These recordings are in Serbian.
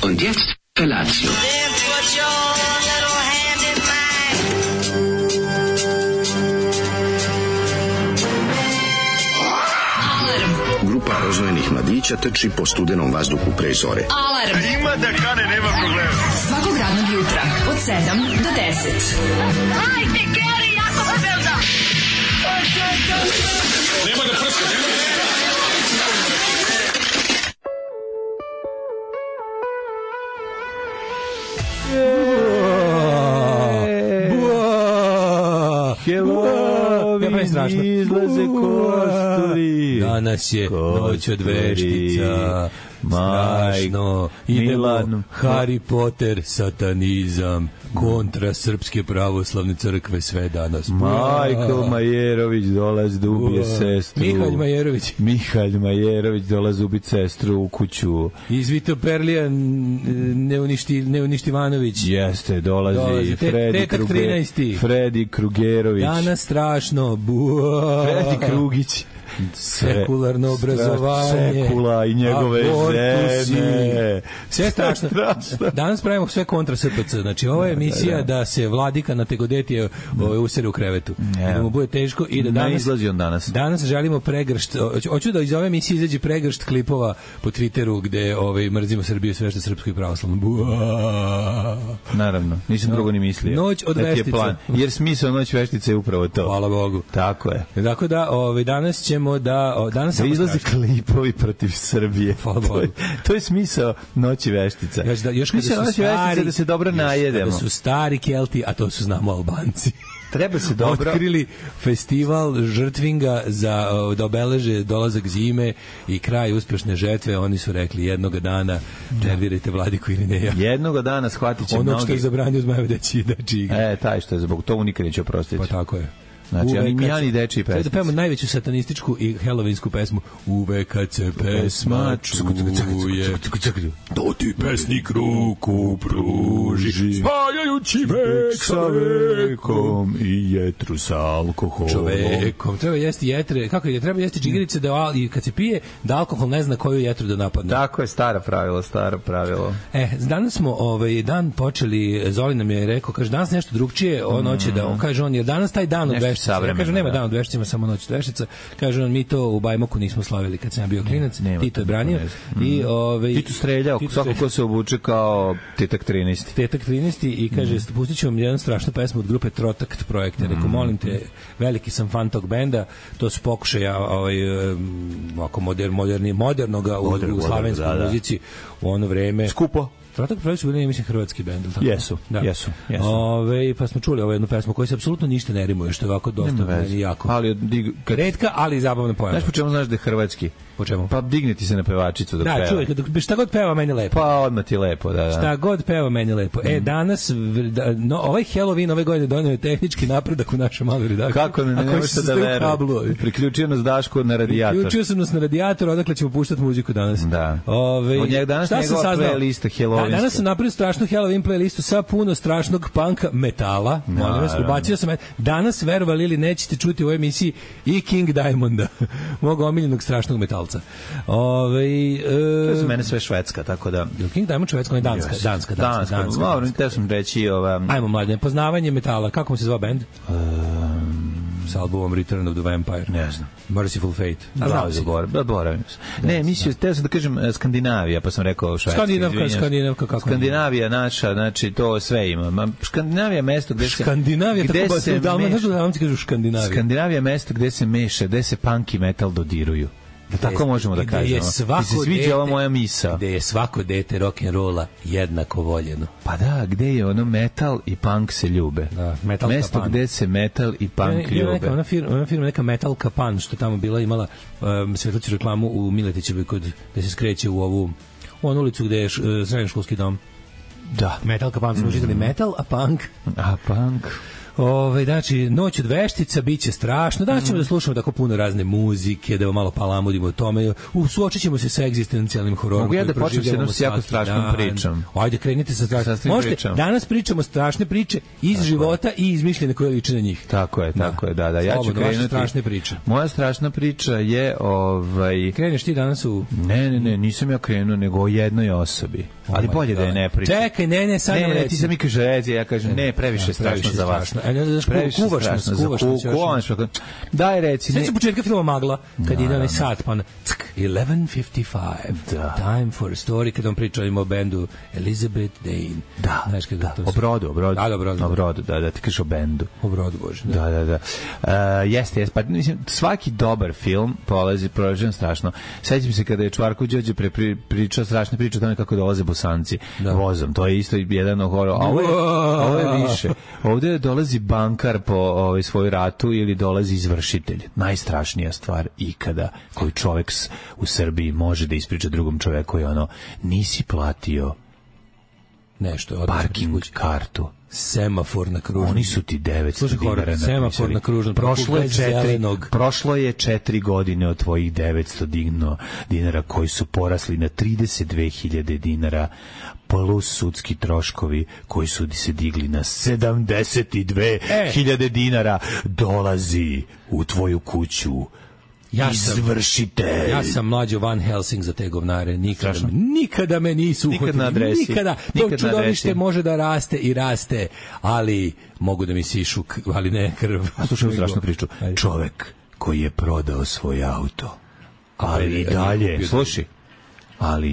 Und jetzt Felatio. Grupa rozvojenih mladića trči po studenom vazduhu pre zore. Alarm! Ima da kane, nema problema. Svakog radnog jutra, od 7 do 10. Hajde, Geri, jako se velda! Nema da prska, nema da... Izlaze kosturi. Danas je noć od veštica. Strašno. Idemo Harry Potter, satanizam, kontra Srpske pravoslavne crkve, sve danas. Majko Majerović dolazi da ubije sestru. Mihalj Majerović dolazi ubiti sestru u kuću. Iz Vitoperlija Neuništivanović. Jeste, dolazi Fredi Krugerović. Danas strašno. Fredi Krugić. Sekularno obrazovanje, Sekula i njegove žene. Sve strašno. Danas pravimo sve kontra SPC. Znači, ovo je emisija da se vladika na Tegodetije usere u krevetu. Da mu bude teško i da danas... Ne izlazi on danas. Danas želimo pregršt... Hoću da iz ove emisije izađe pregršt klipova po Twitteru gde mrzimo Srbiju sve što je srpsko i pravoslavno. Naravno. Nisam drugo ni mislio. Noć od veštica. Jer smisao noć veštice je upravo to. Hvala Bogu. Tako je. Tako da danas ćemo danas izlaze klipovi protiv Srbije. To je smisao noći veštica. Još kada su stari, da se dobro najedemo. Kada su stari Kelti, a to su znamo Albanci. Treba se dobro otkrili festival žrtvinga za da obeleže dolazak zime i kraj uspešne žetve. Oni su rekli jednog dana nervirajte vladiku ili ne ja. Jednog dana shvatit će mnogi. Ono što je zabranio Zmajev deći. Taj što je zbog toga nikad neće oprostiti. Pa tako je. Znači, Jani dečiji pesmici. Da pevamo najveću satanističku i helovinsku pesmu. Uvek kad se pesma čuje, to ti pesnik ruku pruži, spajajući vek sa vekom i jetru sa alkoholom. Čovekom. Treba jesti jetre. Kako je? Treba jesti džigerice i kad se pije, da alkohol ne zna koju jetru da napadne. Tako je, staro pravilo. Danas smo dan počeli, Zoli nam je rekao, kaže, danas nešto drugčije, on hoće da, on kaže, on je danas taj dan od veštica. Ja kažem, nema dan od veštica, samo noć od veštica. Kaže on, mi to u Bajmoku nismo slavili kad sam ja bio klinac. Tito je branio. Tito streljao, svako ko se obuče kao Tetak 13. Tetak 13 i kaže, pustit ću vam jednu strašnu pesmu od grupe Trotakt projekta. Rekao, molim te, veliki sam fan tog benda, to su pokušaja modernoga u slavenskoj muzici u ono vreme. Skupo. Trotak projekt su bili, mislim, hrvatski bend. Jesu. Pa smo čuli jednu pesmu koja se apsolutno ništa ne rimuje, što je ovako dosta meni jako. Retka, ali zabavna pojava. Znaš po čemu znaš da je hrvatski? Po čemu? Pa digniti se na pevačicu dok peva. Da, čuvaj, šta god peva meni lepo. Pa odmah ti lepo, da. Šta god peva meni lepo. Danas, ovaj Halloween ove godine donio je tehnički napredak u našem malu redakciju. Kako ne možete da verujem. Priključio nas Daško na radijator. Priključio sam nas na radijator, odakle ćemo puštati muziku danas. Da. Od njega danas njegova playlista Halloween. Danas sam napravio strašnu Halloween playlistu sa puno strašnog punka metala. Ubacio sam. Danas, verovali ili nećete čuti u ovoj emisiji i King Diamonda, mog omiljenog strašnog metalca. To je za mene sve švedska, tako da... King Diamond švedska, on je danska. Dobro, te sam reći... Ajmo, mladine, poznavanje metala. Kako mu se zvao band? S albumom Return of the Vampire. Ne znam. Merciful Fate. Zaboravim se. Ne, mislio, teo sam da kažem Skandinavija, pa sam rekao švedska. Skandinavka, kako? Skandinavija naša, znači to sve ima. Skandinavija je mesto gde se... Skandinavija je mesto gde se meša, gde se punk i metal dodiruju. Da tako možemo da kažemo. Ti se sviđa ova moja misa. Gde je svako dete rock'n'rolla jednako voljeno. Pa da, gde je ono metal i punk se ljube. Da, mesto gde se metal i punk ljube. Ona firma neka Metal Kapan, što tamo bila, imala svetlaću reklamu u Miletićevoj, gde se skreće u onu ulicu gde je srednjoškolski dom. Da. Metal Kapan, smo žitali metal, a punk. Znači, noć od veštica biće strašno. Danas ćemo da slušamo tako puno razne muzike, da malo palamudimo o tome. Suočit ćemo se sa egzistencijalnim hororom. Mogu ja da počnem s jednom jako strašnom pričom? Ajde, krenite sa strašnim. Možete, danas pričamo strašne priče iz života i izmišljene koje liče na njih. Tako je, da. Ja ću krenuti. Strašne priče. Moja strašna priča je... Kreneš ti danas u... Ne, nisam ja krenuo, nego o jednoj osobi. Ali bolje da je ne pričam. Čekaj, ne, sad nam reci. Ti sam mi kaže, reci, ja kažem, ne, previše strašno za vas. Previše strašno. Daj, reci. Sveći početka filma Magla, kad ide onaj sat, pa 11:55, time for a story, kad on priča o bendu Elizabeth Dane. Da, o brodu. Da, ti kažeš o bendu. O brodu, Bože. Da. Jeste, pa mislim, svaki dobar film prolazi strašno. Sećam se kada je Čvarko Đorđe pričao strašne priče o tome kako dolaze Bosanci vozom. To je isto jedan horor. A ovo je više. Ovdje dolazi bankar po svoju ratu ili dolazi izvršitelj. Najstrašnija stvar ikada koju čovjek u Srbiji može da ispriča drugom čoveku je ono, nisi platio nešto, parking kartu. Semafor na kružnom. Oni su ti 900 dinara napisali. Semafor na kružnom. Prošlo je 4 godine od tvojih 900 dinara koji su porasli na 32.000 dinara plus sudski troškovi koji su se digli na 72.000 dinara. Dolazi u tvoju kuću. Izvršite. Ja sam mlađo Van Helsing za te govnare. Nikada me nisu uhvatili. Nikada. To čudovište može da raste i raste, ali mogu da mi sišu, ali ne krv. A slušaj strašnu priču. Čovek koji je prodao svoj auto, ali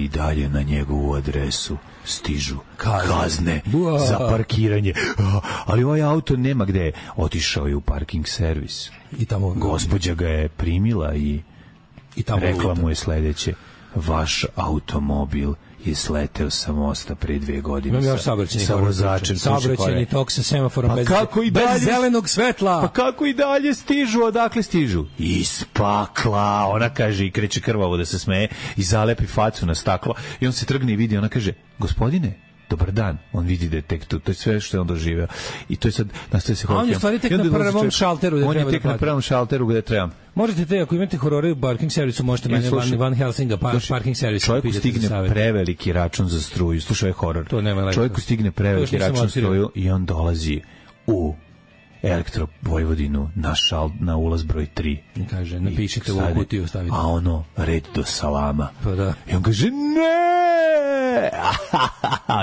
i dalje na njegovu adresu stižu kazne za parkiranje. Ali ovaj auto nema gde. Otišao je u parking servis. I tamo gospođa ga je primila i rekla mu je sledeće: vaš automobil je sleteo sa mosta pre 2 godine. Imam još saobraćajni tok sa semaforom bez zelenog svetla. Pa kako i dalje stižu? Odakle stižu? Iz pakla. Ona kaže i kreće krvavo da se smeje i zalepi facu na staklo i on se trgne i vidi, ona kaže: gospodine, dobar dan. On vidi da je tek tu. To je sve što je on doživeo. I to je sad nastaje se horor. On je stvari tek na prvom šalteru gde treba. On je tek na prvom šalteru gde treba. Možete te, ako imate horore u parking servisu, možete mene Van Helsinga parking servisu. Čovjeku stigne preveliki račun za struju. Slušaj, horor. Čovjeku stigne preveliki račun za struju i on dolazi u Elektro Vojvodinu na ulaz broj 3. I kaže, napišite u kutiju, stavite. A ono, red do salama. Pa da. I on kaže, ne!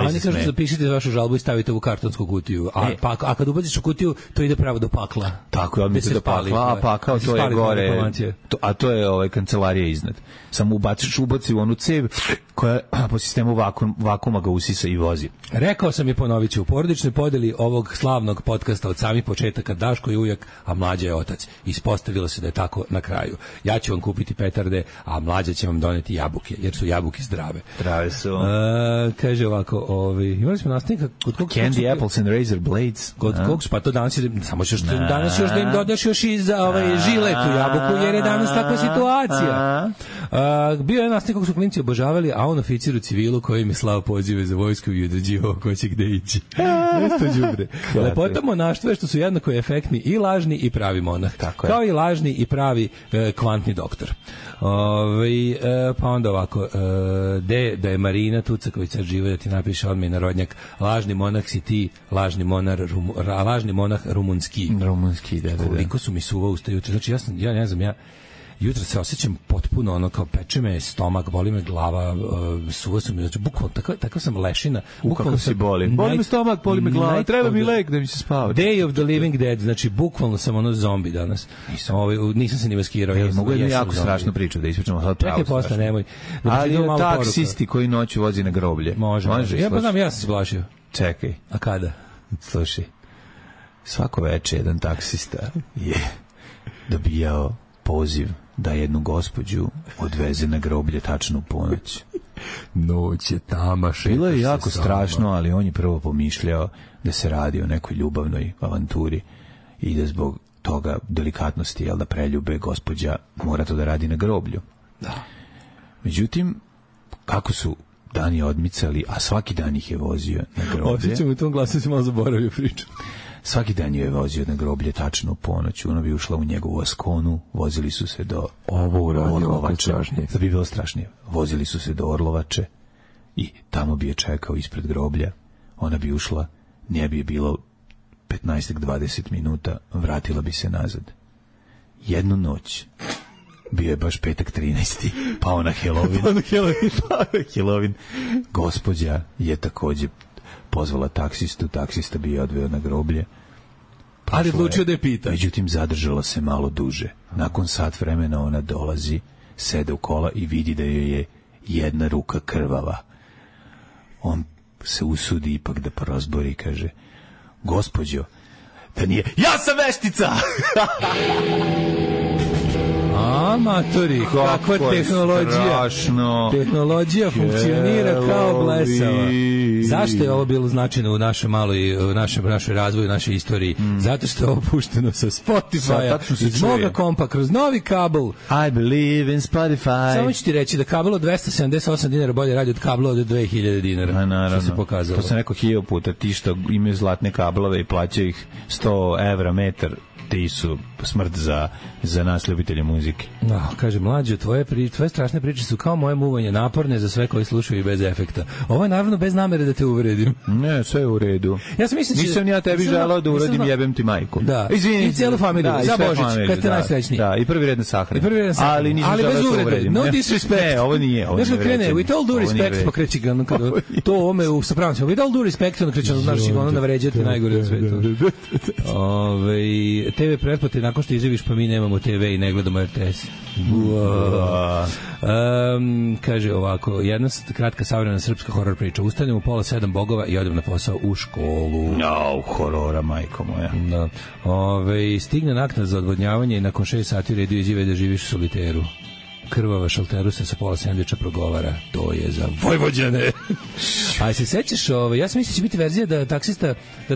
Oni kažu, zapišite vašu žalbu i stavite u kartonsku kutiju. A kad ubaciš u kutiju, to ide pravo do pakla. Tako je, odmite do pakla, a pakao to je gore. A to je kancelarija iznad. Samo ubaci u onu cev koja po sistemu vakuma ga usisa i vozi. Rekao sam i ponovit ću, u porodičnoj podeli ovog slavnog podcasta od samih početaka Daško je ujak, a Mlađa je otac. Ispostavilo se da je tako na kraju. Ja ću vam kupiti petarde, a Mlađa će vam doneti jabuke, jer su jabuke zdrave. Zdrave su. Kaže ovako, imali smo nastavnika kod kog Candy Apples and Razor Blades. Kod kog pa to danas samo ćeš danas još da im dodaš još i za žiletu jabuku, jer je danas takva situacija. Bio je nastavnik kog su klinci obožavali, a on oficir u civilu koji mi slao pozive za vojsku i određivao ko će gde ići. Nesto đubre. Lepota monaštva je što su jednako efektni i lažni i pravi monah. Kao i lažni i pravi kvantni doktor. Pa onda ovako, da je Marina Tucaković sad živo, da ti napiše odmah narodnjak: lažni monah si ti, lažni monah rumunski. Rumunski, da. Koliko su mi suva usta juče. Znači, ja ne znam, jutro se osjećam potpuno kao peče me stomak, boli me glava, suva su mi, znači bukvalno takav sam lešina. Kako si boli? Boli me stomak, boli me glava, treba mi lek da mi se spava. Day of the Living Dead, znači bukvalno sam zombi danas. Nisam se ni maskirao. Mogu jednu jako strašnu priču da ispričamo sad pravo. Čekaj, posle, nemoj. Ali taksisti koji noću vozi na groblje. Može. Ja pa znam, ja sam se plašio. Čekaj. A kada? Slušaj, svako veče jedan taksista je dobijao poziv da jednu gospođu odveze na groblje tačno u ponoć. Noć je tama, bilo je jako strašno, ali on je prvo pomišljao da se radi o nekoj ljubavnoj avanturi i da zbog toga delikatnosti, da preljube gospođa mora to da radi na groblju. Da. Međutim, kako su dani odmicali, a svaki dan ih je vozio na groblje. Osjećam u tom glasu, si malo zaboravio priču. Svaki dan je vozio na groblje tačno u ponoć. Ona bi ušla u njegovu Askonu, vozili su se do Orlovače. Da bi bilo strašnije. Vozili su se do Orlovače i tamo bi je čekao ispred groblja. Ona bi ušla, nje bi je bilo 15-20 minuta, vratila bi se nazad. Jednu noć Bio je baš petak 13. Pao na Halloween. Gospođa je takođe pozvala taksistu, taksista bi je odveo na groblje. Ali odlučio da je pita. Međutim, zadržala se malo duže. Nakon sat vremena ona dolazi, sede u kola i vidi da joj je jedna ruka krvava. On se usudi ipak da porozbori i kaže: gospođo, da nije... Ja sam veštica! Matori, kakva tehnologija. Strašno. Tehnologija funkcionira kao blesava. Zašto je ovo bilo značajno u našoj maloj, u našoj razvoju, našoj istoriji? Zato što je ovo pušteno sa Spotify-a, iz moga kompa, kroz novi kabel. I believe in Spotify. Samo ću ti reći da kabel od 278 dinara bolje radi od kabla od 2000 dinara. Naravno. Što se pokazalo. To sam rekao 1000 puta. Ti što imaju zlatne kablove i plaćaju ih 100 evra metar, ti su smrt za nas ljubitelje muzike. No, kaže, mlađo, tvoje strašne priče su kao moje muvanje, naporne za sve koji slušaju i bez efekta. Ovo je naravno bez namere da te uvredim. Ne, sve je u redu. Ja sam mislim, nisam ja tebi želao da uradim, jebem ti majku. Da. Izvini. I cijelu familiju, za Božić, kad ste najsrećniji. Da, i prvi red na sahrani. Ali nisam želao da te uvredim. No disrespect. Ne, ovo nije. Znaš kad krene, with all due respect, pa kreći ga, to ome u sapravnicima, with all due respect, ono kreće, znaš, ono navređati najgore u svetu. TV pretplate, nakon što izjaviš, pa mi nemamo TV i ne gledamo RTS. Kaže ovako, jedna kratka savremena srpska horor priča. Ustanem u 6:30 bogova i odem na posao u školu. No, horora, majko moja. Da. Stigne naknad za odvodnjavanje i nakon 6 sati u redu izjave da živiš u soliteru. Krvava šalteru se sa pola sendviča progovara: to je za Vojvođane. A se sećaš, ja sam mislio će biti verzija da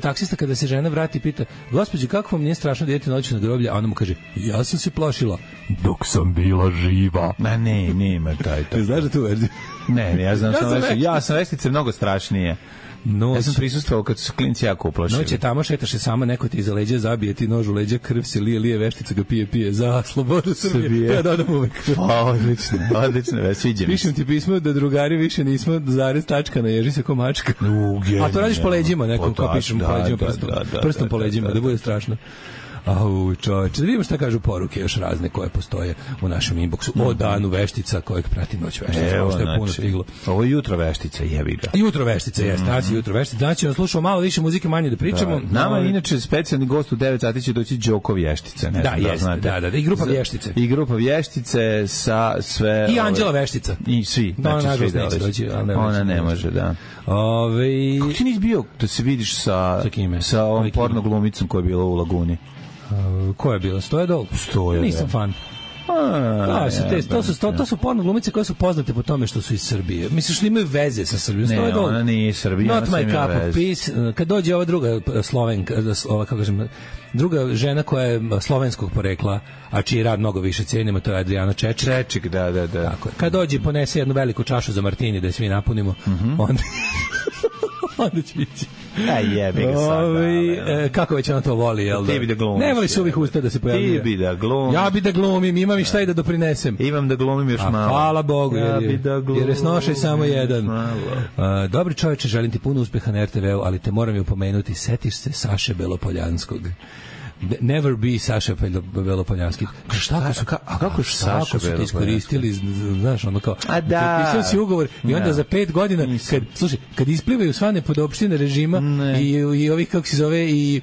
taksista kada se žena vrati pita: gospođo, kako vam nije strašno da idete noću na groblje? A ona mu kaže: ja sam se plašila dok sam bila živa. Ne, nema taj. Znaš da tu verziju? Ne, ja znam ja sam vestice mnogo strašnije. Ja sam prisustvovao kad su klinci jako uplašili. Noće tamo šetaš se sama, neko ti iza leđa zabije ti nož u leđa, krv se lije, veštica ga pije za slobodu Srbije. Ja dodam uvek. Odlično, već sviđa mi. Pišem ti pismo da drugari više nismo zarez tačka, naježi se ko mačka. A to radiš po leđima, nekom kao pišem po leđima prstom po leđima, da bude strašno. Čoveče, da vidimo šta kažu poruke još razne koje postoje u našem inboxu o danu veštica kojeg prati noć veštica. Ovo što je puno stiglo. Ovo je jutro veštica, jebi ga. Jutro veštica, jeste. Danas je jutro veštica. Danas ćemo slušati malo više muzike, manje da pričamo. Nama je inače specijalni gost u 9 sati će doći Đoko Vještice. Da, jeste. Da. I grupa Vještice. I grupa Vještice sa sve... I Anđela Veštica. I svi. Ona ne može, da. Kako ti nisi bio da se vidiš sa ovom porno glumicom koja je bila u Laguni? Ko je bilo? Stojedol? Nisam fan. To su porno glumice koje su poznate po tome što su iz Srbije. Misliš da imaju veze sa Srbijom? Ne, ona nije iz Srbije. Not my cup of peace. Kad dođe ova druga Slovenka, kako kažem, druga žena koja je slovenskog porekla, a čiji rad mnogo više cijenimo, to je Adriana Čečik. Čečik, da. Tako je. Kad dođe ponese jednu veliku čašu za martini da je svi napunimo, onda će ići. Jebi ga sad. Kako već ona to voli, jel da? Ti bi da glumiš. Ne voli se uvijek usta da se pojavljuje. Ti bi da glumiš. Ja bi da glumim, imam i šta i da doprinesem. Imam da glumim još malo. Hvala Bogu, jer je snošaj samo jedan. Dobri čoveče, želim ti puno uspeha na RTV-u, ali te moram i upomenuti, setiš se Saše Belopoljanskog. Never be Saša Belopoljanski. Kako su Saša su iskoristili, znaš, ono kao potpisao si ugovor i onda za 5 godina kad isplivaju sva nepodopštine režima i ovih, kako se zove, i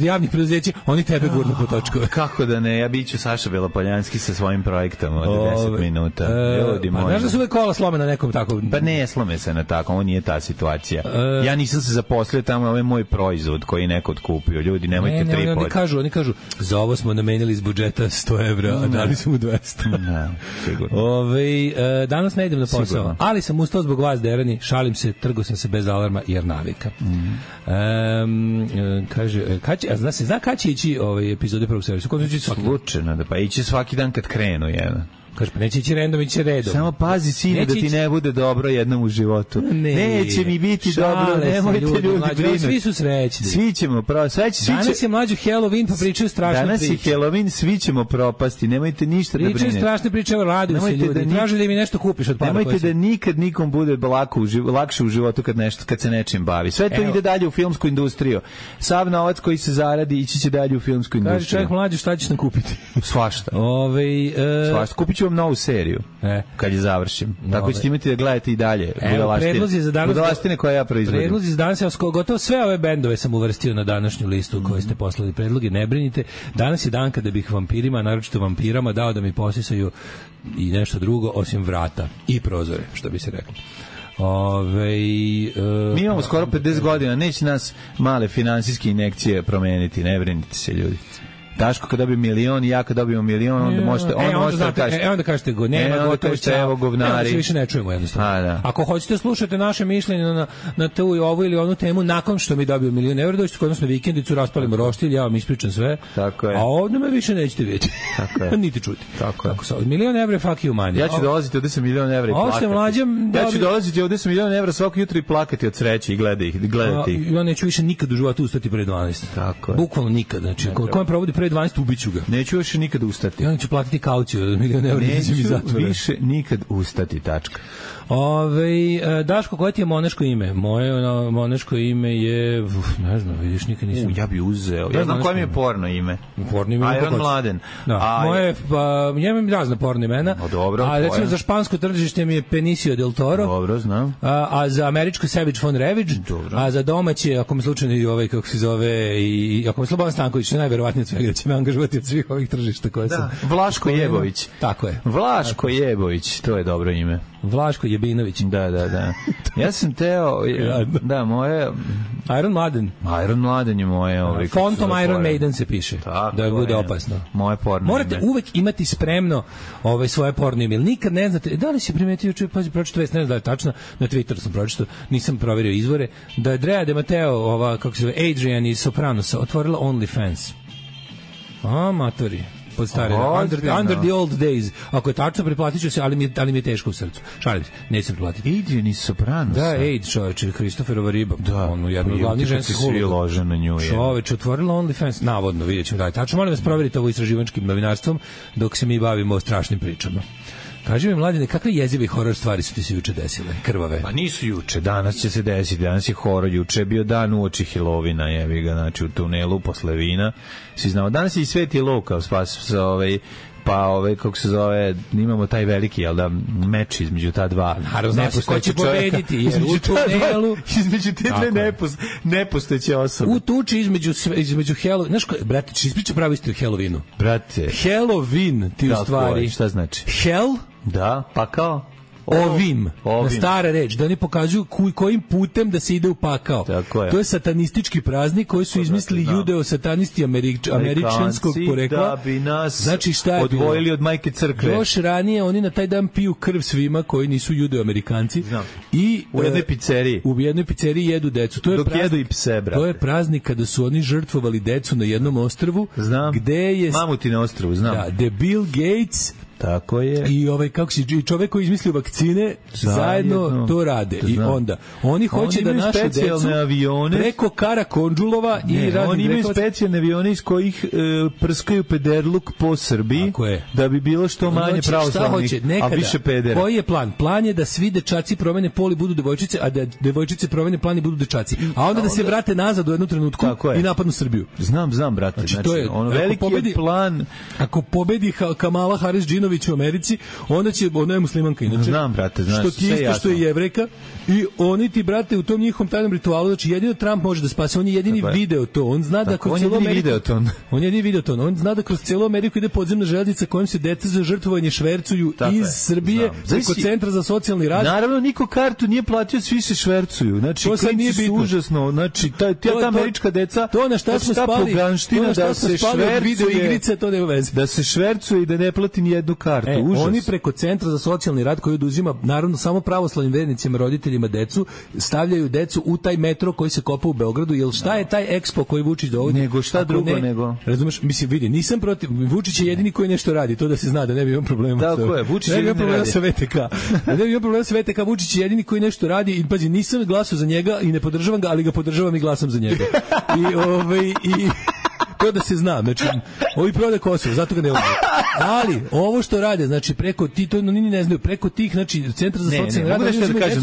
javnih preduzeća, oni tebe gurnu po točkove. Kako da ne, ja biću Saša Belopoljanski sa svojim projektom od 10 minuta. Znaš da su uvek kola slome na nekom tako? Pa ne slome se na tako, ovo nije ta situacija. Ja nisam se zaposlio tamo, ovo je moj proizvod koji neko otkupio. Ljudi, nemojte tri. Oni kažu, za ovo smo namenili iz budžeta 100 evra, a dali su mu 200. Ne, sigurno. Danas ne idem na posao, sigurno. Ali sam ustao zbog vas, derani, šalim se, trgo sam se bez alarma, jer navika. Kaže, zna kada će ići epizode prvog servisa? Slučajno, pa ići svaki dan kad krenu, jedan. Kaže, pa neće ići random, ići redom. Samo pazi, sine, da ti ne bude dobro jednom u životu. Neće mi biti dobro, nemojte ljudi brinuti. Svi su srećni. Svi ćemo propasti. Danas je mlađu Halloween, pa pričaju strašne priče. Danas je Halloween, svi ćemo propasti, nemojte ništa da brinete. Pričaju strašne priče, evo raduju se ljudi. Traže da mi nešto kupiš od para. Nemojte da nikad nikom bude lakše u životu kad se nečim bavi. Sve to ide dalje u filmsku industriju. Sav novac koji se zaradi ići će dalje u filmsku industriju. Kaže čovjek mlađu, šta ćeš nam kupiti? Svašta. Svašta. Kupit ću vam novu seriju kad je završim. Tako ćete imati da gledate i dalje. Budalaštine koje ja proizvodim. Predlozi za danas, gotovo sve ove bendove sam uvrstio na današnju listu koje ste poslali predloge. Ne brinite, danas je dan kada bih vampirima, naročito vampirama, dao da mi posisaju i nešto drugo osim vrata i prozore, što bi se reklo. Mi imamo skoro 50 godina, neće nas male finansijske injekcije promeniti, ne brinite se ljudi. Daško kad dobije milion i ja kad dobijemo milion, onda možete da kažete. Onda kažete go, nema gotovo, evo govnari. Se više ne čujemo jednostavno. Ako hoćete slušati naše mišljenje na tu i ovu ili onu temu, nakon što mi dobiju milion evra, dođete kod nas na vikendicu, raspalimo roštilj, ja vam ispričam sve. Tako je. A ovdje me više nećete vidjeti. Tako je. Niti čuti. Tako je. Milion evra je fuck you money. Ja ću dolaziti ovdje sa milion evra i plakati. Ja ću dolaziti ovdje sa milion evra svako jutro i plakati od sreće i gledati ih. Ja neću više nikad u životu ustati pre 12. Tako je. Bukvalno nikad. Znači, ko me provodi pre 12, ubiću ga. Neću više nikad ustati. Ja ću platiti kauciju od milion evra. Neću više nikad ustati, tačka. Daško, koje ti je moneško ime? Moje moneško ime je, ne znam, vidiš, nikad nisam. Ja bi uzeo. Ja znam koje mi je porno ime. Porno ime. Iron Mladen. Da. Moje, njemam razne porno imena. Dobro. A recimo za špansko tržište mi je Benicio del Toro. Dobro, znam. A za američko Savage von Ravage. Dobro. A za domaće, ako me slučajno kako se zove, i ako me Slobodan Stanković, što je najverovatnije od svega da će me angažovati od svih ovih tržišta koje sam. Vlaško Jebović. Tako je. Vlaško Jebović, to je dobro ime. Vlaško Jebinović. Da. Ja sam teo, moje... Iron Mladen. Iron Mladen je moje... Fontom Iron Maiden se piše. Tako da bude opasno. Moje porno morate ime. Uvek imati spremno svoje porno ime. Nikad ne znate, da li si primetio, pročito već, ne znam da je tačno, na Twitteru sam pročito, nisam proverio izvore, da je Drea de Matteo, kako se zove, Adrian iz Sopranosa, otvorila OnlyFans. Matori. Pod stare, under the old days. Ako je tačno, preplatit ću se, ali mi je teško u srcu. Šalim se, nećem preplatiti. Adrian iz Sopranosa. Da, čoveče, Kristoferova riba. Da, ono, jedno od glavnih ženskih uloga. Čoveče, otvorila OnlyFans, navodno, vidjet ćemo da je tačno. Molim vas, provjerite ovo istraživačkim novinarstvom dok se mi bavimo o strašnim pričama. Kaži mi, Mladine, kakve jezive horor stvari su ti se juče desile, krvave? Pa nisu juče, danas će se desiti, danas je horor, juče je bio dan uoči Helovina, jevi ga, znači u tunelu posle vina, svi znamo, danas je i Sveti Luka, kako se zove, imamo taj veliki, meč između ta dva. Naravno, ko će pobediti, jer u tunelu... Između te dve nepostojeće osobe. U tuči između Halloween... Znaš, brate, či ispriča pravi isto o Halloweenu. Brate. Halloween, ti u stvari... Šta znači? Hell? Da, pakao. Ovim. Na stara reč, da oni pokazuju kojim putem da se ide u pakao. To je satanistički praznik koji su izmislili judeo-satanisti američanskog porekla. Da bi nas znači, odvojili od majke crkve. Još ranije oni na taj dan piju krv svima koji nisu judeo-amerikanci. I u jednoj pizzeriji. U jednoj pizzeriji jedu decu. Dok jedu i pse, brate. To je praznik kada su oni žrtvovali decu na jednom ostrvu. Znam. Mamuti na ostrvu, znam. Da, the Bill Gates... Tako je. I čovjek koji izmislio vakcine zajedno to rade. I onda oni hoće da naše decu avione, preko Karakondžulova oni imaju specijalne avione iz kojih prskaju pederluk po Srbiji da bi bilo što manje pravoslavnih, a više pedera. Koji je plan? Plan je da svi dečaci promene pol i budu devojčice, a da devojčice promene plan i budu dečaci. A onda da se vrate nazad u jednu trenutku i napadnu Srbiju. Znam, brate. Znači, ono veliki je plan. Ako pobedi Kamala Harris u Americi, onda će, ona je muslimanka inače. Znam, brate, što ti isto što je Jevrejka i oni ti, brate, u tom njihovom tajnom ritualu, znači jedino Trump može da spase, on je jedini video to, on zna da kroz cijelu Ameriku, on zna da kroz cijelu Ameriku ide podzemna železnica kojom se deca za žrtvovanje švercuju iz Srbije preko centra za socijalni rad. Naravno, niko kartu nije platio, svi se švercuju. Znači, to sad nije bitno. Užasno. Znači, ta američka deca, to na šta smo spali, da se švercuje, video igrice, to nema veze. Da se švercuje i da ne plati ni jednu tu kartu, užas. Oni preko Centra za socijalni rad koji oduzima, naravno, samo pravoslavnim vernicima, roditeljima decu, stavljaju decu u taj metro koji se kopa u Beogradu, jer šta je taj Expo koji Vučić dovodi? Nego šta drugo nego? Razumeš, mislim, vidi, nisam protiv, Vučić je jedini koji nešto radi, to da se zna, da ne bi imao problema. Tako je, Vučić ne bi jedini radi. Sa VTK. Ne bi imao problema sa VTK, Vučić je jedini koji nešto radi i pazi, nisam glasao za njega i ne podržavam ga, ali ga podržavam i glasam za njega. I to da se zna, znači, ovi prode Kosovo, zato ga ne ovdje. Ali, ovo što rade, znači, preko ti, to ni ne znaju, preko tih, znači, Centra za socijalni rad,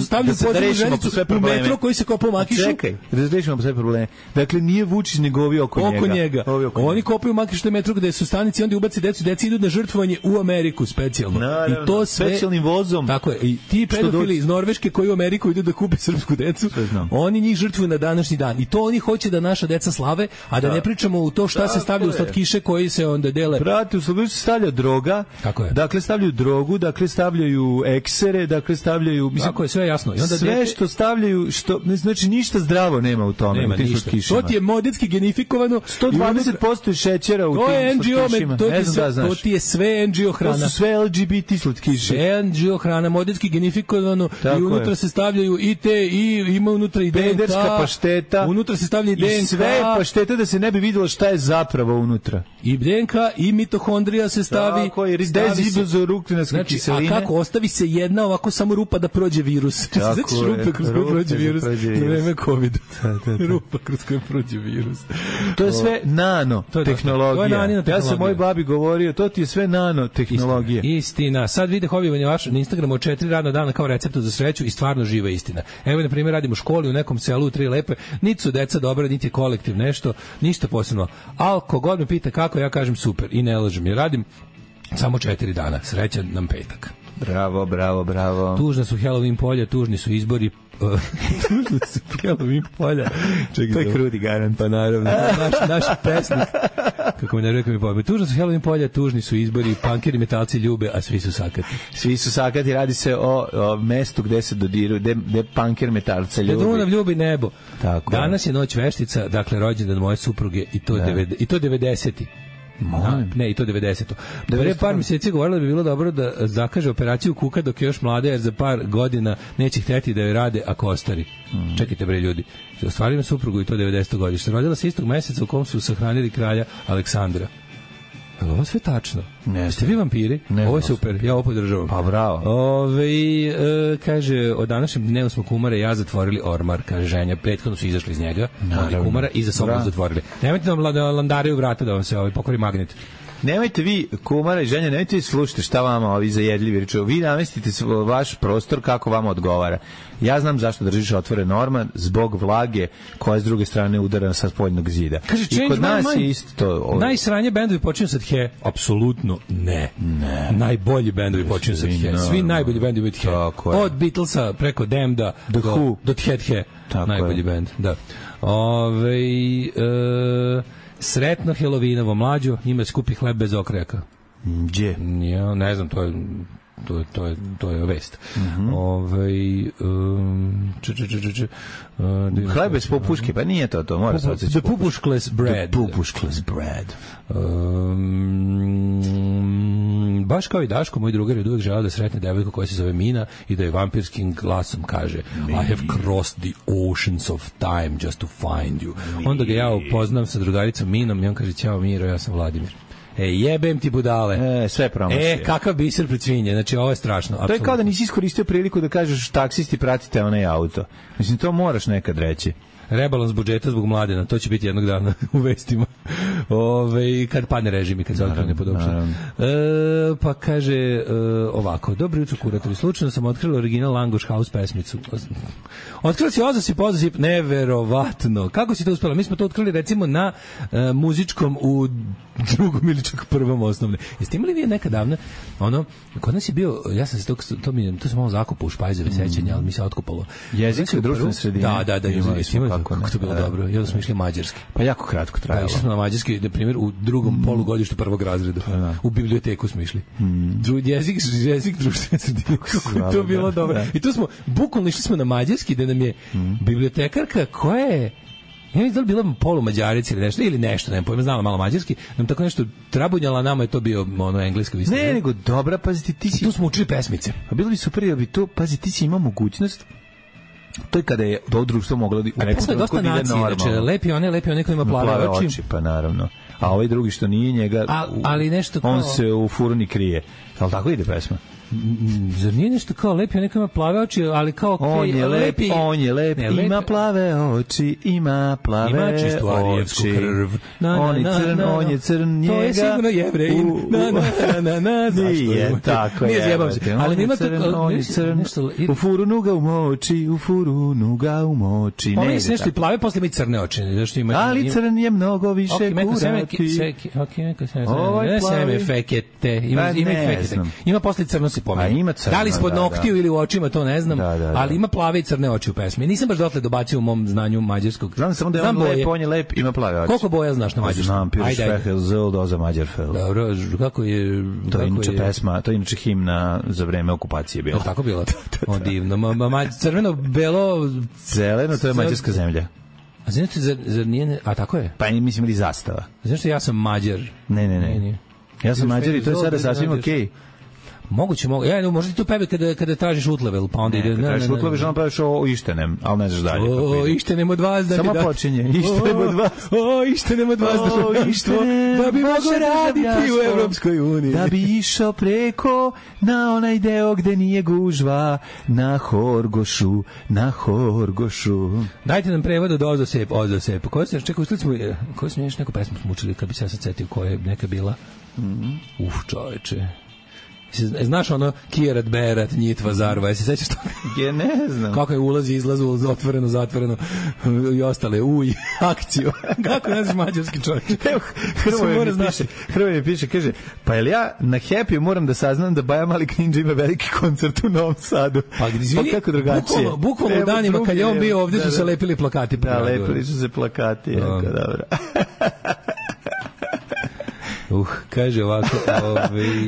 stavljaju podzemnu ženicu u metro koji se kopa u Makišu. Čekaj, razrešimo sve probleme. Dakle, nije Vučić nego ovi oko njega. Oni kopaju u Makišu metro gde su stanici, onda ubaci decu, deci idu na žrtvovanje u Ameriku specijalno. I to sve specijalnim vozom. Tako je, i ti pedofili iz Norveške koji u Ameriku idu da kupe srpsku decu, oni njih žrtvuju na današnji dan. I to oni hoće da naša deca slave, a da ne pričamo u to šta se stavlja u slatkiše koji se onda dele. Brate, u slatkiše se stavlja droga. Tako je. Dakle, stavljaju drogu, dakle, stavljaju eksere, dakle, stavljaju... Mislim, tako je, sve jasno. I onda sve što stavljaju, znači ništa zdravo nema u tome. Nema ništa. To ti je modetski genifikovano. 120% je šećera u tim slatkišima. To ti je sve NGO hrana. To su sve LGBT slatkiše. Sve NGO hrana, modetski genifikovano. Tako i unutra se stavljaju i te, i ima unutra i DNK. Pederska pašteta. Unutra se stavlja i DNK. I sve paštete da se ne bi vidjelo šta je zapravo unutra. I DNK i mitohondrija se stavi. Tako je, dezibozoruktinarske kiseline. A kako, ostavi se jedna ovako samo rupa da prođe virus. Znači rupa kroz koju prođe virus za vreme COVID. Rupa kroz koju prođe virus. To je sve nanotehnologija. Ja sam moj babi govorio, to ti je sve nanotehnologija. Istina. Sad vide hobijevanje vaše na Instagramu od 4 radna dana kao receptu za sreću i stvarno živa istina. Evo, na primjer, radimo u školi u nekom selu u 3 lepe, niti su deca dobra, niti je kolektiv nešto, ništa posebno. Ali kogod me pita kako, ja kažem super i ne lažem. Ja radim samo 4 dana. Srećan nam petak. Bravo, bravo, bravo. Tužna su Halloween polja, tužni su izbori. Tužni su Halloween polja. Čekaj, to je krudi garant. Pa naravno, naš pesnik. Kako me ne rekao mi pojme. Tužna su Halloween polja, tužni su izbori, punkeri metalci ljube, a svi su sakati. Svi su sakati, radi se o mestu gde se dodiruju, gde punker metalca ljubi. Dunav ljubi nebo. Tako. Danas je noć veštica, dakle rođendan moje supruge i to 90-ti. Ne, i to 90-to. Pre par mjeseci govorila da bi bilo dobro da zakaže operaciju kuka dok je još mlada, jer za par godina neće hteti da joj rade ako ostari. Čekajte bre ljudi. Ostvarila suprugu i to 90. godište. Rodila se istog meseca u kom su sahranili kralja Aleksandra. Ovo sve tačno. Jeste vi vampiri? Ovo je super, ja ovo podržavam. Pa bravo. Kaže, od današnjem dnevu smo kumare ja zatvorili ormar, kaže ženja. Prethodno su izašli iz njega, ali kumara i za sobom zatvorili. Nemojte nam landaraju vrata da vam se pokori magnet. Nemojte vi, kumara i ženja, nemojte vi slušati šta vama ovi zajedljivi reču. Vi namestite vaš prostor kako vama odgovara. Ja znam zašto držiš otvoren orman, zbog vlage koja s druge strane udara sa spoljnog zida. Kaže, i kod nas je isto to. Najsranje bendovi počinju sad he? Apsolutno ne. Najbolji bendovi počinju sad he. Svi najbolji bendovi od he. Od Beatlesa preko Damneda do He. Najbolji bend, da. Sretno Helovinovo mlađo, ima skupi hleb bez okrajaka. Gdje? Ja ne znam, to je vest. Hleb bez popuške, pa nije to, mora se odsjeći. The pupuškles bread. The pupuškles bread. Baš kao i Daško, moj drugar je uvijek želeo da sretne devojku koja se zove Mina i da je vampirskim glasom kaže I have crossed the oceans of time just to find you. Onda ga ja upoznam sa drugaricom Minom i on kaže, ćao Miro, ja sam Vladimir. Jebem ti budale. Sve promašio. Kakav biser pred svinje. Znači, ovo je strašno. To je kao da nisi iskoristio priliku da kažeš taksisti pratite onaj auto. Mislim, to moraš nekad reći. Rebalans budžeta zbog Mladena, to će biti jednog dana u vestima. Kad padne režim i kad se otkrene podobšan. Pa kaže ovako, dobro jutro kuratori, slučajno sam otkrila original Langoš House pesmicu. Otkrila si Ozasip, neverovatno. Kako si to uspela? Mi smo to otkrili recimo na muzičkom u drugom ili čak prvom osnovne. Jeste imali vi nekad davno, kod nas je bio, ja sam se to sam malo zakopao u špajzove sećanja, ali mi se otkopalo. Jezik u društvenoj sredini. Da, imali kako to bilo dobro. I onda smo išli mađarski. Pa jako kratko trajalo. Išli smo na mađarski, na primjer, u drugom polugodištu prvog razreda. U biblioteku smo išli. Jezik društvene sredine. Kako to bilo dobro. I tu smo, bukvalno išli smo na mađarski, da nam je bibliotekarka koja je Ja mislim da li bila polumađarica ili nešto, ne pojma, znala malo mađarski, nam tako nešto trabunjala, nama je to bio englesko visno. Ne, nego dobra, pazi ti si... Tu smo učili pesmice. A bilo bi super, jer bi to, pazi, ti si imao mogućnost. To je kada je to društvo moglo da u nekom trenutku da ide normalno. Znači, lepi one koji ima plave oči. Pa naravno. A ovaj drugi što nije njega, ali nešto kao... on se u furuni krije. Ali tako ide pesma? Zar nije nešto kao lepi, neko ima plave oči, ali kao... On je lep, ima plave oči, ima čistu arijevsku krv. On je crn, njega... To je sigurno Jevrein. Nije, tako je. Nije zjebam se. Ali ima on je crn, u furunu ga umoči. On je nešto i plave, posle ima i crne oči. Ali crn je mnogo više kurati. Seme fekete. Ima posle crno se pomeni. Da li ispod noktiju ili u očima, to ne znam, ali ima plave i crne oči u pesmi. Nisam baš dotle dobacio u mom znanju mađarskog. Znam samo da je on lep, ima plave oči. Koliko boja znaš na mađarskom? Znam, Pirš Fehel Zildo za Mađarfel. Dobro, kako je... To je inače pesma, to je inače himna za vreme okupacije bila. Tako bilo? O, divno. Crveno, belo... Zeleno, to je mađarska zemlja. A znači, zar nije... A tako je? Pa mislim ili zastava. Znači, ja sam Mađar. Ne. Ja sam Mađar i to je sada sasvim okej. Moguće. Ja, možda ti tu peve kada tražiš utlevel, pa onda ide... Kada tražiš utlevel, žena praviš o Ištenem, ali ne znaš dalje. O, Ištenem od vas da bi... Samo počinje, Ištenem od vas. O, Ištenem od vas da bi mogo raditi u Evropskoj uniji. Da bi išao preko na onaj deo gde nije gužva, na Horgošu. Dajte nam prevod od Ozosep. Koju smo još neku pesmu učili, kad bi se ja sad setio koja je neka bila? Čoveče. Znaš ono Kirat, Berat, Njitva, Zarva, jesi sećaš toga? Je, ne znam. Kako je ulazi, izlazi, otvoreno, zatvoreno i ostale, akciju. Kako ne znaš mađarski čovjek? Hrvoje mi piše, kaže, pa jel ja na Happy moram da saznam da Baja Mali Kninđa ima veliki koncert u Novom Sadu? Pa kako drugačije? Bukvalno u danima kad je on bio ovdje su se lepili plakati. Da, lepili su se plakati, jako dobro. Kaže ovako,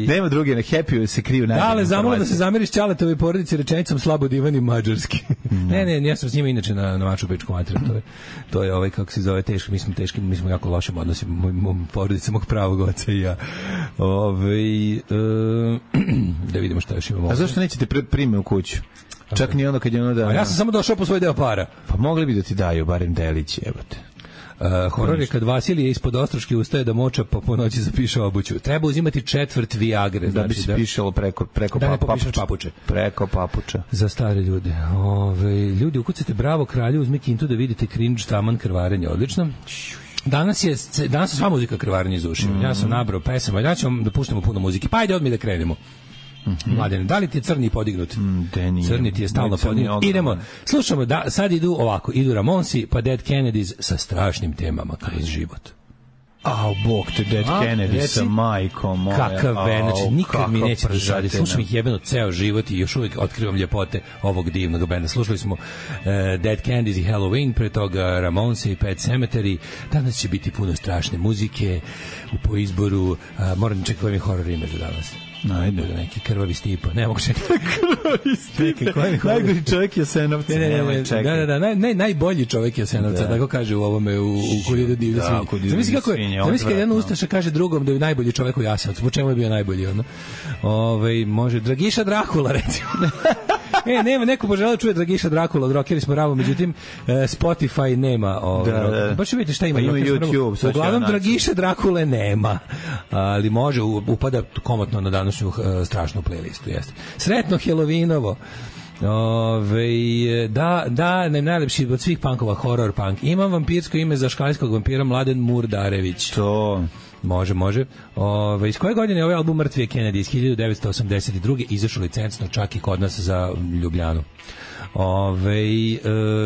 nema druge, na Happy se kriju najbolje. Ale zamola da se zameriš Ćaletovoj porodici rečenicom slabo divan i mađarski. Ne, ja sam s njima inače na maču pečku materiju. To je kako se zove, teško, mi smo jako lošim odnosima, moj porodica, mog pravog oca i ja. Da vidimo šta još imamo. A zašto nećete prime u kuću? Čak ni ono kad je ono da... A ja sam samo došao po svoj deo para. Pa mogli bi da ti daju barem delić, jebote. Horor je kad Vasilije ispod Ostroške ustaje da moča pa po noći zapiše obuću. Treba uzimati 1/4 Viagre. Da bi se pišalo preko papuče. Preko papuča. Za stare ljude. Ljudi, ukucajte Bravo kralju, uzmi kintu da vidite cringe, taman, krvarenje. Odlično. Danas je sva muzika krvarenje iz ušiju. Ja sam nabrao pesama. Ja ću vam da puštamo puno muzike. Pa ajde odmah da krenemo. Mladene, da li ti je crni podignut? Crni ti je stalno podignut. Idemo, slušamo, sad idu Ramonsi, pa Dead Kennedys sa strašnim temama kroz život. Bog te, Dead Kennedys sa majkom moja. Kakav venač, nikad mi neće dožaditi. Slušam ih jebeno ceo život i još uvijek otkrivam ljepote ovog divnog benda. Slušali smo Dead Kennedys i Halloween, pre toga Ramonsi i Pet Sematary. Danas će biti puno strašne muzike po izboru. Moram čekati koji mi horor ime za danas. Najde. Neki krvavi Stipa. Ne mogu čekati. Krvavi Stipa. Najgori čovjek Jasenovca. Najbolji čovjek Jasenovca, tako kaže u ovome, u Kuriru divlje svinje. Zamisli kako je, zamisli kad jedan ustaša kaže drugom da je najbolji čovjek u Jasenovcu. Po čemu je bio najbolji? Može Dragiša Drakula, recimo. Nema, neko poželao čuje Dragiša Drakula od Rockeri smo Ravo, međutim Spotify nema. Baš vidite šta ima. YouTube. Uglavnom Dragiša Drakule nema, ali može, upada komotno na današnju strašnu playlistu. Jeste. Sretno Halloweenovo. Najlepši od svih punkova, horror punk. Imam vampirsko ime za škalijskog vampira Mladen Murdarević. To... Može. Iz koje godine je ovaj album Mrtvi Kennedy? Iz 1982. Izašao licencno čak i kod nas za Ljubljanu.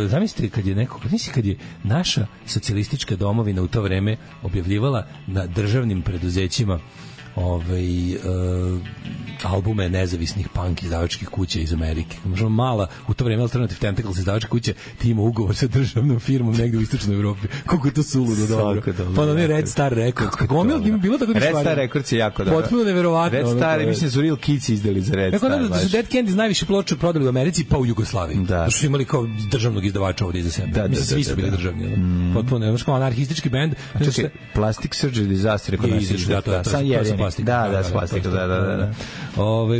Zamislite kad je naša socijalistička domovina u to vreme objavljivala na državnim preduzećima albume nezavisnih punk izdavačkih kuća iz Amerike. Možemo mala, u to vreme Alternative Tentacles izdavačke kuće, ti ima ugovor sa državnom firmom negde u istočnoj Evropi. Koliko je to suludo dobro. Pa ono je Red Star Records. Gomil ima bilo tako da Red Star Records je jako dobro. Potpuno neverovatno. Red Star, mislim su Real Kids izdali za Red Star. Da su Dead Kennedys najviše ploča prodali u Americi pa u Jugoslaviji. Da su imali kao državnog izdavača ovdje iza sebe. Mislim svi su bili državni. Potpuno nevjerojatno anarhistički bend. Čekaj, Plastic Surgery Disaster kod nas je. Da, s plastikom, da.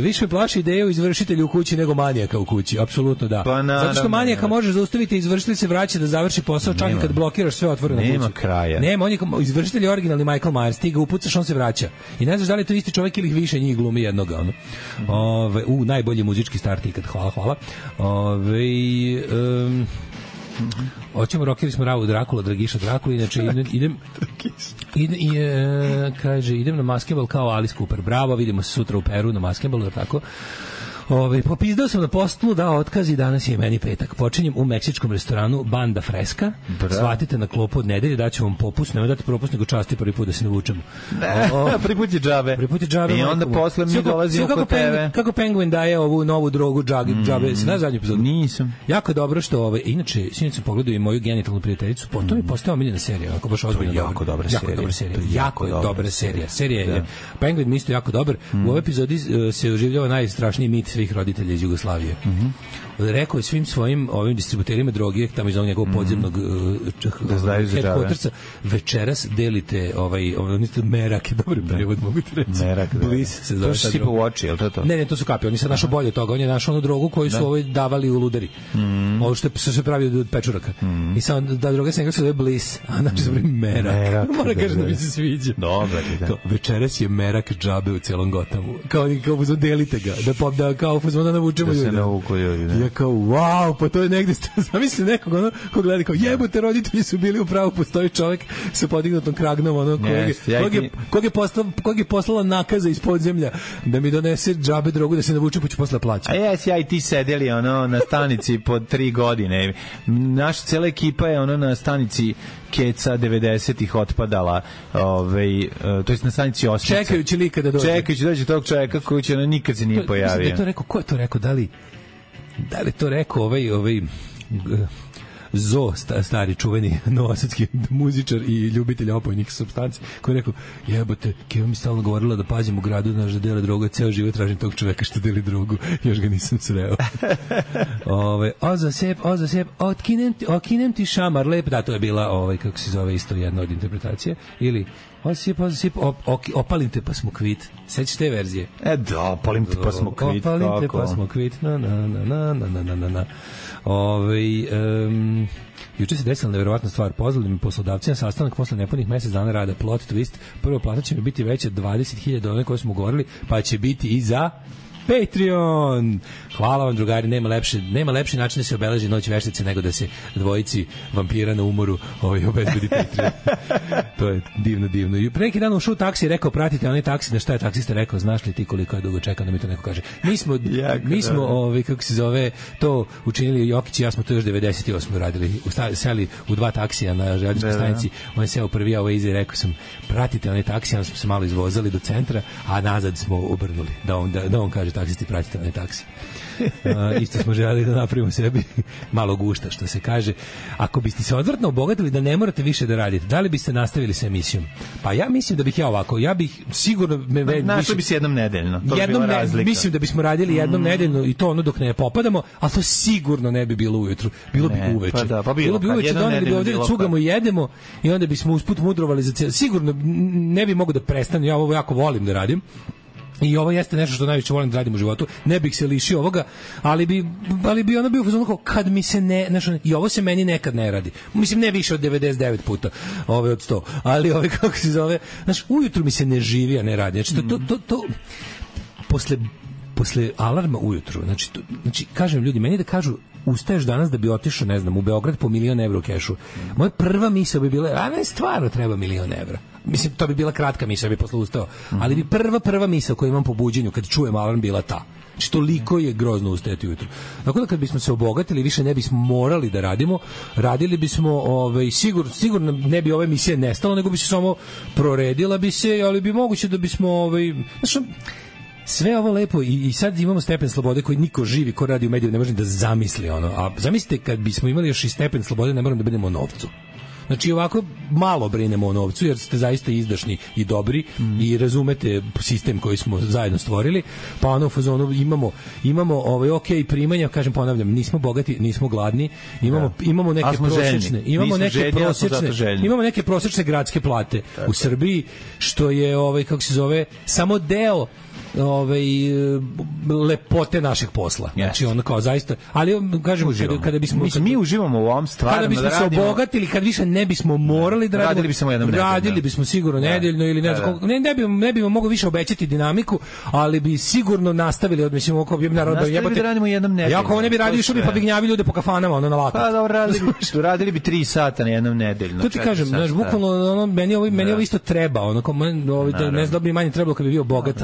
Više me plaši ideja o izvršitelju u kući nego manijaka u kući, apsolutno da. Zato što manijaka možeš zaustaviti, izvršitelj se vraća da završi posao, čak i kad blokiraš sve otvoreno kući. Nema kraja. Nema, on je izvršitelj je originalni Michael Myers, ti ga upucaš, on se vraća. I ne znaš da li je to isti čovjek ili više njih glumi jednoga. Najbolji muzički start ikad, hvala. Hoćemo Rockeri smo Ravu Drakula, Dragiša Drakula, inače idem na Maskembal kao Alice Cooper. Bravo, vidimo se sutra u Peru na Maskembalu, tako. Popizdao sam na postulu, dao otkaz i danas je meni petak. Počinjem u meksičkom restoranu Banda Freska. Shvatite na klopu od nedelje, daću vam popust, nemoj dati propust, nego časti prvi put da se ne vučemo. Prvi put je džabe. I onda posle mi dolazimo kod tebe. Kako Penguin daje ovu novu drogu džabe. Si znaš zadnju epizodu? Nisam. Jako dobro što, inače, sinoć sam pogledao i moju genitalnu prijateljicu, to mi je postao omiljena serija. Ako baš ozbiljno jako dobra serija. Jako je dobra serija. Serija je Penguin mi isto jako dobar. U ovoj epizodi se oživljava najstrašniji mit svih roditelja iz Jugoslavije. Rekao je svim svojim ovim distributerima droge tamo iz ovog njegovog podzemnog headquartersa, večeras delite merak, dobar prevod mogu ti reći. Merak, Bliss se zove. To su sipa u oči, je li to? Ne, to su kapi, oni sad našao bolje od toga, on je našao onu drogu koju su davali u ludari. Ovo što se pravi od pečuraka. I sad da droga se nekako se zove Bliss, a znači se pravi merak. Mora kaže da mi se sviđa. Dobar, da. Večeras je merak džabe u celom Gotamu. Kao delite ga, da kao da navučemo ljudi. Da se navuku ljudi, ja kao, wow, pa to je negde, zamisli nekog, ko gleda, kao, jebote, roditelji su bili upravo, postoji čovjek sa podignutom kragnom, kog je poslala nakaza iz podzemlja da mi donese džabe drogu da se navuče, pa ću posle plaćati. A ja i ti sedeli na stanici po 3 godine. Naša cela ekipa je na stanici Keca 90-ih otpadala, to je na stanici Osmica. Čekajući lika da dođe. Čekajući dođe tog čovjeka koji će nikad se nije pojavio. Da je to rekao, ko je to rekao, da li to rekao ovaj Zo, stari čuveni novosadski muzičar i ljubitelj opojnih supstanci, koji je rekao, jebote, Keva mi stalno govorila da pazim u gradu, znaš, da dela drogu, ceo život tražim tog čoveka što deli drogu, još ga nisam sreo. O za sep, okinem ti šamar lep, da, to je bila, kako se zove, isto jedna od interpretacije, ili o za sep, opalim te pa smo kvit. Sećaš te verzije? Opalim te pa smo kvit. Opalim te pa smo kvit, na. Juče se desila neverovatna stvar. Pozvali mi poslodavci na sastanak posle nepunih mesec dana rada. Plot twist, prva plata će mi biti veća 20.000 one koje smo govorili, pa će biti i za Patreon. Hvala vam, drugari, nema lepši način da se obeleži Noć veštice nego da se dvojici vampira na umoru obezbedi Patreon. To je divno. I pre neki dan ušao u taksi i rekao, pratite onaj taksi, na šta je taksista rekao, znaš li ti koliko je dugo čekao da mi to neko kaže. Mi smo kako se zove, to učinili Jokić i ja smo to još 98. radili. Seli u 2 taksija na željezničkoj stanici, on je seo prvi, a ovo iza i rekao sam, pratite onaj taksi, onda smo se malo izvozali do centra, a nazad smo obrnuli, da on kaže taksisti, pratite onaj taksi. Isto smo želeli da napravimo sebi malo gušta, što se kaže. Ako biste se odvrtno obogatili da ne morate više da radite, da li biste nastavili sa emisijom? Pa ja mislim da bih ja bih sigurno našli bi se jednom nedeljno. To bi bila razlika. Mislim da bismo radili jednom nedeljno i to dok ne popadamo, ali to sigurno ne bi bilo ujutru. Bilo bi uveče. Bilo bi uveče, doneli bi ovdje da cugamo i jedemo i onda bismo usput mudrovali za cijelo. Sigurno ne bi mogo da prestanu, ja ovo jako volim da radim. I ovo jeste nešto što najviše volim da radim u životu. Ne bih se lišio ovoga, ali bi ono bio fazon kao kad mi se i ovo se meni nekad ne radi. Mislim, ne više od 99 puta, od 100. Ali kako se zove, ujutru mi se ne živi, a ne radi. Znači, to posle posle alarma ujutru, znači kažem ljudi, meni da kažu ustaješ danas da bi otišao, ne znam, u Beograd po 1.000.000 evra u kešu. Moja prva misao bi bila, a ne, stvarno treba 1.000.000 evra. Mislim, to bi bila kratka misao, bi posle ustao. Ali bi prva misao koju imam po buđenju, kad čujem alarm, bila ta. Znači, toliko je grozno ustajati ujutru. Tako da kad bismo se obogatili, više ne bismo morali da radimo, radili bismo, sigurno ne bi ova emisija nestala, nego bi se samo proredila bi se, ali bi moguće da bismo, znači, sve ovo lepo i sad imamo stepen slobode koji niko živi ko radi u mediju ne može da zamisli ono. A zamislite kad bismo imali još i stepen slobode, ne moramo da brinemo o novcu. Znači ovako malo brinemo o novcu jer ste zaista izdašni i dobri i razumete sistem koji smo zajedno stvorili, pa ono u fazonu imamo ok primanja, kažem, ponavljam, nismo bogati, nismo gladni, imamo neke prosečne, imamo neke prosečne gradske plate u Srbiji, što je kako se zove, samo deo lepote našeg posla. Znači ono kao zaista, ali kažem, kada bismo mi uživamo u ovom stvarno, kada bismo se obogatili, kad više ne bismo morali da radili bismo sigurno nedeljno ili ne znam, ne bi mogli više obećati dinamiku, ali bi sigurno nastavili, odmislimo oko bi narod da radimo jednom nedeljno. Ja ako ne bi radio, što bi pa bi gnjavi ljude po kafanama, ono na lako. Pa da radili bi 3 sata na jednom nedeljno. To ti kažem, znaš, bukvalno meni ovo isto treba, ono ne znam da bi manje trebalo kad bi bio bogat,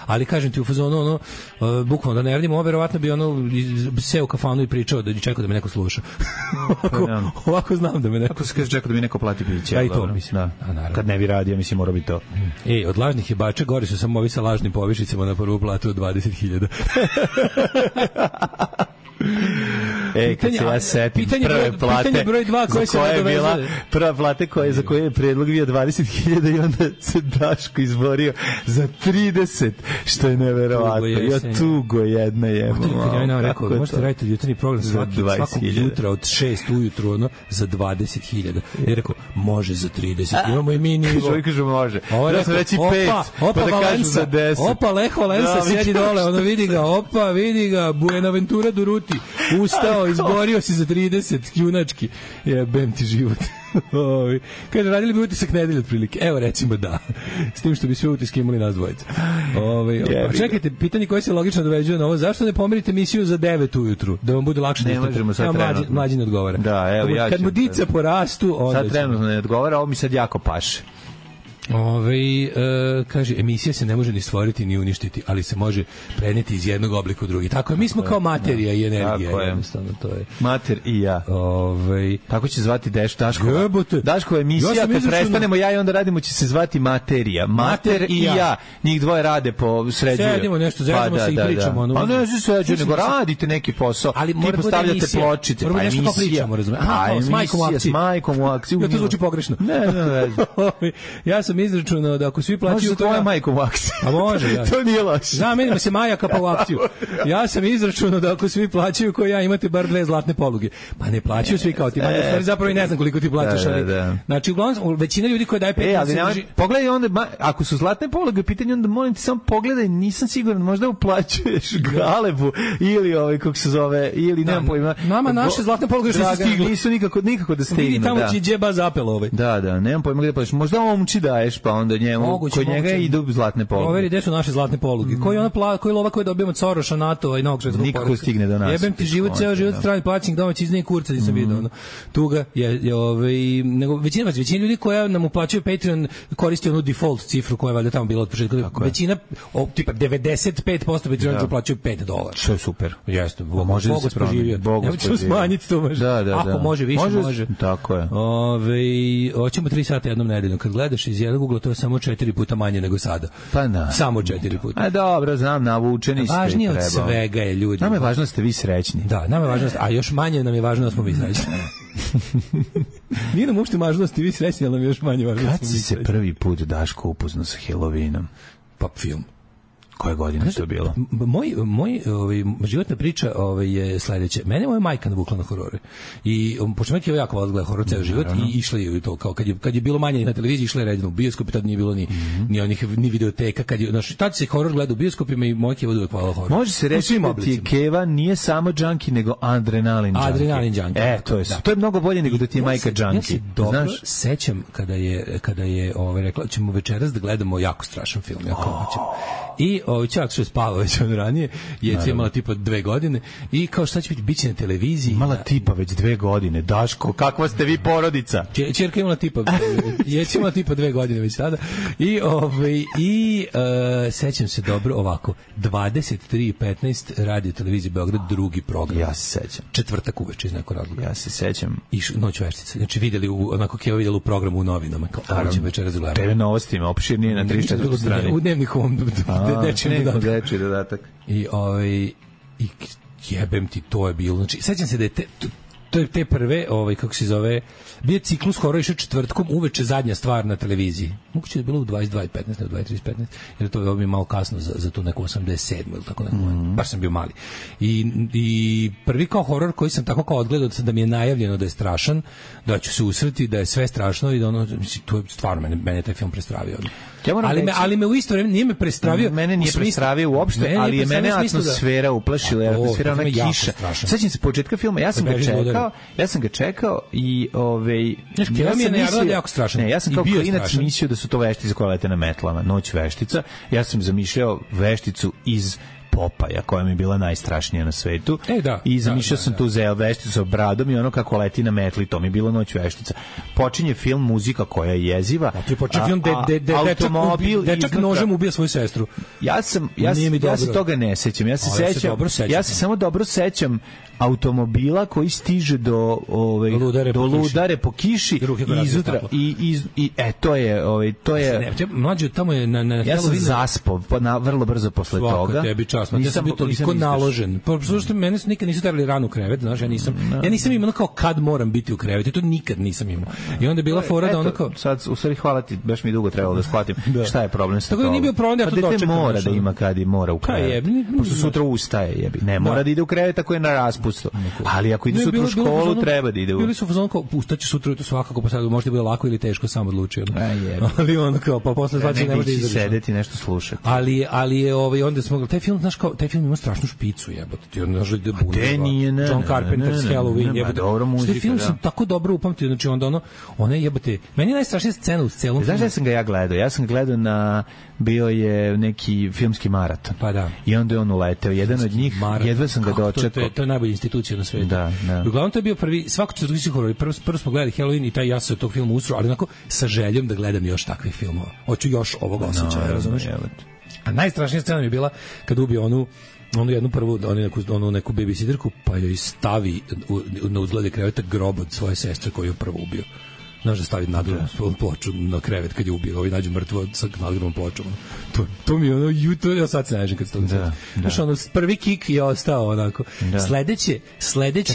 ali kažem ti u fazonu bukvalno da ne radimo, verovatno bi seo u kafanu i pričao da čekao da me neko sluša. Ovako znam da me neko čekao da mi neko plati piće. Ja i to mislim. Kad ne bi radio, mislim, mora bi to. Od lažnih jebača gori su samo ovi sa lažnim povišicama na prvu platu od 20.000. Kad se ja setim prve plate broj 2 koje se nadovezuje. Prva plate za koje je predlog bio 20.000 i onda se Daško izborio za 30, što je neverovatno. Tugo jedna je. Ja nam rekao, možete raditi jutarnji program svakog jutra od 6 ujutru za 20.000. Ja rekao, može za 30. Imamo i mi nivo. Što kažu može. Da sam reći 5, pa da kažu za 10. Opa, Leho Lensa sjedi dole, ono vidi ga, Buenaventura Duruti. Ustao, izborio si za 30, junački. Jebem ti život. Kaže, radili bi utisak nedelje otprilike. Evo, recimo da. S tim što bi sve utiske imali nas dvojica. Čekajte, pitanje koje se logično doveđuje na ovo. Zašto ne pomerite emisiju za 9 ujutru? Da vam bude lakše. Ne možemo sad trenutno. Mlađi ne odgovara. Da, evo, ja ću. Kad mu dica porastu... Sad trenutno ne odgovara, ovo mi sad jako paše. Kaže, emisija se ne može ni stvoriti ni uništiti, ali se može preneti iz jednog oblika u drugi. Tako je, mi smo kao materija i energija. To je. Mater i ja. Tako će zvati Daškova emisija, kad prestanemo ja i onda radimo, će se zvati materija. Mater i ja. Njih dvoje rade po sređuju. Sedimo nešto, zezamo se i pričamo. Pa ne se sređuju, nego radite neki posao. Ti postavljate pločice. Moramo nešto kao pričamo, razumiješ? S majkom u akciju. Ja, to zvuči pogrešno. Ne. Ja sam izračunao da ako svi plaćaju... Može tvoja majka u akciju. A može, ja. To nije loše. Zamenimo se Majaka pa u akciju. Ja sam izračunao da ako svi plaćaju ko ja, imate bar 2 zlatne poluge. Pa ne plaćaju svi kao ti. Zapravo i ne znam koliko ti plaćaš. Znači, uglavnom, većina ljudi koja daje 15... Pogledaj onda, ako su zlatne poluge, pitanje onda molim ti samo pogledaj, nisam siguran, možda uplaćuješ Galebu ili kako se zove, ili nemam pojma. Nama naše zlatne poluge još nisu stigle. Nisu nikako da stignu. Vidi tamo će džeba zapel ovaj. Da, nemam pojma gde plaćaš. Možda omči daješ, pa onda njemu, kod njega idu zlatne poluge. Overi, gde su naše zlatne poluge? Koji lova koji dobijemo od Soroša, NATO i Novog svetskog poretka? Nikako stigne do nas. Jebem ti život, ceo život strani plaćenik domaći iz kurca, nisam vidio. Tuga nego većina ljudi koja nam uplaćuju Patreon koristi onu default cifru koja je valjda tamo bila od početka. Većina, tipa 95% Patreona uplaćuju $5. Što je super. Jeste, može da se proživi. Ne ćemo smanjiti to može. Ako može više, može. Tako je. Hoćemo 3 sata jednom nedeljom. Kad gledaš iz jednog ugla, to je samo 4 puta manje nego sada. Pa da. Samo 4 puta. A dobro, znam, navučeni ste. Važnije od svega je ljudi. Nama je važno da ste vi srećni. Da, nama je važno, a još manje nam je važno da smo mi srećni. Nije nam uopšte važno da ste vi srećni, ali nam je još manje važno da smo mi srećni. Kad si se prvi put, Daško, upoznao sa Halloweenom? Pa film. Koje godine je to bilo? Moj životna priča je sledeća. Mene moja majka navukla na horore. I pošto je jako voljela gledati horor ceo život i išla je to kao kad je bilo manje na televiziji, išla je redno u bioskop i tad nije bilo ni videoteka, tad se horor gleda u bioskopima i moja Keva uvek voljela horor. Može se reći da ti Keva nije samo džanki nego adrenalin džanki. To je mnogo bolje nego da ti je majka džanki. Ja se dobro sećam kada je rekla ćemo večeras da gledamo jako strašan film, jako hoćemo. I čak što je spavao već od ranije, Jeca imala tipa 2 godine i kao šta će biti na televiziji. Imala tipa već 2 godine. Daško, kakva ste vi porodica? Ćerka imala tipa, Jeca imala tipa 2 godine već tada. I sećam se dobro ovako, 23:15 radio televizije Beograd, drugi program. Ja se sećam. Četvrtak uveče iz nekog razloga. Ja se sećam. I Noć veštica. Znači videli onako kao videli u programu u novinama kao ovo će večeras gledati. TV novostima, opširnije na 34 strani. U dnevnikom dečiji dodatak. I jebem ti, to je bilo. Znači, sećam se da je te prve, kako se zove, bio ciklus horora išao četvrtkom uveče, zadnja stvar na televiziji. Moguće da je bilo u 22:15, ne u 23:15, jer to je bilo malo kasno za tu neku 87 ili tako neko. Baš sam bio mali. I prvi kao horor koji sam tako kao odgledao da mi je najavljeno da je strašan, da ću se usreti, da je sve strašno i da ono, mislim, to je stvarno mene taj film prestravio. Ali me u isto vreme nije me prestravio. Mene nije prestravio uopšte, ali je mene atmosfera uplašila, atmosfera ona kiša. Sećam se početka filma, ja sam ga čekao i ja sam mislio da je jako strašan. Ne, ja sam kao klinac mislio da su to veštice koje lete na metlama, Noć veštica. Ja sam zamišljao vešticu iz Popaja, koja mi je bila najstrašnija na svetu. I zamišljao sam tu za vešticu sa bradom i ono kako leti na metli, to mi je bilo Noć veštica. Počinje film, muzika koja je jeziva. Počinje film dečak nožem ubija svoju sestru. Ja se toga ne sećam. Ja se samo dobro sećam automobila koji stiže do ludare po kiši i izutra to je mlađe tamo je na ja sam zaspao vrlo brzo posle toga. Ja sam bio toliko naložen. Što mene nikad nisu terali rano u krevet, znaš, ja nisam imao kao kad moram biti u krevetu, to nikad nisam imao. I onda je bila fora da ono kao sad u stvari hvala ti, baš mi dugo trebalo da shvatim šta je problem sa toga. Tako nije bio problem da to dočekam. Mora da ima kad i mora u krevet. Pošto sutra ustaje, jebi. Ne mora da ide u krevet ako je na raspustu. Ali ako ide sutra u školu, treba da ide u... Bili su u fazonu kao, ustaće sutra, to svakako, pa sad možda bude lako ili teško, sam odlučio. Ali ono kao, pa posle zvaće ne može da izdrži. Sedeti, nešto slušati. Ali je, onda smo, taj film, znaš kao, taj film ima strašnu špicu, jebote. Ti ono želi da bude. John Carpenter's Halloween, jebote. Dobro muzika, taj film sam tako dobro upamtio, znači onda ona jebote, meni je najstrašnija scena u celom filmu. Znaš da sam ga ja gledao? Ja sam ga gledao bio je neki filmski maraton. Pa da. I onda je on uleteo. Jedan od njih, jedva sam ga dočekao. To je najbolja institucija na svetu. Da. Uglavnom to je bio prvi, svako četvrtski horor. Prvo smo gledali Halloween i taj ja se od tog filma usro, ali onako sa željom da gledam još takvih filmova. Hoću još ovog osjećaja, razumiješ? A najstrašnija scena mi je bila kad ubio onu jednu prvu, onu neku babysitterku, pa joj stavi na uzglede kreveta grob od svoje sestre koju je prvo ubio. Znaš da stavi nadgrobnu ploču na krevet kad je ubio, ovi nađu mrtvo sa nadgrobnom pločom. To mi je ono, ja sad se nađem kad se to da. Znaš, ono, prvi kik je ostao onako. Da. Sledeće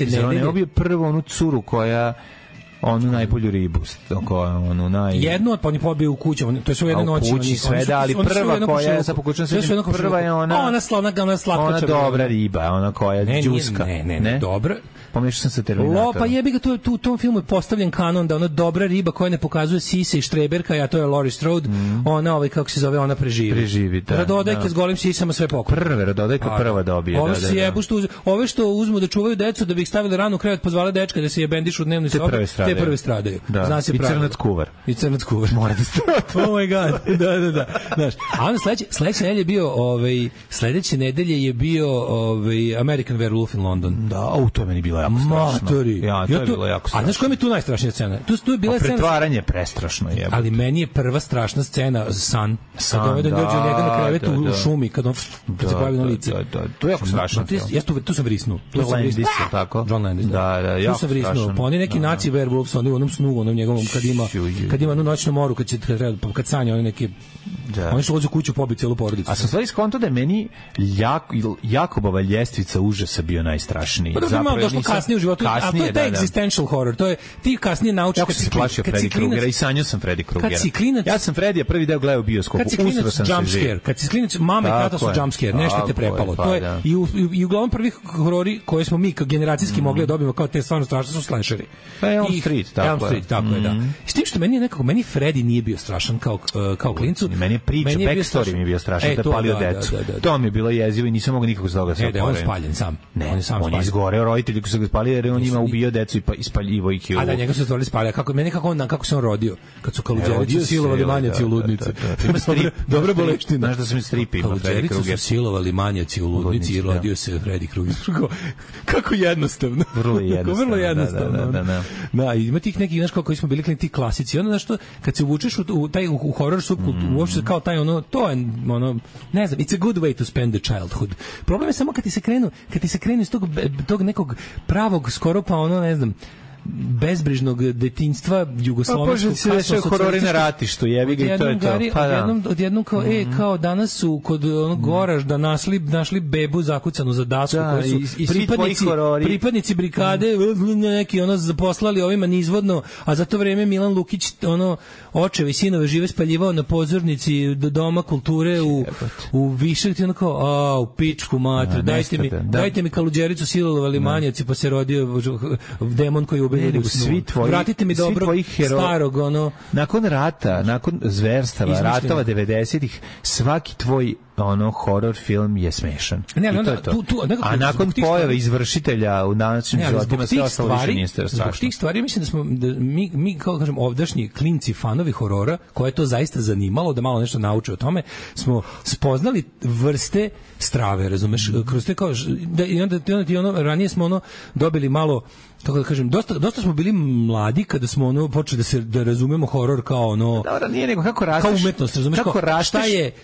nedelje... On je ubio prvo onu curu koja... onu najbolju ribu, onu jednu, pa on je pobio u kuću, to je sve u jednoj noći. U kući sve, da, ali prva koja je, sad pokušam se, prva je ona slatka, ona dobra riba, ona koja je džuska. Ne, dobra. Pomešao sam sa Terminatorom. Pa jebi ga, u tom filmu je postavljen kanon da ona dobra riba koja ne pokazuje sise i štreberka, a to je Laurie Strode, ona, kako se zove, ona preživi. Radodajka s golim sisama sve pokoj. Radodajka prva dobije. Ove što uzmu da čuvaju decu da bi ih stavili rano u krevet, pozvale dečka da se je bendišu u dnevnoj sobi, te prve stradaju. Zna se pravilo. I crnac kuvar. Mora da strada. Oh my god. Da. Znaš, a onda sledeće nedelje je bio, sledeće nedelje je bio American Werewolf in London. Da, to je meni bilo jako strašno. Matori. Ja, to je bilo jako strašno. A znaš koja mi je tu najstrašnija scena? Tu je bila scena... Pretvaranje prestrašno je. Ali meni je prva strašna scena San. Kad dođe njega na krevetu u šumi, kad se pojavi na lice. To je jako strašno. Tu sam vrisnuo. Landis, tako? John Landis. Da, jako strašno. Pa oni neki naci werewolves, oni u onom snu, onom njegovom, kad ima onu noćnu moru, kad sanja oni neki... Oni su ulazi u kuću, pobiju cijelu porodicu. A sam stvari skonto da je meni Jakobova ljestvica užasa bio najstrašniji. Pa da bi malo došlo kasnije u životu, a to je taj existential horror, to je ti kasnije naučiš... Jako se plašio Freddy Krugera i sanjao sam Freddy Krugera. Kad si klinac... Ja sam Freddy prvi deo gledao u bioskopu, usro sam se živ. Kad si klinac, mama i tata su jumpscare, nešto te prepalo. I uglavnom prvih horori koje smo mi kao generacijski mogli da dobijemo kao te stvarno strašne su slasheri. Elm Street, tako je. Da. tim što meni Freddy nije bio strašan kao klincu. Meni je priča, backstory mi je bio strašan, da je palio decu. To mi je bilo jezivo i nisam mogao nikako s toga se oporaviti. On je spaljen sam. Ne, on je izgoreo, roditelji koji su ga spalili, jer on ima ubio decu i ispaljivo ih. A da, njega su stvorili spalja. Kako se on rodio? Kad su Kaluđericu silovali manjaci u ludnici. Ima strip, dobra boleština. Znaš da sam stripi ima Freddy Krueger. Kaluđericu su silovali manjaci u ludnici i rodio se Freddy Krueger. Kako jednostavno. Vrlo jednostavno. Da, ima tih nekih, znaš, koji smo bili klinci klasici. Onda, znaš, što, kad se uvučeš u horror subkulturu, uopšte kao taj to je, ne znam, it's a good way to spend the childhood. Problem je samo kad ti se krenu iz tog nekog pravog, skoro pa ne znam, bezbrižnog detinjstva jugoslovenskog kasno horori na ratištu, jebi ga i to je to. Odjednom kao, kao danas su kod Goraž da našli bebu zakucanu za dasku, koji su pripadnici brigade neki zaposlali ovima nizvodno, a za to vreme Milan Lukić očevi i sinove žive spaljivao na pozornici Doma kulture u Višak, u pičku matru, dajte mi Kaluđericu silovali manjaci, pa se rodio demon koji ubili u snu. Vratite mi dobro starog nakon rata, nakon zverstava, ratova 90-ih, svaki tvoj horror film je smešan. A nakon pojave izvršitelja u današnjim životima sve ostalo više nije strašno. Zbog tih stvari mislim da mi kao kažem ovdašnji klinci fanovi horora, koje je to zaista zanimalo da malo nešto nauče o tome, smo spoznali vrste strave, razumeš, kroz te kao i onda ranije smo dobili malo, tako da kažem, dosta smo bili mladi kada smo počeli da razumemo horor kao Dobro, nije nego kako rasteš. Kao umetnost, razumeš,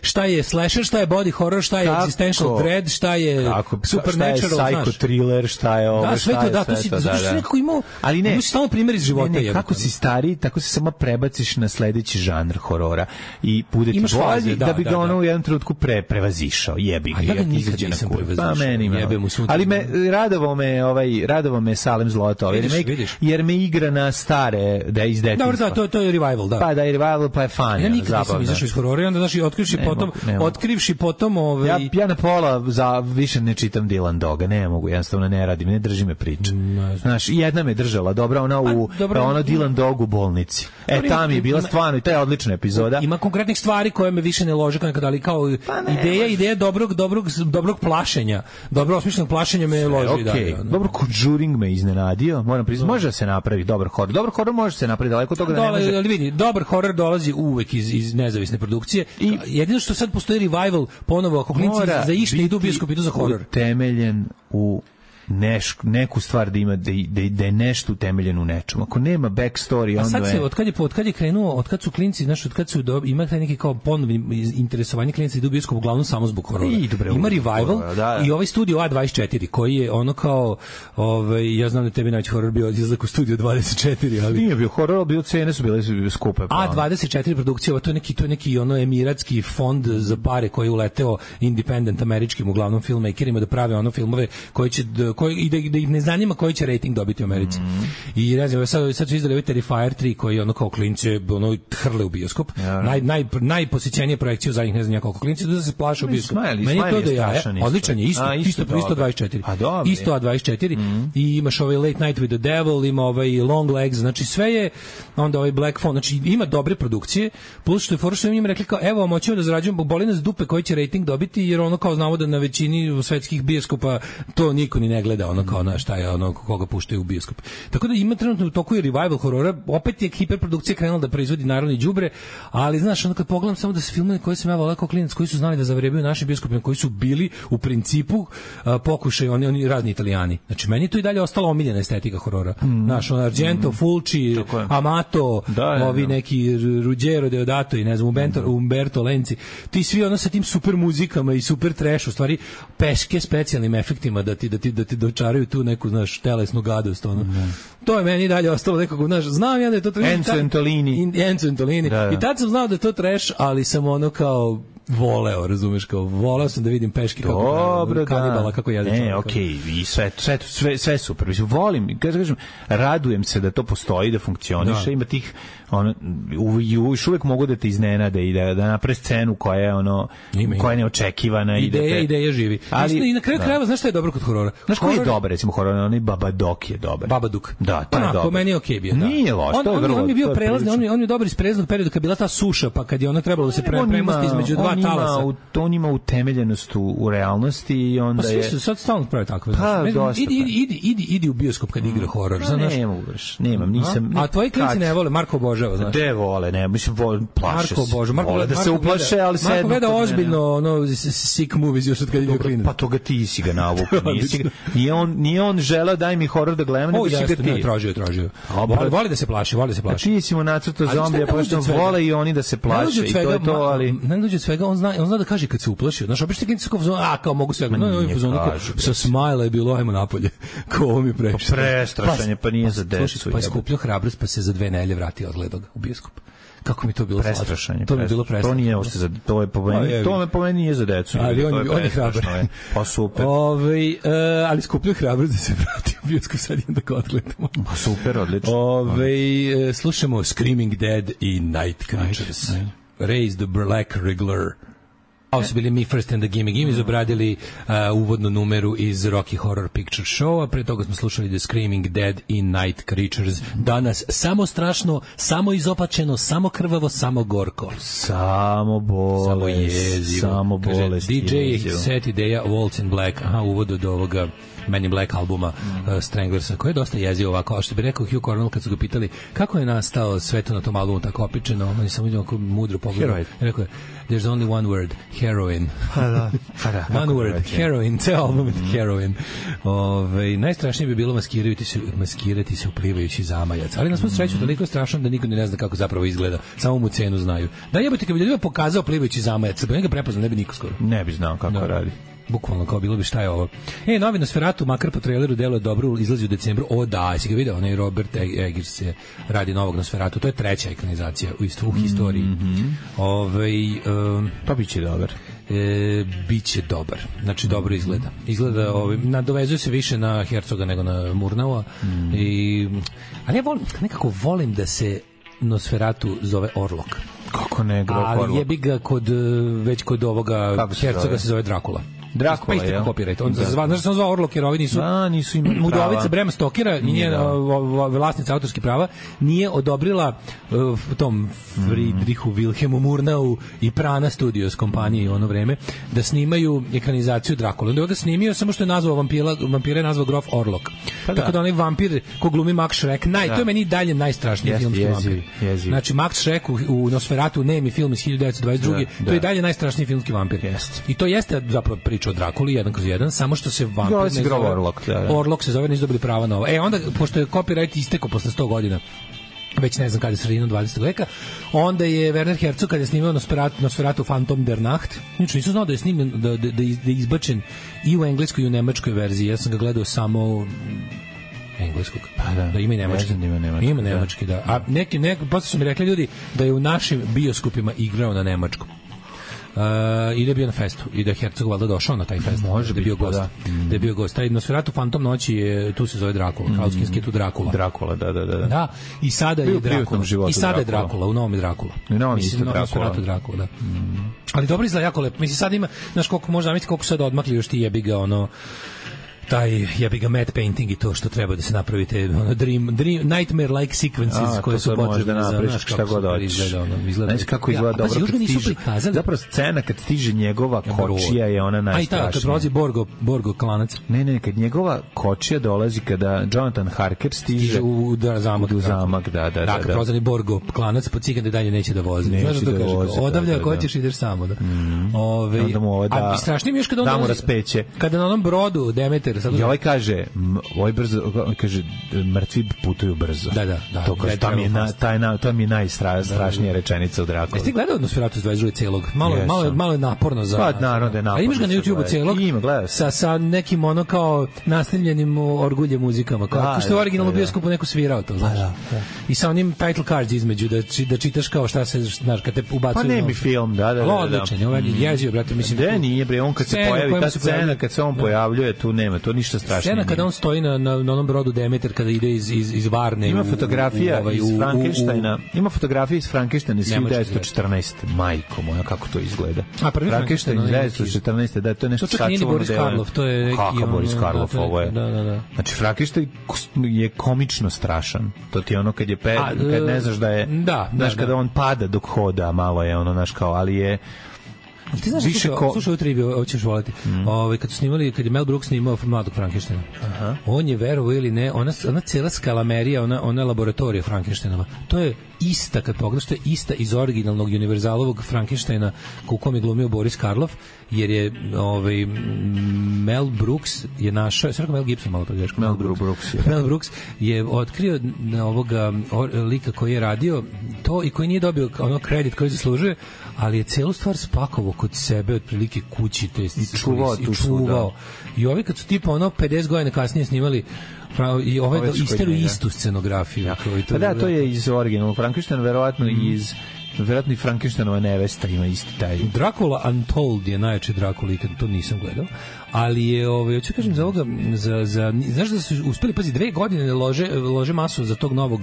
šta je slasher, šta je body horror, šta je existential dread, šta je supernatural, šta je psycho thriller, šta je ovo, sve to, da, to si nekako imao, ali ne, samo primjer iz života. Kako si stariji, tako se samo prebaciš na sledeći žanr horora i bude ti bolji da bi ga u jednom trenutku prevazišao, jebi ga. Ja ga nikad nisam prevazišao. Ali radovao me Salem Zlato, jer me igra na stare, da je iz detinjstva. Dobro, to je revival, da. Pa da je revival, pa je fan. Ja nikad nisam izašao iz horora, onda otkrivši potom Ja na pola više ne čitam Dylan Doga, ne mogu, jednostavno ne radim, ne drži me priča. Znaš, jedna me držala, dobra, ona Dylan Dog u bolnici. Tam je bila stvarno i ta je odlična epizoda. Ima konkretnih stvari koje me više ne lože nekada, ali kao ideja dobrog plašenja, dobro osmišljenog plašenja me loži. Dobro, Conjuring me iznenadio, moram priznati, može da se napravi dobar horor. Dobar horor može se napraviti, daleko od toga da ne može. Ali vidi, dobar horor dolazi uvek iz nezavisne produkcije i jedino što sad postoji revival ponovo, ako klinci za išta idu u bioskop, idu za horor. Temeljen u neku stvar da je nešto utemeljeno u nečemu. Ako nema backstory, onda sad se, od kad je krenuo, od kad su klinci, znaš, od kad su ima taj neki kao ponovni interesovanje klinci da idu u bioskop uglavnom samo zbog horora. Ima revival i ovaj studio A24 koji je kao ja znam da tebi najveći horor bio izlazak u studio 24, ali nije bio horor, bio cene su bile skupe. A24 produkcija, to je neki emiratski fond za pare koji je uleteo independent američkim uglavnom filmmakerima da prave filmove koji će i da ih ne zanima koji će rating dobiti u Americi. I ne znam, sad su izdali Terrifier 3 koji kao klince hrle u bioskop. Najposjećenije projekcije u zadnjih ne znam koliko klinci da se plaše u bioskop. Meni je to da je odličan je, isto 24. Isto A24 i imaš Late Night with the Devil, ima Long Legs, znači sve je onda Black Phone, znači ima dobre produkcije, plus što je fora što im rekli kao evo moćemo da zarađujemo, boli nas dupe koji će rating dobiti, jer kao znamo da na većini svetskih bioskopa to niko ni ne gleda kao šta je koga puštaju u bioskop. Tako da ima trenutno u toku i revival horora, opet je hiperprodukcija krenula da proizvodi naravno i đubre, ali znaš, kad pogledam samo da se filmovi koje sam ja voleo kao klinac, koji su znali da zavrebaju našim bioskopima, koji su bili u principu pokušaj, oni razni Italijani. Znači, meni to i dalje ostala omiljena estetika horora. Znaš, Argento, Fulci, Amato, ovi neki Ruggero Deodato i ne znam, Umberto Lenci, ti svi sa tim super muzikama i super trash, u stvari peške specijalnim efektima da ti dočaraju tu neku, znaš, telesnu gadost, To je meni dalje ostalo nekako, znaš, znam ja da je to trash. Enzo Antolini. I tad sam znao da je to trash, ali sam kao voleo, razumeš, kao voleo sam da vidim peške kako kanibala, kako jede čovjeka. Ne, okej, i sve super. Mislim, volim, kažem, radujem se da to postoji, da funkcioniše, ima tih još uvijek mogu da te iznenade i da naprave scenu koja je koja je neočekivana. Ideja živi. Ali, i na kraju krajeva, znaš šta je dobro kod horora? Znaš koji je dobar, recimo horor, onaj Babadook je dobar. Babadook. Da, to je dobro. Meni je okej bio, da. Nije loš, to je vrlo. On je bio prelazni, on je dobar iz prelaznog perioda kad je bila ta suša, pa kad je ona trebalo da se premosti između dva talasa. On ima utemeljenost u realnosti i onda je... Pa svi su sad stalno pravi takve. Idi u bioskop kad igra horor. Ne mogu baš, nisam... A tvoji klinci ne vole, Marko obožava, znaš. De vole, ne, mislim, plaše se. Vole da se uplaše, ali sve... Marko gleda ozbiljno, sick movies još od kad je klinac. Pa toga ti si ga navuku, nije on želeo daj mi horor da gledam, nego si ga ti. Tražio. Voli da se plaši. A ti si mu nacrtao zombija, pa što vole i oni da se plaše i to je to, ali... Ne dođe od svega, on zna da kaže kad se uplaši. Znaš, obično klinci kao zonu, kao mogu sve. Sa smajla je bilo, ajmo napolje. Ko ovo mi previše. Prestrašanje, pa nije za decu. Pa je skupljio hrabrost, pa se za 2 nedelje vratio od gledog u bioskop. Kako mi to bilo prestrašanje. To mi bilo prestrašanje. To nije uopšte za to me po meni nije za decu. Ali on je hrabar. Pa super. Ali skupljio hrabrost da se vrati u bioskop, sad idem da ga odgledamo. Pa super, odlično. Slušamo Screaming Dead i Night Creatures. Raise the Black Wriggler. Ovo su bili Me First and the Gimme Gimme, obradili uvodnu numeru iz Rocky Horror Picture Show, a pre toga smo slušali The Screaming Dead i Night Creatures. Danas samo strašno, samo izopačeno, samo krvavo, samo gorko. Samo bolest. Samo bolest. DJ set ideja Waltz in Black, uvod od ovoga Men in Black albuma Stranglersa, koji je dosta jezio ovako, a što bi rekao Hugh Cornell kad su ga pitali kako je nastao sve to na tom albumu tako opičeno, on je samo vidio ako mudro pogledao. Rekao je, there's only one word, heroin. One word, heroin, ceo album je heroin. Najstrašnije bi bilo maskirati se u plivajući zamajac, ali na svu sreću toliko je strašno da niko ne zna kako zapravo izgleda, samo mu cenu znaju. Da jebote, kad bi ljudima pokazao plivajući zamajac, pa njega prepoznao, ne bi niko skoro. Ne bi znao kako radi. Bukvalno kao bilo bi šta je ovo. Novi Nosferatu, makar po traileru deluje dobro, izlazi u decembru. Si ga video, onaj Robert Eggers se radi novog Nosferatu. To je 3. ekranizacija u historiji. To biće dobar. Biće dobar. Znači dobro izgleda. Nadovezuje se više na Hercoga nego na Murnaua. Ali ja volim da se Nosferatu zove Orlok. Kako ne, ali jebi ga već kod ovoga Hercoga se zove Drakula. Drakula, pa isto copyright. On znaš se on zvao Orlok, jer ovi nisu imali prava. Udovica Brema Stokera, vlasnica autorskih prava, nije odobrila tom Friedrichu Wilhelmu Murnau i Prana Studios kompaniji u ono vreme da snimaju ekranizaciju Drakula. Onda je ga snimio, samo što je nazvao vampira je nazvao Grof Orlok. Tako da onaj vampir ko glumi Max Schreck, to je meni dalje najstrašniji filmski vampir. Znači Max Schreck u Nosferatu, nemi film iz 1922. To je dalje najstrašniji filmski vampir. I to jeste zapravo priča o Drakuli 1/1, samo što se vampir ne zove Orlok. Orlok se zove, nisu dobili prava na ovo. Onda, pošto je copyright istekao posle 100 godina, već ne znam kada je sredinom 20. veka, onda je Werner Herzog kada je snimao Nosferatu Phantom der Nacht, znači nisam znao da je snimljen, da je izbačen i u engleskoj i u nemačkoj verziji. Ja sam ga gledao samo engleskog. Da ima i nemački. Ima nemački, da. A neki posle su mi rekli ljudi da je u našim bioskopima igrao na nemačkom. I da je bio na festu i da je Herzog valjda došao na taj fest, da je bio gost. Da je bio gost. Taj Nosferatu Phantom noći je, tu se zove Drakula, kraljevski je tu Drakula. Drakula, da. Da, i sada je Drakula. I sada je Drakula, u novom je Drakula. Mislim, Nosferatu Drakula, da. Ali dobro izgleda, jako lepo. Mislim, sad ima, znaš koliko možda zamisliti koliko sad odmakli još ti jebi ga taj jebi ga matte painting i to što treba da se napravite nightmare like sequences koje su potrebne da napraviš šta god hoćeš. Znaš kako izgleda dobro kad stiže. Zapravo scena kad stiže njegova kočija je ona najstrašnija. Kad prolazi Borgo klanac. Ne, kad njegova kočija dolazi kada Jonathan Harker stiže u zamak, da. Da, kad prolazi Borgo klanac, po cikande dalje neće da vozi. Znaš što kaže? Odavlja ako hoćeš ideš samo, da. A strašnije mi još kada on raspeće. Kada na onom brodu Demeter karaktera. I ovaj kaže, kaže, mrtvi putuju brzo. Da. To mi je najstrašnija rečenica u Drakuli. Jeste gledao Nosferatu iz 22. celog? Malo je naporno za... Pa, naravno da je naporno. A imaš ga na YouTube-u celog? Ima, gledao sa nekim ono kao nastavljenim orgulje muzikama. Kao što je originalno bioskopu neko svirao to, znaš. I sa onim title cards između, da čitaš kao šta se, znaš, kad te ubacuju... Pa ne bi film, da. Odličan, ovaj jezio, brate, mislim... Da, nije, bre, on kad se pojavi, ta scena, kad se on pojavljuje, tu nema, to ništa strašno. Scena kada on stoji na onom brodu Demeter, kada ide iz Varne... Ima fotografija iz Frankensteina, ima fotografija iz Frankensteina iz 1914. Majko moja, kako to izgleda. A prvi Frankenstein iz 1914. Da, to je nešto sačuvano. Boris Karloff, to je neki... Kako Boris Karloff, ovo je? Da. Znači, Frankenstein je komično strašan. To ti je ono kad ne znaš da je... Znaš, kada on pada dok hoda, malo je ono, znaš kao, ali je... Ti znaš, slušaj ovu triviju, ovo ćeš voliti. Kad su snimali, kad je Mel Brooks snimao Mladog Frankensteina, on je, verovo ili ne, ona cela skalamerija, ona laboratorija Frankensteinova, to je ista, kad pogledaš, to je ista iz originalnog univerzalovog Frankensteina u kom je glumio Boris Karloff, jer je Mel Brooks je našao, sve rekao Mel Gibson, malo pregreško. Mel Brooks je otkrio ovoga lika koji je radio to i koji nije dobio ono kredit koji zaslužuje, ali je celu stvar spakovao kod sebe, otprilike kući, to jest i čuvao. I ovi kad su tipa ono 50 godina kasnije snimali i ovaj isteru istu scenografiju. Pa da, to je iz originalnog Frankensteina, verovatno i Frankensteinova nevesta ima isti taj. Dracula Untold je najjači Dracula, ikad to nisam gledao, ali je, hoću kažem za ovoga, znaš da su uspeli, pazi, 2 godine lože masu za tog novog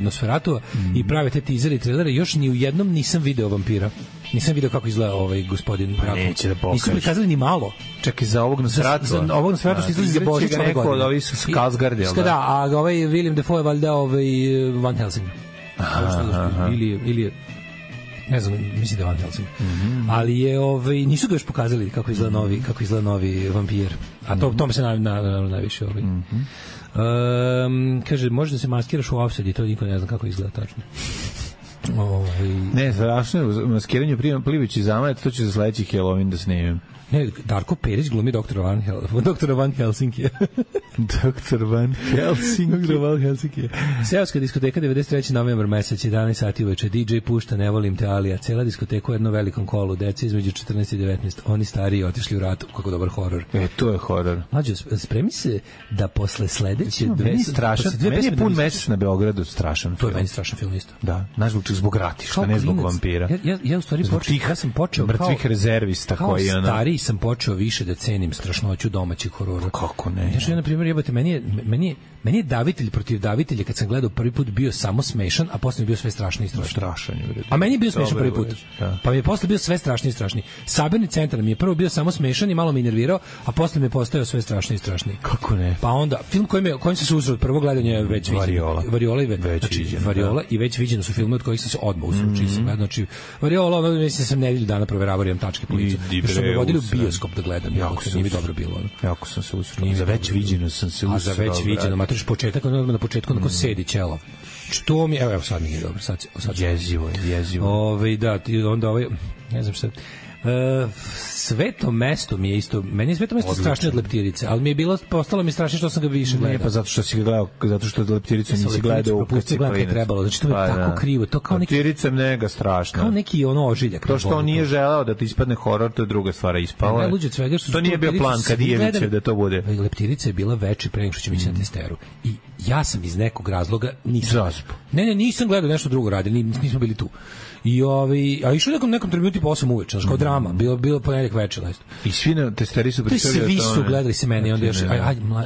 Nosferatu i prave te teasere i trailere, još ni u jednom nisam video vampira. Nisam video kako izgleda gospodin Dracula. Neće da pokaže. Nisu prikazali ni malo. Čekaj, za ovog Nosferatu. Za ovog Nosferatu što izlazi za Božić ove godine. Od ovih Skarsgård, jel da? Da, a William Dafoe je valjda Van Helsing. Ili je ne znam, mislim da je Van Helsing. Ali je, nisu ga još pokazali kako izgleda novi vampir. A to me se najviše kaže, može da se maskiraš u Offside, to niko ne zna kako izgleda tačno. Ne, strašno je maskiranje Plivić i Zamajet, to će za sledeći Halloween da snimim. Ne, Darko Perić glumi doktora Van Helsinki. Doktor Van Helsinki. Seoska diskoteka 93. novembar mesec, 11 sati uveče. DJ pušta Ne volim te Alija. Cela diskoteka u jednom velikom kolu. Deca između 14 i 19. Oni stariji otišli u rat. Kako dobar horor. To je horor. Mlađo, spremi se da posle sledeće meni je pun mesec na Beogradu strašan. To je meni strašan film isto. Da, naš zbog ratišta, ne zbog vampira. Ja u stvari sam počeo mrtvih rezervista koji je stariji sam počeo više da cenim strašnoću domaćih horora. Kako ne? Ja na primjer, jebote, meni je Davitelj protiv Davitelja kad sam gledao prvi put bio samo smešan, a posle mi je bio sve strašni i strašni. A meni je bio smešan prvi put. Pa mi je posle bio sve strašni i strašni. Sabirni centar mi je prvo bio samo smešan i malo me nervirao, a posle mi je postao sve strašni i strašni. Kako ne? Pa onda film kojim se susreo od prvog gledanja je već Variola i već viđeno su filmovi od kojih sam se odmah usrećio. Znači Variola, mislim sam nedelju dana proveravao, imam tačke po licu. Što me vodili u bioskop da gledam, nije mi dobro bilo. Jako sam se usreo. Za već viđeno sam se usreo. A za već viđeno, matriš početak, na početku onako sedi ćelav. Što mi, evo sad mi je dobro, sad jezivo. Da, onda ne znam šta. Sveto mesto mi je isto, meni je Sveto mesto strašnije od Leptirice, ali mi je postalo mi strašnije što sam ga više gledao. Ne, pa zato što si ga gledao, zato što Leptiricu nisi gledao u kući je trebalo, znači to mi je tako krivo, to kao neki Leptirica je mega strašna. Kao neki ožiljak. To što on nije želeo da ti ispadne horor, to je druga stvar, ispalo. To nije bio plan Kadijevićev da to bude. Leptirica je bila veći pre nego što ćemo ići na testeru. I ja sam iz nekog razloga nisam gledao nešto drugo radili, nismo bili tu. A išlo nekom trenutku po 8 uveče, znači kao drama, bilo ponedjeljak večer. I svi na testeri su pričali o tome. Svi su gledali se meni, onda još,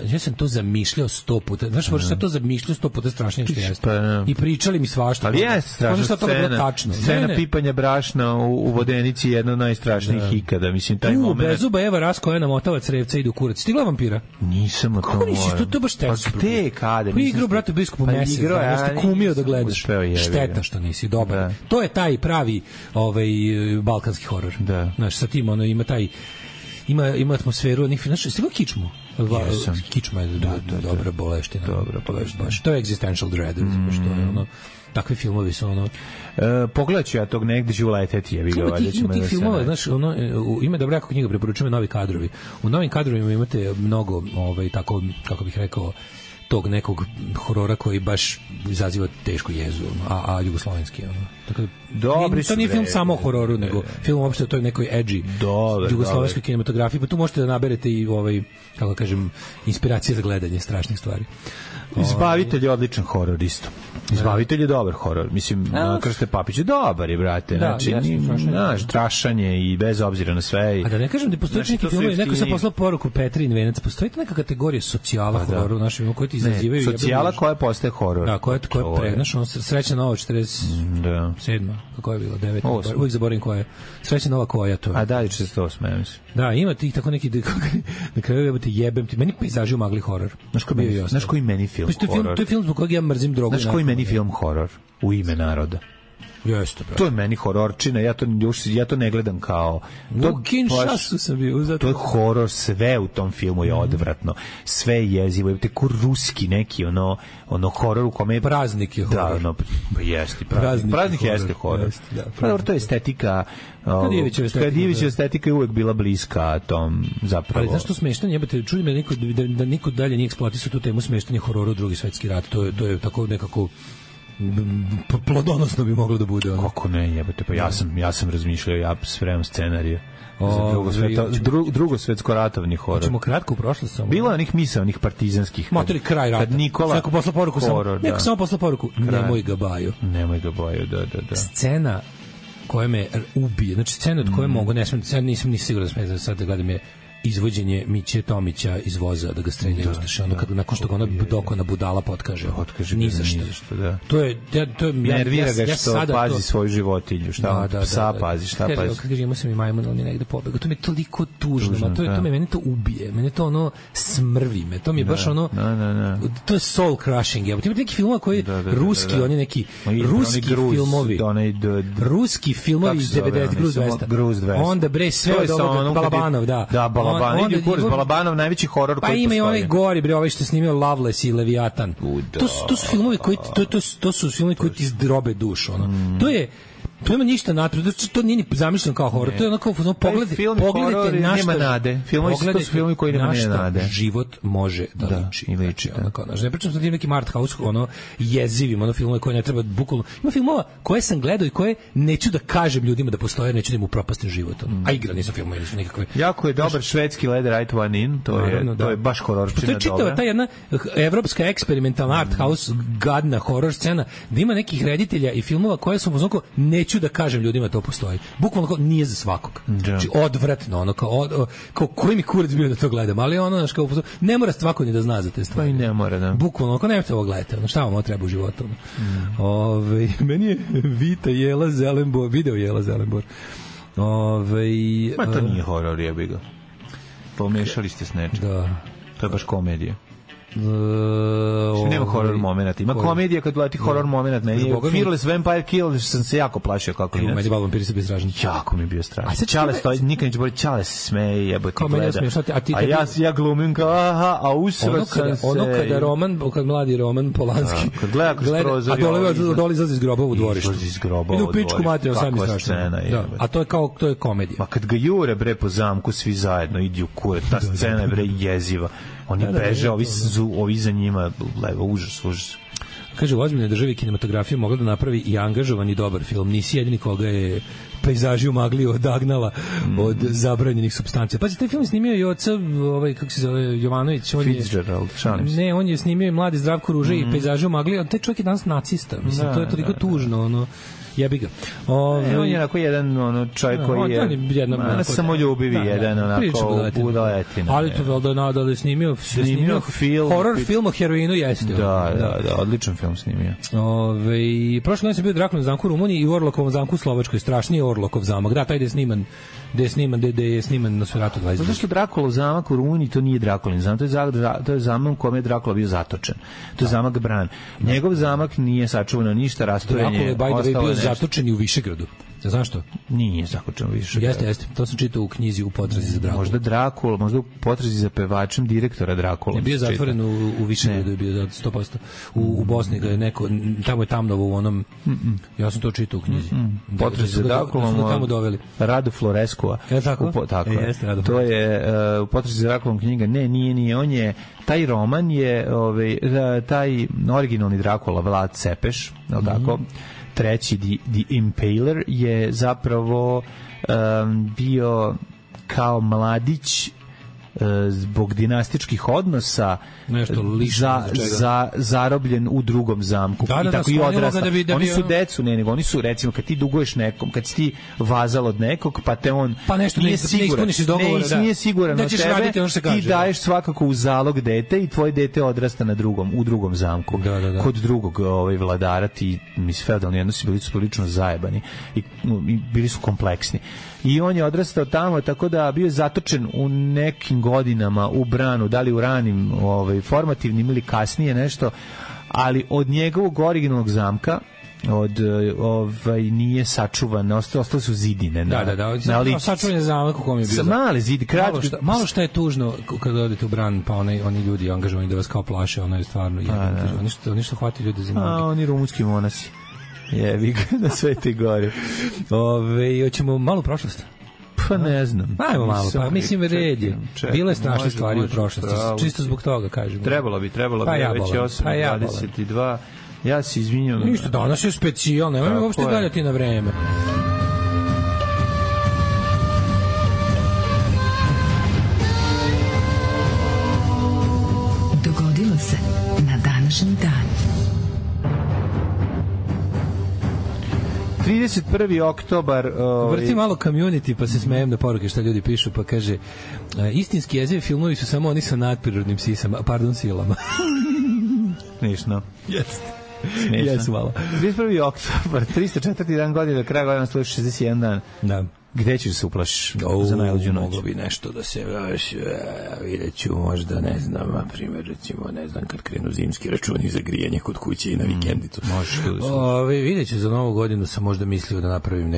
ja sam to zamišljao 100 puta, znaš, sam to zamišljao 100 puta strašnije što jeste. I pričali mi svašta. Ali jeste strašna scena pipanja brašna u Vodenici je jedna od najstrašnijih ikada, mislim, taj moment. Bezuba Eva Rasko, motava crevca ide u kurac. Ti gleda vampira? Nisam, kako nisi, to baš teško. Pa te kada? Pa igrao, brate, biskupu mesec, nešto kumio da gledaš. Šteta što nisi, dobar. To je taj pravi balkanski horor. Da. Znaš, sa tim ima taj ima atmosferu onih, znaš, ste ga Kičmu? Kičma je dobra boleština. To je existential dread, što je ono, takvi filmovi su ono... Pogledat ću ja tog negde ću uleteti, jebi ga, valjda ćemo da se... filmova, znaš, ono, ima dobra jako knjiga, preporučujem Novi kadrovi. U Novim kadrovima imate mnogo, tako, kako bih rekao, tog nekog horora koji baš izaziva tešku jezu, a jugoslovenski, ono. Tako da, to nije film samo o hororu, nego film uopšte o toj nekoj edgy jugoslovenskoj kinematografiji, pa tu možete da naberete i, kako kažem, inspiracije za gledanje strašnih stvari. Izbavitelj je odličan horor isto. Izbavitelj je dobar horor. Mislim, Krste Papić je dobar, brate. Znači, strašanje i bez obzira na sve. A da ne kažem da postoji neki film, neko sam poslao poruku Petrin Venac, postoji neka kategorija socijala hororu u našem filmu koji ti izazivaju. Socijala koja postaje horor. Da, koja je prenaš, Srećna nova 47. Kako je bilo? 9. Uvijek zaboravim koja je. Srećna nova koja to je. A da, 48, ja mislim. Da, ima tih tako neki, na kraju jebem ti. Meni pejzaži u magli horor. Znaš koji meni film horor? To je film zbog kojeg ja mrzim drogu. Znaš koji meni film horor? U ime naroda. Jeste, brate. To je meni hororčina, ja to ne gledam kao... U Kinshasu sam bio. To je horor, sve u tom filmu je odvratno. Sve je jezivo. Te ko ruski neki, ono horor u kome je... Praznik je horor. Da, jeste praznik. Praznik jeste horor. Pa to je estetika... Kadijevićeva estetika je uvek bila bliska tom zapravo. Ali znaš što smešno, jebate, čudi me da niko dalje nije eksploatisao tu temu smeštanja horora u Drugi svetski rat. To je tako nekako plodonosno bi moglo da bude. Kako ne, jebate, pa ja sam razmišljao, ja spremam scenarije drugosvetsko-ratovni horor. Hoćemo kratko u prošlost samo. Bilo je onih misaonih partizanskih. Motori kraj rata. Neko poslao poruku horor, samo poslao poruku. Nemoj ga baju. Nemoj ga baju, da. Scena koja me ubije, znači scena od koje mogu, nisam ni siguran da smijem sad da gledam je izvođenje Miće Tomića iz voza da ga streljaju ustaše, nakon što ga ona dokona budala potkaže ni za što. To je nervira ga što pazi svoju životinju, šta psa pazi, šta pazi. Kaže, imao sam i majmun, on je negde pobegao. To mi je toliko tužno, mene to ubije, mene to ono smrvi me, to mi je baš ono, to je soul crushing. Ima neki filmova koji ruski, oni neki ruski filmovi, ruski filmovi iz 90 Gruz 200, onda bre sve od ovoga Balabanov, da, Balabanov najveći horor koji postoji. Pa ima i onaj gori, bre, ovaj što je snimio Loveless i Leviatan. To su filmovi koji to su filmovi koji ti zdrobe dušu, ono. To ima ništa natrag, to nije ni zamišljeno kao horor, to je onako pogledajte na nema nade. To su filmovi koji nema nade. Život može da liči. Ne pričam sa tim nekim art house, jezivim, filmove koje ne treba bukvalno. Ima filmova koje sam gledao i koje neću da kažem ljudima da postoje, neću da im upropastim život. A igrani su filmovi, nisu nikakve. Jako je dobar švedski Let Right One In, to je baš hororčina dobra. To je čitava ta jedna evropska eksperimentalna art house, gadna horor scena, da ima nekih reditelja i filmova koje su onako neću da kažem ljudima to postoji. Bukvalno nije za svakog. Znači odvratno, ono kao koji mi kurac bio da to gledam, ali ono znaš kao ne mora svako ni da zna za te stvari. Pa i ne mora, da. Bukvalno, ako nemate ovo gledate, ono šta vam treba u životu. Meni je Vita Jela Zelenbor, video Jela Zelenbor. Ma to nije horor, jebi ga. Pomešali ste s nečim. Da. To je baš komedija. Nema horror momenata. Ima komedija kad leti horror momenat. Fearless Vampire Kill sam se jako plašio kako inače. Meni vampiri se bio strašan. Jako mi je bio strašan. Čale stoji, nikad neće boliti, Čale se smeje, jebote gleda. A ja glumim kao a usrat sam se. Ono kad mladi Roman Polanski kad gleda kroz prozor. A dole izlazi iz groba u dvorištu. Idu u pičku materiju, sami strašno. A to je komedija. Ma kad ga jure bre po zamku svi zajedno, idi u kurac, ta scena je bre jeziva. Oni beže, ovi za njima, užas. Kaže, u ozbiljnoj državi kinematografija mogla da napravi i angažovan i dobar film. Nisi jedini koga je pejzaži u magli odagnala od zabranjenih supstancija. Pazi, taj film snimio i oca, kako se zove, Jovanović. Fitzgerald, šalim se. Ne, on je snimio i mladi Zdravko Ruže i pejzaži u magli. Taj čovjek je danas nacista. Mislim, to je toliko tužno, ono. Jebi ga. On je onako jedan čovjek koji je samoljubivi, jedan onako budaletina. Ali to da je snimio film. Horror film o heroinu jeste. Da, odličan film snimio. Prošle noći sam bio u Drakulovom zamku u Rumuniji i u Orlokovom zamku u Slovačkoj. Strašniji Orlokov zamak. Da, taj gde je sniman Nosferatu 22. Zato što Drakulov zamak u Rumuniji to nije Drakulin zamak, to je zamak u kome je Drakula bio zatočen. To je zamak Bran. Njegov zamak nije sačuvano ništa, rastorenje. Drakula je bio zatočen i u Višegradu. Zašto? Nije zaključeno više. Jeste. To sam čitao u knjizi U potrazi za Drakulu. Možda Drakula, možda U potrazi za pevačem direktora Drakula. Je bio zatvoren u Višegradu, je bio 100%. U Bosni ga je neko, tamo je Tamnovo u onom, ja sam to čitao u knjizi. Potrazi za Drakulom, tamo doveli. Radu Floreskova. Je tako? Tako je. To je U potrazi za Drakulom knjiga. Ne, nije. On je, taj roman je, taj originalni Drakula, Vlad Cepeš, je li tako? Treći, The Impaler, je zapravo bio kao mladić zbog dinastičkih odnosa zarobljen u drugom zamku. I tako i odrasta. Oni su decu, nego oni su, recimo, kad ti duguješ nekom, kad si ti vazal od nekog, pa te on nije siguran, nije siguran od tebe, ti daješ svakako u zalog dete i tvoje dete odrasta u drugom zamku. Kod drugog vladara ti, feudalni odnosi bili su prilično zajebani i bili su kompleksni. I on je odrastao tamo, tako da bio je zatočen u nekim godinama u branu, da li u ranim formativnim ili kasnije nešto, ali od njegovog originalnog zamka nije sačuvan, ostale su zidine. Sačuvan je zamak u kom je bio. Mali zid, kratki. Malo što je tužno kada odete u bran, pa oni ljudi angažovani da vas kao plaše, ono je stvarno oni što hvati ljudi za noge. Oni rumunski monasi. Jevi ga na Svetoj gori. Hoćemo malo prošlost? Pa ne znam. Ajmo malo, pa mislim red je. Bilo je strašne stvari u prošlosti, čisto zbog toga kažem. Trebalo bi, već je 8:22. Ja se izvinjam. Ništa, danas je specijalno, nemoj uopšte galjati na vreme. Dogodilo se na današnji dan. 31. oktobar... Vrti malo community, pa se smejem na poruke šta ljudi pišu, pa kaže istinski jezivi filmovi su samo oni sa nadprirodnim silama. Smiješno. Jeste. Smiješno. Malo. 31. oktobar, 304. dan godine, do kraja godina stoji 61 dan. Da. Gde ćeš se uplašiš za najluđu noć? Moglo bi nešto da se vidjet ću možda, ne znam, na primjer, recimo, ne znam, kad krenu zimski računi za grijanje kod kuće i na vikendicu. Možeš tu da se vidjet ću, za novu godinu sam možda mislio da napravim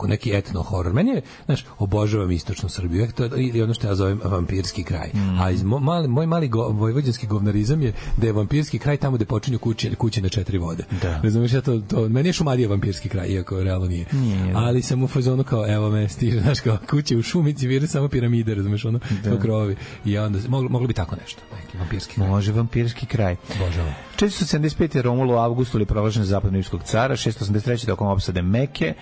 neki etno horor. Meni je, znaš, obožavam istočnu Srbiju, ili ono što ja zovem vampirski kraj. A moj mali vojvođanski govnarizam je da je vampirski kraj tamo gde počinju kuće na 4 vode. Razumiješ, meni je Šumadija vampirski kraj, iako realno nije. Ali sam u fazonu kao, evo me, stiže, znaš, kao kuće u šumici, vire samo piramide, razumeš, ono, krovi. I onda, moglo bi tako nešto, neki vampirski kraj. Može vampirski kraj. Božavam. 475. Romulo u avgustu ili proglašen zapadno rimskog cara, 683. tokom opsade Meke,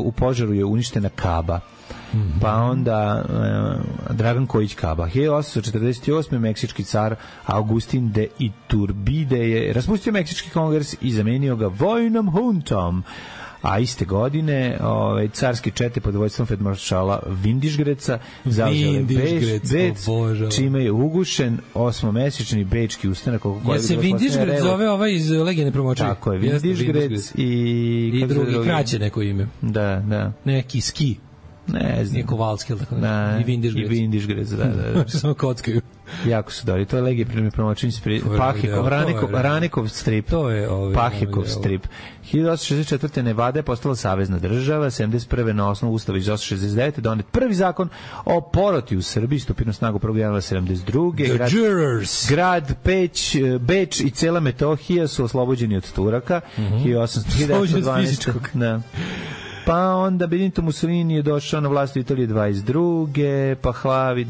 u požaru je uništena Kaba. Pa onda Dragan Kojić Kaba. 1848. meksički car Augustin de Iturbide je raspustio meksički kongres i zamenio ga vojnom huntom. A iste godine carski čete pod vojstvom feldmaršala Vindišgreca zauzele Beč, čime je ugušen osmomesečni bečki ustanak. Ja se Vindišgrec zove iz Legende promočari. Tako je, Vindišgrec i drugi kraće neko ime. Da. Neki ski. Ne znam. Nije Kovalski, ili tako da. I Vindišgrec, da. Samo kockaju. Jako su dobri. To je Legije promočenje Ranekov strip. To je Pahekov strip. 1864. Nevada je postala savezna država, 71. na osnovu ustava iz 1869. donet prvi zakon o poroti u Srbiji, stupio na snagu 1. januara 72. Grad Beč i cela Metohija su oslobođeni od Turaka. 1812. Da. Pa onda Benito Mussolini je došao na vlast u Italiji 22. Pa Hlavi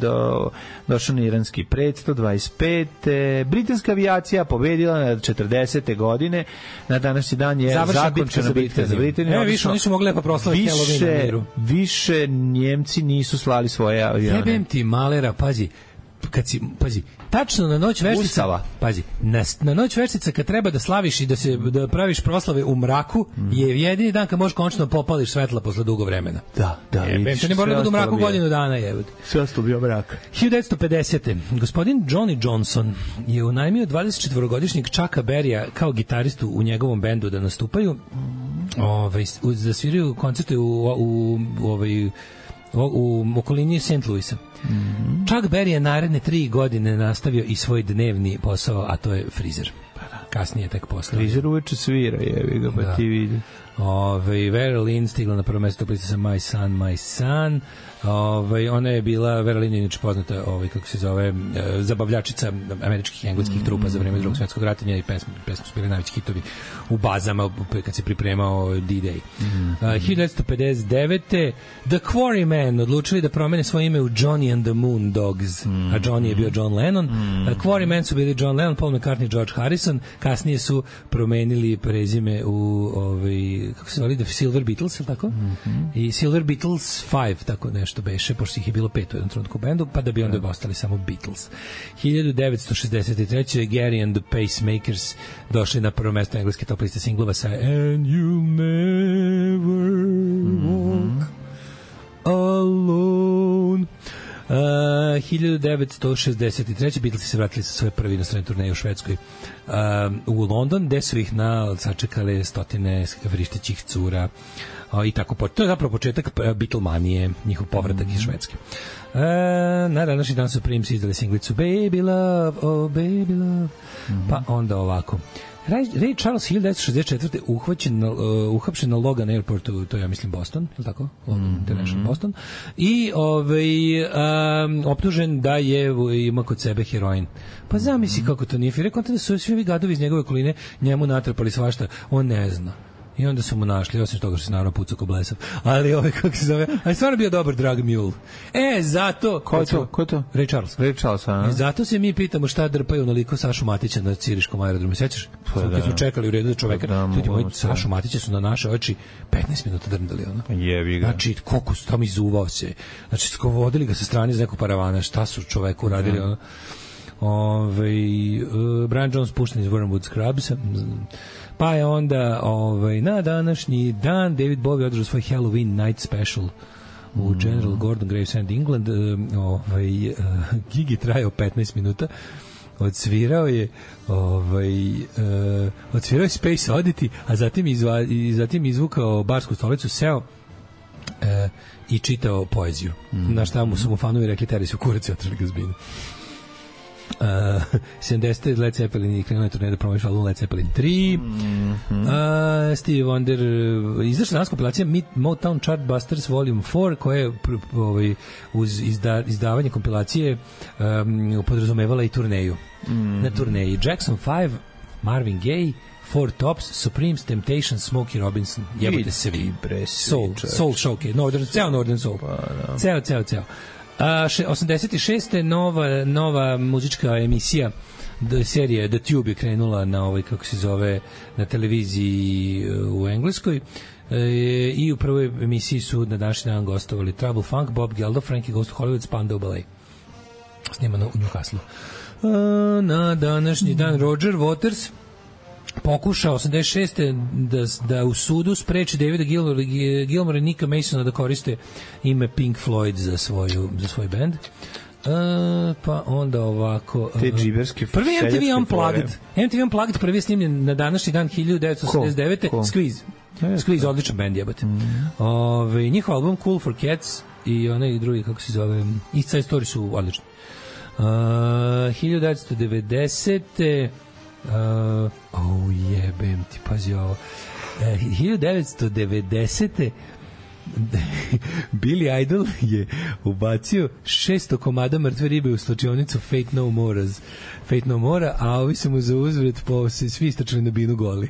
došao na iranski predstav 25. Britanska avijacija pobedila na 40. godine. Na današnji dan je zakončena bitka za Britaniju. Više nisu mogli pa proslaviti Halloween na miru. Više Njemci nisu slali svoje avione. Jebem ti malera, pazi, tačno na noć veštica, pazi, na noć veštica kad treba da slaviš i da praviš proslave u mraku, je jedini dan kad možeš konačno popališ svetla posle dugo vremena. Da. Vidiš, ne mora da u mraku godinu dana, jebud. Sve ostalo bio mrak. 1950. Gospodin Johnny Johnson je unajmio 24-godišnjeg Chucka Berrya kao gitaristu u njegovom bendu da nastupaju. Da sviraju koncerte u okolini St. Louisa. Chuck Berry je naredne 3 godine nastavio i svoj dnevni posao, a to je frizer. Kasnije tek posle. Frizer uveče svira, jevi ga, pa ti vidi. Vera Lynn stigla na prvo mesto liste sa My Son, My Son. Ona je bila, Vera Lynn je inače poznata, kako se zove, zabavljačica američkih i engleskih trupa za vreme Drugog svjetskog rata, njeni pesme su bili najveći hitovi u bazama kad se pripremao D-Day. 1959. The Quarrymen odlučili da promene svoje ime u Johnny and the Moon Dogs, a Johnny je bio John Lennon. Quarrymen su bili John Lennon, Paul McCartney, George Harrison, kasnije su promenili prezime u kako se zove, The Silver Beatles, ili tako? I Silver Beatles 5, tako nešto beše, pošto ih je bilo 5 u jednom trenutku u bendu, pa da bi onda ostali samo Beatles. 1963. Gary and the Pacemakers došli na prvo mesto engleske top liste singlova sa And You'll Never Walk Alone. 1963. Beatlesi se vratili sa svoje prve inostrane turneje u Švedskoj u London, gde su ih sačekale stotine vrištećih cura i tako. To je zapravo početak Beatlemanije, njihov povratak iz Švedske. Na današnji dan su Prims izdali singlicu Baby Love, oh Baby Love. Pa onda ovako. Ray Charles 1964. uhapšen na Logan Airportu, to je, ja mislim, Boston, je li tako? Logan International Boston. I optužen da je ima kod sebe heroin. Pa zamisli kako to nije. Rekao da su svi gadovi iz njegove okoline njemu natrpali svašta. On ne zna. I onda su mu našli, osim toga što se naravno pucao ko blesav. Ali kako se zove, ali stvarno bio dobar drug mule. Zato... Ko je to? Ray Charles. Ray Charles, a? I zato se mi pitamo šta drpaju onoliko Sašu Matića na Ciriškom aerodromu. Sećaš? Kad smo čekali u redu za čoveka, ljudi moji, Sašu Matića su na naše oči 15 minuta drndali, ono. Jebi ga. Znači, koliko su tamo izuvao se. Znači, vodili ga sa strane iz nekog paravana. Šta su čoveku uradili, ono? Brian Jones pušten iz Wormwood Scrubs. Pa je onda na današnji dan David Bowie održao svoj Halloween Night Special u General Gordon Gravesend, England. Gig je trajao 15 minuta. Odsvirao je Space Oddity, a zatim izvukao barsku stolicu, seo i čitao poeziju. Na šta mu su mu fanovi rekli, teri su kurac i otrali ga zbinu. 70. Led Zeppelin i krenula je turneja da promoviš album Led Zeppelin 3. Stevie Wonder izašla danas kompilacija Motown Chartbusters Volume 4 koja je uz izdavanje kompilacije podrazumevala i turneju. Na turneji Jackson 5, Marvin Gaye, Four Tops, Supremes, Temptations, Smokey Robinson. Jebate se vi. Soul Showcase, ceo Northern Soul. Ceo. 86. nova muzička emisija serije The Tube je krenula na kako se zove, na televiziji u Engleskoj. I u prvoj emisiji su na današnji dan gostovali Trouble Funk, Bob Geldof, Frankie Goes to Hollywood, Spandau Ballet. Snimano u Newcastle. Na današnji dan Roger Waters pokušao 86. da u sudu spreči Davida Gilmore i Nicka Masona da koriste ime Pink Floyd za svoj band. Pa onda ovako... Te džiberske... Prvi MTV Unplugged prvi je snimljen na današnji dan 1989. Squeeze, odličan band, jebate. Njihov album Cool for Cats i onaj drugi, kako se zove, East Side Story su odlični. 1990. Jebem ti, pazi ovo. 1990. Billy Idol je ubacio 600 komada mrtve ribe u slačionicu Fate No More, a ovi su mu za uzvret svi istračili na binu goli.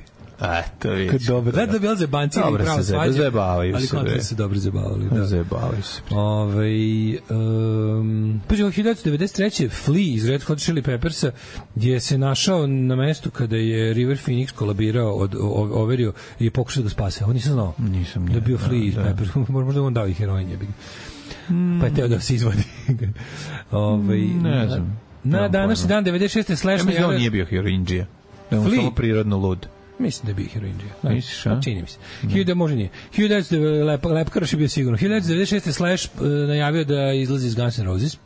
To vidiš. Dobro, da bi se banci i pravo svađa, zajebavaju ali kontra se dobro zabavali. Zajebavaju se. Pa 1993. Flea iz Red Hot Chili Peppersa je se našao na mestu kada je River Phoenix kolabirao, overio i pokušao da ga spase. Ovo nisam znao. Da je bio Flea iz Peppersa. Možda on dao i heroin. Pa je teo da se izvadi. Ne znam. Na današnji dan 96. Slash... Ja mislim da on nije bio heroinđija. On samo prirodno lud. Mislim da je bio heroinđija. Misliš, a? Čini mi se. 1000 može nije. 1900 Lepkaroš je bio sigurno. 1996. Slash najavio da izlazi iz Guns N' Roses.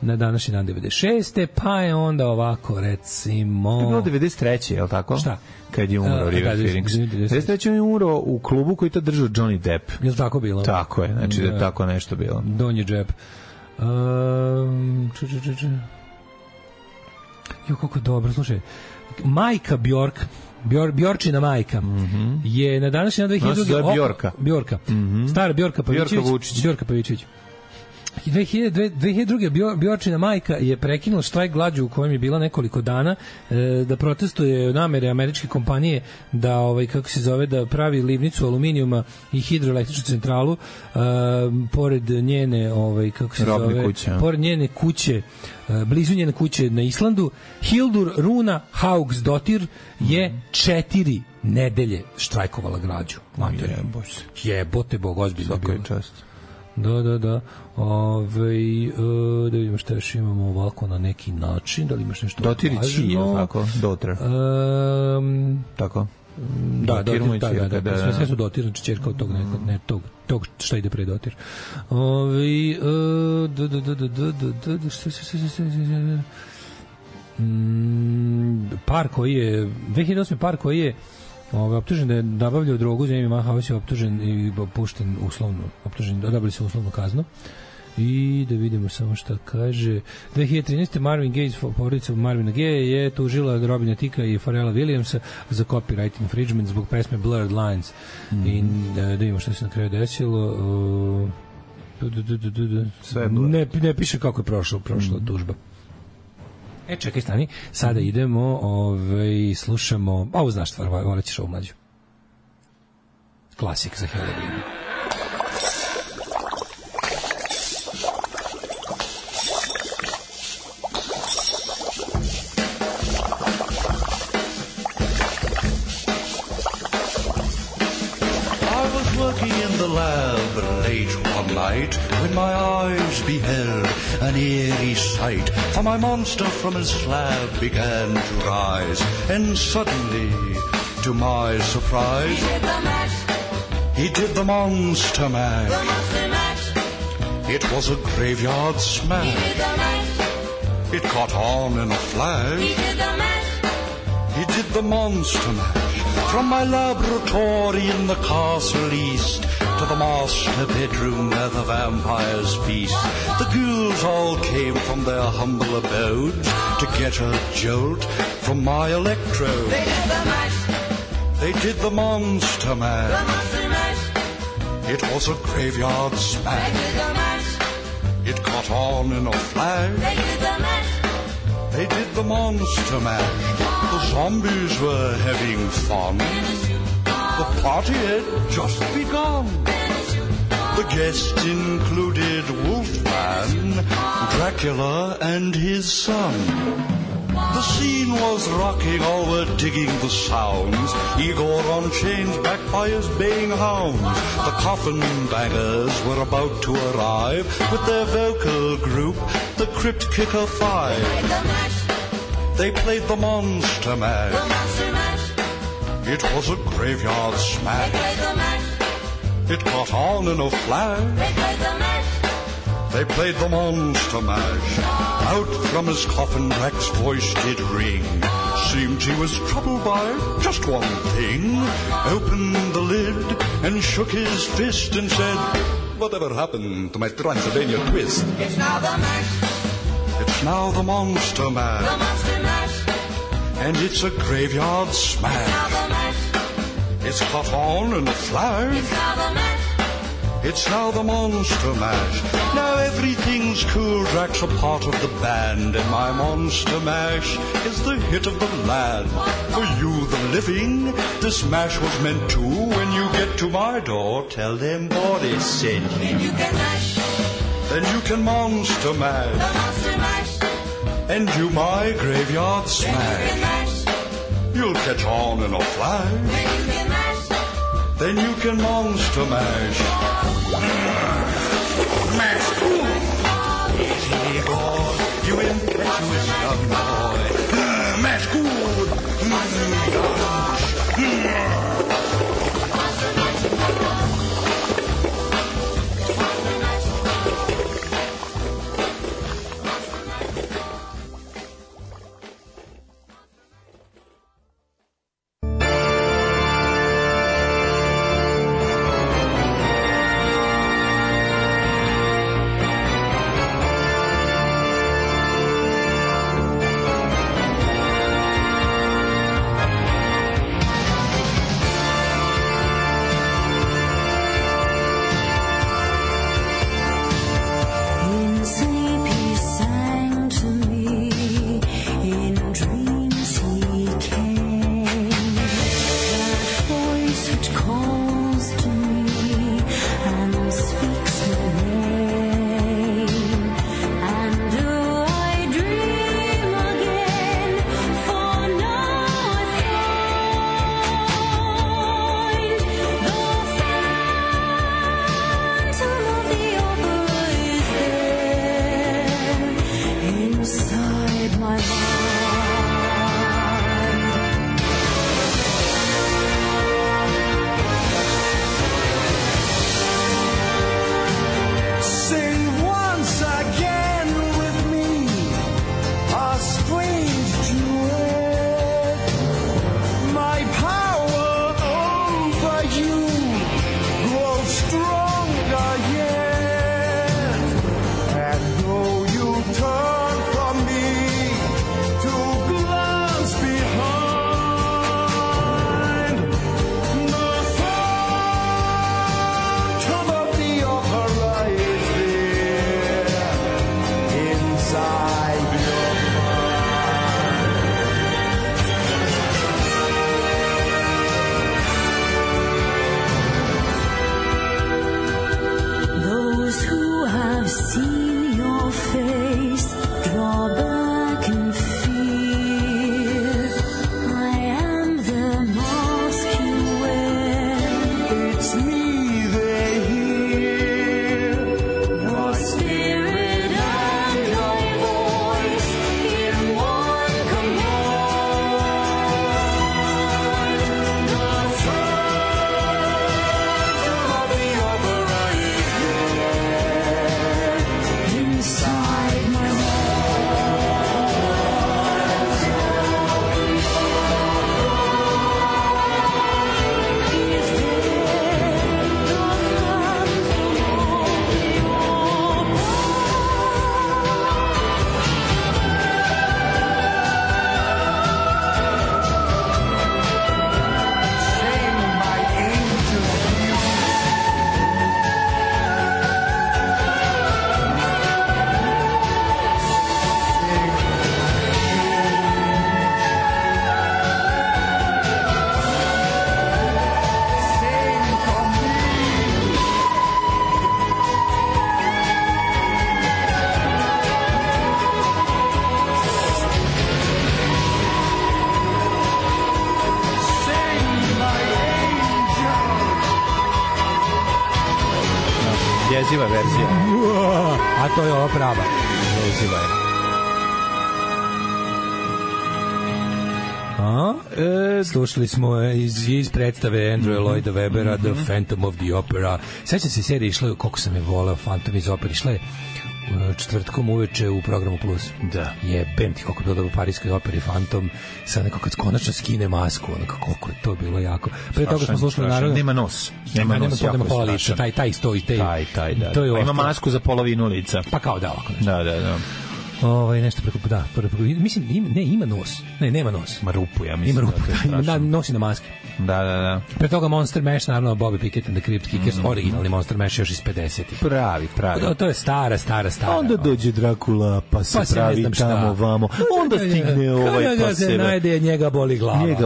Na današnji dan 96. Pa je onda ovako, recimo... Je bilo 93. je li tako? Šta? Kad je umro River Phoenix. 93. je umro u klubu koji to držao Johnny Depp. Je li tako bilo? Tako je, znači da je tako nešto bilo. Donji džep. Jo, kako dobro, slušaj. Majka Bjork Bjorčina majka je na današnji dan 2002. Bjorka. Stara Bjorka Pavićević. Bjorka Pavićević. 2002. Bjorčina majka je prekinula štrajk glađu u kojem je bila nekoliko dana da protestuje namere američke kompanije da kako se zove, da pravi livnicu aluminijuma i hidroelektričnu centralu pored njene kako se zove kuće, pored njene kuće, blizu njene kuće na Islandu. Hildur Runa Haugsdottir je 4 nedelje štrajkovala glađu. Jebote Bog, ozbiljno bilo. Da. Da vidimo šta još imamo ovako na neki način. Da li imaš nešto važno? Dotirić je, tako? Dotir. Tako? Da, sve su Dotir, znači čerka od tog nekog, ne tog šta ide pre Dotir. Par koji je 2008. par koji je optužen da je nabavljao drogu, Jamie Mahaus je optužen i pušten uslovno, odabili se uslovnu kaznu. I da vidimo samo šta kaže. 2013. Marvin Gaye, porodica Marvina Gaye je tužila Robina Ticka i Pharrella Williamsa za copyright infringement zbog pesme Blurred Lines. I da vidimo šta se na kraju desilo. Ne piše kako je prošla tužba. Čekaj, stani. Sada idemo, slušamo, ovo znaš stvar, volit ćeš ovu mlađu. Klasik za Halloween. Late one night, when my eyes beheld an eerie sight, for my monster from his slab began to rise, and suddenly, to my surprise, he did the monster mash. It was a graveyard smash. It caught on in a flash. He did the monster mash. From my laboratory in the castle east to the master bedroom where the vampires feast, the ghouls all came from their humble abodes to get a jolt from my electrode. They did the mash. They did the monster mash. The monster mash. It was a graveyard smash. They did the mash. It caught on in a flash. They did the mash. They did the monster mash. The zombies were having fun. The party had just begun. The guests included Wolfman, Dracula, and his son. The scene was rocking, all were digging the sounds. Igor on chains, backed by his baying hounds. The coffin bangers were about to arrive with their vocal group, the Crypt Kicker Five. They played the monster mash. The monster mash. It was a graveyard smash. They played the mash. It caught on in a flash. They played the mash. They played the monster mash. Out from his coffin Drac's voice did ring. Seemed he was troubled by just one thing. Opened the lid and shook his fist and said, "Whatever happened to my Transylvania twist?" It's now the mash. It's now the monster mash. The monster mash. And it's a graveyard smash. It's now the mash. It's caught on in a flash. It's now the mash. It's now the monster mash. Now everything's cool. Drac's a part of the band, and my monster mash is the hit of the land. For you, the living, this mash was meant to. When you get to my door, tell them Boris sent you. Then you can mash. Then you can monster mash. The monster mash. And you my graveyard smash. Then you can mash. You'll catch on in a flash. Then you can mash. Then you can monster mash. Mash. Easy boy, you impetuous young boy. Mash good. it's neither here nor spirit and your voice in one command. The phantom of the opera is there inside my heart. Jeziva verzija. A to je ova prava. Jeziva je. Slušali smo iz predstave Andrewa Lloyda Webbera The Phantom of the Opera. Sećam se serije išla, koliko sam je voleo Phantom iz opere, išla je četvrtkom uveče u programu Plus. Da. Jebem ti koliko je bilo dobro u Parijskoj operi Phantom, sad neko kad konačno skine masku, onako koliko je to bilo jako. Pre toga smo slušali naravno. Nema nos. Nema pola lica, taj stoji, taj, da. To je ima masku za polovinu lica. Pa kao da ovako nešto. Da. Nešto preko, mislim, ima nos. Ne, nema nos. Ima rupu, ja mislim. Ima rupu, da, nosi na maski. Da. Pre toga Monster Mash, naravno, Bobby Pickett and the Crypt Kickers, originalni Monster Mash još iz 50-ih. Pravi. To je stara. Onda dođe Drakula, pa se pravi tamo vamo. Onda stigne pa se najde, njega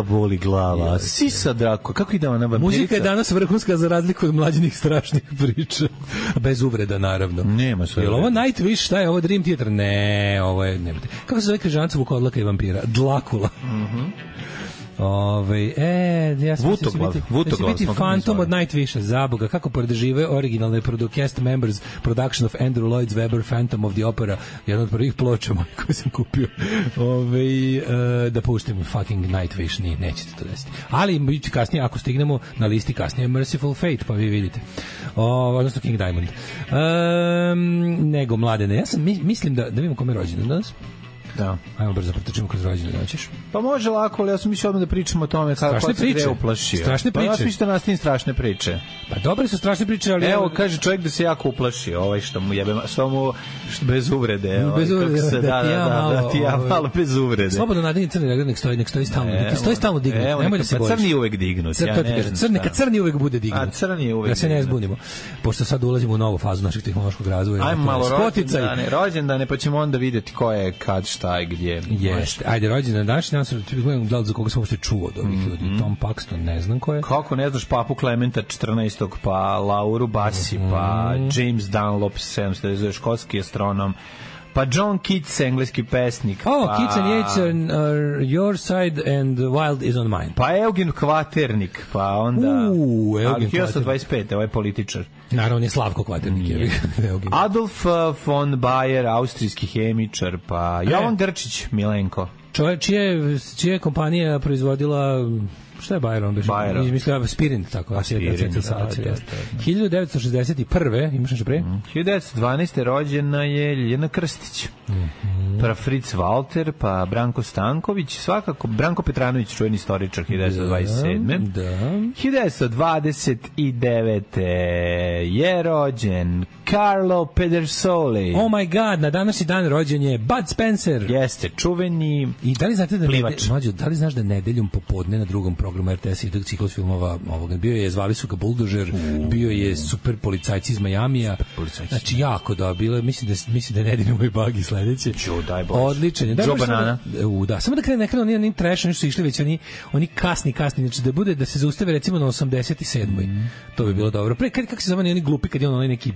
boli glava. Sisa Drakula, kako ide ona vampirica? Muzika je danas vrhunska za razliku od mlađenih strašnih priča. Bez uvreda, naravno. Nema sve. Jel ovo Nightwish, šta je ovo Dream Theater? Ne, ovo je, nemate. Kako se zove križanca Vukodlaka i vampira? Dlakula. Ja sam biti Phantom od Nightwisha, zaboga, kako podržive originalne cast members production of Andrew Lloyd Webber Phantom of the Opera, jedna od prvih ploča koje sam kupio. Da puštim fucking Nightwish, nećete to desiti. Ali biće kasnije, ako stignemo na listi kasnije Merciful Fate, pa vi vidite. Odnosno King Diamond. Nego Mladene, ja sam mislim da vidimo kome je rođendan danas. Da. Ajmo brzo protrčimo kroz rođendan, hoćeš? Pa može lako, ali ja sam mislio odmah da pričamo o tome kako se gde uplašio. Strašne priče. Pa ja sam mislio da nastavim strašne priče. Pa dobre su strašne priče, ali... Evo, kaže čovjek da se jako uplašio, što mu jebe, bez uvrede. Bez uvrede, da ti ja malo bez uvrede. Slobodno nadanje crni regler, nek stoji stalno. Nek stoji stalno dignut, nemoj da se bojiš. Crni je uvek dignut. Neka crni uvek bude dignut. A crni je uvek. Da se ne zbunimo. Pošto sad ulazimo u novu fazu našeg tehnološkog razvoja. Ajmo malo rođendane, pa ćemo onda vidjeti ko je, kad, šta i gdje. Jeste. Ajde, rođendan današnji, ja sam gledao za koga sam uopšte čuo od ovih ljudi. Tom Paxton, ne znam ko je. Kako ne znaš Papu Klementa 14. pa Lauru Bassi, pa James Dunlop 700, škotski astronom, pa John Keats, engleski pesnik. Keats and Yeats are your side and Wild is on mine. Pa Eugen Kvaternik, pa onda... Eugen Kvaternik. 1925, ovaj političar. Naravno je Slavko Kvaternik. Adolf von Bayer, austrijski hemičar, pa Jovan Grčić, Milenko. Čovjek čija je kompanija proizvodila... Šta je Bayron? Bayron. Izmislio Spirin, tako. Spirin, 1961. Imaš nešto pre? 1912. rođena je Ljiljana Krstić. Pa Fritz Walter, pa Branko Stanković, svakako Branko Petranović, čuveni istoričar, 1927. Da. 1929. je rođen Carlo Pedersoli. Oh my god, na današnji dan rođen je Bud Spencer. Jeste, čuveni I da li znate da plivač. Da li znaš da nedeljom popodne na drugom programu RTS ide ciklus filmova ovoga. Bio je, zvali su ga Buldožer, bio je Super policajci iz Majamija. Znači jako da bilo, mislim da je nedeljom i Bagi sledeće. Odličan je. Joe Banana. Da, samo da krene oni trash, oni su išli već oni kasni, znači da bude da se zaustave recimo na 87. To bi bilo dobro. Pre kako se zove oni glupi kad je on neki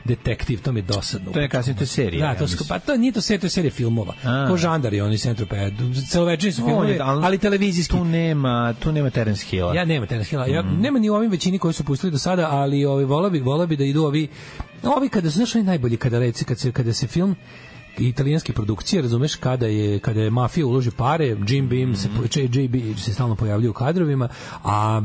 detektiv, to mi je dosadno. To je kasnije, to je serija. Da, to nije to serija, to je serija filmova. Ko Žandar je oni Centroped. Celovečerni su filmovi, ali televizijski. Tu nema Terence Hilla. Ja nema Terence Hilla. Ja nema ni u ovim većini koji su pustili do sada, ali voleo bi da idu ovi kada su znaš najbolji kada se film italijanske produkcije, razumeš, kada je mafija uloži pare, Jim Beam JB se stalno pojavljuje u kadrovima, a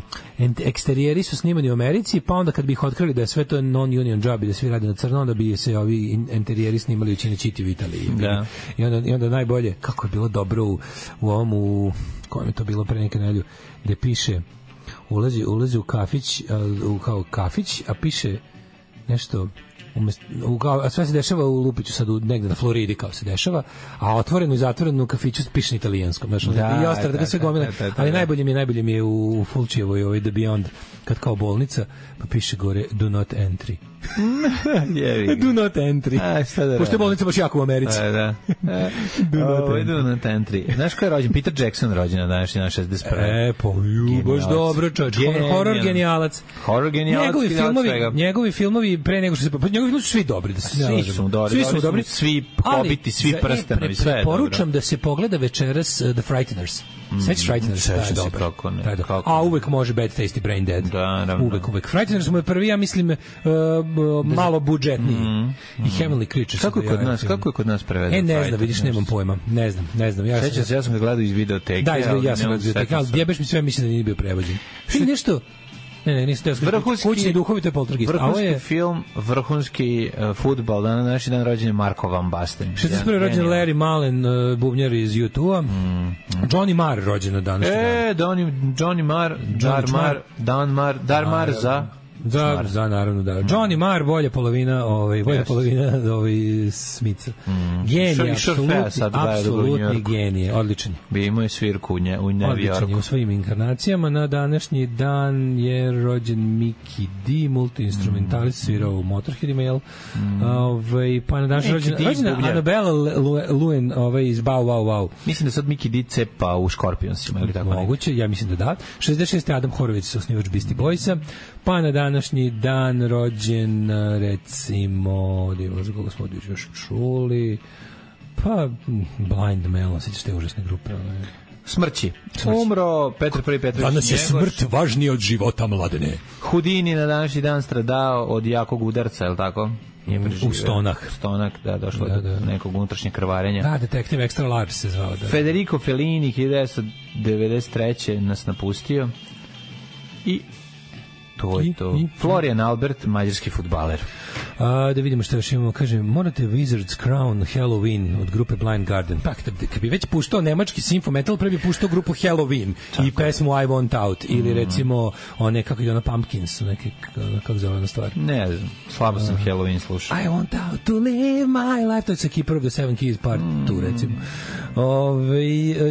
eksterijeri su snimani u Americi, pa onda kad bi ih otkrili da je sve to non-union job i da svi rade na crno, onda bi se ovi interijeri snimali u Cinecittì u Italiji. Da. I onda najbolje, kako je bilo dobro u ovom, kojem je to bilo pre neke nedelju, gde piše, ulazi u kafić, kao kafić, a piše nešto a sve se dešava u Lupiću sad negde na Floridi kao se dešava, a otvoreno i zatvoreno u kafiću piše na italijanskom, znači i ostalo da sve gomila, ali najbolje mi je u Fulčijevoj The Beyond kad kao bolnica pa piše gore do not entry. Do not entry. Pošto je bolnica baš jako u Americi. Do not entry. Znaš ko je rođen? Peter Jackson rođen na današnji 61. Baš dobro čovječ. Horror genijalac. Njegovi filmovi pre nego što se... Njegovi filmovi su svi dobri. Svi su dobri. Svi Hobiti, svi prstenovi, sve je dobro. Poručam da se pogleda večeras The Frighteners. Sveći Frighteners, taj je dobar. A uvek može Bad Tasty Brain Dead. Uvek. Frighteners mu je prvi, ja mislim, malo budžetniji. I Heavenly Creatures. Kako je kod nas prevedeno? Ne znam, vidiš, nemam pojma. Ne znam. Sećam se, ja sam ga gledao iz videoteke. Da, ja sam ga iz videoteke, ali jebeš mi sve, mislim da nije bio prevođen. Što nešto... Ne, nisi teo skriti. Kućni duhovi, to je Poltergeist. Vrhunski film, vrhunski fudbal. Na naši dan rođen je Marko Van Basten. 61. rođen Larry Mullen, bubnjar iz U2-a. Johnny Marr rođen na današnji dan. Johnny Marr, Darmar za... Da, naravno, da. Johnny Marr, bolja polovina Smitha. Genije, apsolutni genije, odličan. Bi imao je svirku u New Yorku. Odličan je u svojim inkarnacijama. Na današnji dan je rođen Mickey D, multi-instrumentalist, svirao u Motorheadima, jel? Pa na današnji rođen Annabella Luen iz Bow Wow Wow. Mislim da sad Mickey D cepa u Scorpionsima, ili tako? Moguće, ja mislim da. 66. Adam Horowitz, osnivač Beastie Boysa. Pa na današnji dan rođen, recimo, da imamo za koga smo još čuli, pa Blind Melon, sjećaš te užasne grupe. Smrći. Umro Petar I. Petrović. Danas je smrt važnija od života, Mladene. Houdini na današnji dan stradao od jakog udarca, je li tako? U stonak, da, došlo do nekog unutrašnjeg krvarenja. Da, detektiv Extra Large se zvao. Da. Federico Fellini, 1993. nas napustio. I to je to. Florian Albert, mađarski fudbaler. Da vidimo što još imamo. Kaže, morate Wizard's Crown Halloween od grupe Blind Guardian. Pa, kad bi već puštao nemački Sinfo Metal, pre bi puštao grupu Halloween i pesmu I Want Out. Ili recimo, one, kako ide ona, Pumpkins, neke, kako zove ona stvar? Ne znam, slabo sam Halloween slušao. I want out to live my life. To je sa Keeper of the Seven Keys part 2, recimo.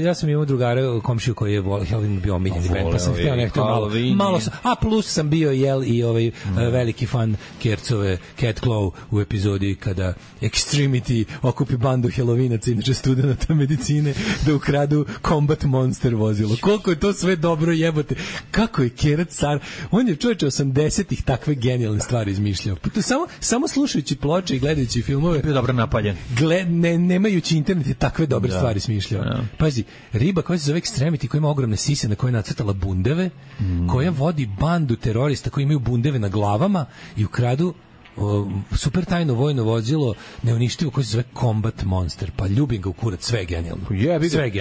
Ja sam imao drugara, komšiju koji je Halloween bio omiljeni band, pa sam htio nekto malo sam, a plus sam bio i veliki fan Kercove Cat Claw u epizodi kada Extremity okupi bandu Halloweena, inače studenta medicine, da ukradu Combat Monster vozilo. Koliko je to sve dobro, jebote. Kako je Kerat car, on je čovječe 80-ih takve genijalne stvari izmišljao. Samo slušajući ploče i gledajući filmove, bio dobro napaljen. Nemajući internet je takve dobre stvari smišljao. Pazi, riba koja se zove Extremity, koja ima ogromne sise na koje je nacrtala bundeve, koja vodi bandu terorista koji imaju bundeve na glavama i ukradu super tajno vojno vozilo neuništivo koje se zove Combat Monster, pa ljubim ga u kurac, sve je genijalno.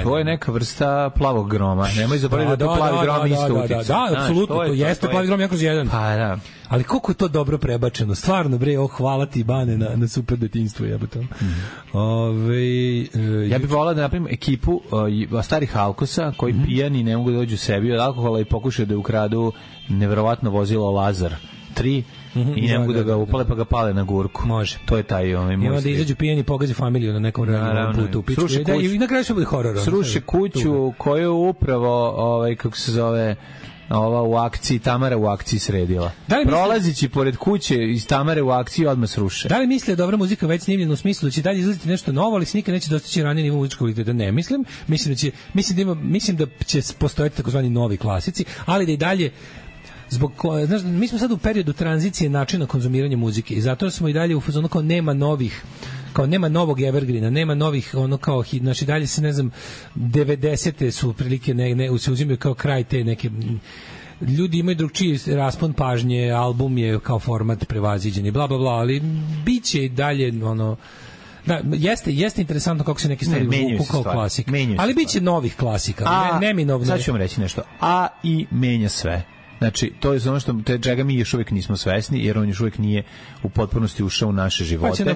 To je neka vrsta plavog groma, nemoj zaboraviti da to plavi grom isto utiče. Da, apsolutno, to jeste plavi grom, jako kroz jedan. Pa da. Ali koliko je to dobro prebačeno, stvarno bre, hvala ti Bane na super detinjstvo, jebote. Ja bih volao da napravim ekipu starih alkosa koji pijani ne mogu da dođu sebi od alkohola i pokušaju da ukradu neverovatno vozilo Lazar 3 i ne mogu da ga upale pa ga pale na gurku. Može. To je taj moj. I onda izađu pijeni, pogazi familiju na nekom putu. I na kraju se bude horor. Sruše kuću koju upravo, kako se zove, ova u akciji, Tamara u akciji sredila. Prolazići pored kuće iz Tamare u akciji odmah sruše. Da li misle dobra muzika već snimljena u smislu da će dalje izlaziti nešto novo, ali se nikad neće dostići ranije nivo muzičkog kvaliteta? Ne mislim. Mislim da će postojati takozvani novi klasici, ali da i dalje znaš, mi smo sad u periodu tranzicije načina konzumiranja muzike i zato smo i dalje u fazonu kao nema novog evergreena, nema novih ono kao hit, znači dalje se ne znam 90-te su prilike se uzimaju kao kraj te neke ljudi imaju drugčiji raspon pažnje, album je kao format prevaziđen i bla bla bla, ali biće i dalje ono da, jeste interesantno kako se neke stvari vuku kao klasik. Ali biće novih klasika, neminovno. Sad ću vam reći nešto. AI menja sve. Znači, to je ono čega mi još uvijek nismo svesni, jer on još uvijek nije u potpunosti ušao u naše živote.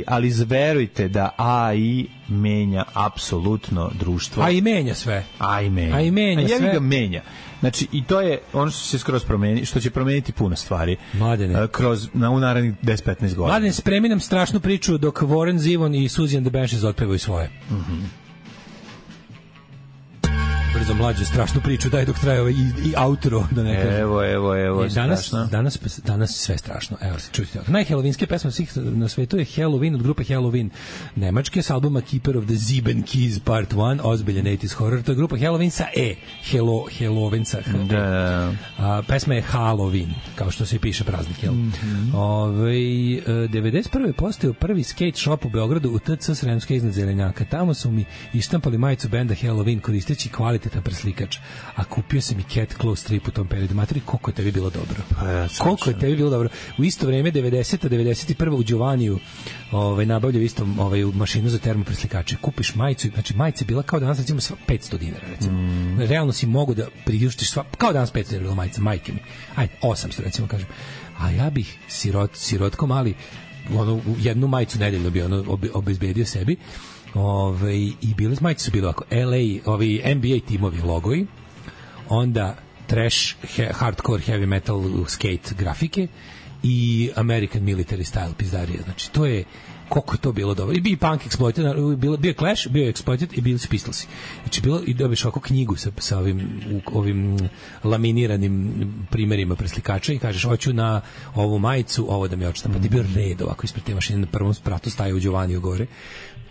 Ali verujte da AI menja apsolutno društvo. AI menja sve. AI menja sve. Ga menja. Znači, i to je ono što se skroz promeni, što će promeniti puno stvari. Mladene. U narednih 10-15 godina. Mladene, spremi nam strašnu priču dok Warren Zevon i Suzy and the Banshees otpevaju svoje. Brzo mlađe, strašnu priču, daj dok traje i outro, da ne kažem. Evo, danas sve strašno. Evo, čujte. Najhelovinske pesma svih na svetu je Halloween od grupe Halloween Nemačke s albuma Keeper of the Sieben Keys Part 1, ozbiljan 80s horror. To je grupa Halloween sa Hallowenca. Pesma je Halloween, kao što se piše praznik, jel? 91. postao prvi skate shop u Beogradu u TC Sremska iznad Zelenjaka. Tamo su mi ištampali majicu benda Halloween koristeći kvalitetan preslikač, a kupio sam i Cat Claw strip u tom periodu. Materi, koliko je tebi bilo dobro. Koliko je tebi bilo dobro. U isto vreme, 90. 91. u Đovaniju nabavljaju isto mašinu za termopreslikače. Kupiš majicu, znači majica je bila kao danas recimo $500, recimo. Realno si mogu da priuštiš kao danas $500 bila majica, majke mi. Ajde, 800 recimo kažem. A ja bih sirotko mali jednu majicu nedeljno bi obezbedio sebi. I bile majice su bile ovako LA, NBA timovi logoji, onda trash, hardcore, heavy metal, skate grafike i American military style pizdarija. Znači, to je koliko je to bilo dobro. I bio Punk Exploited, bio Clash, bio Exploited i bili su Pistolsi. Znači, i dobiš ovako knjigu sa ovim laminiranim primerima preslikača i kažeš, hoću na ovu majicu, ovo da mi odštampa. Ti bio red ovako ispred te mašine, na prvom spratu staje u Đovaniju gore.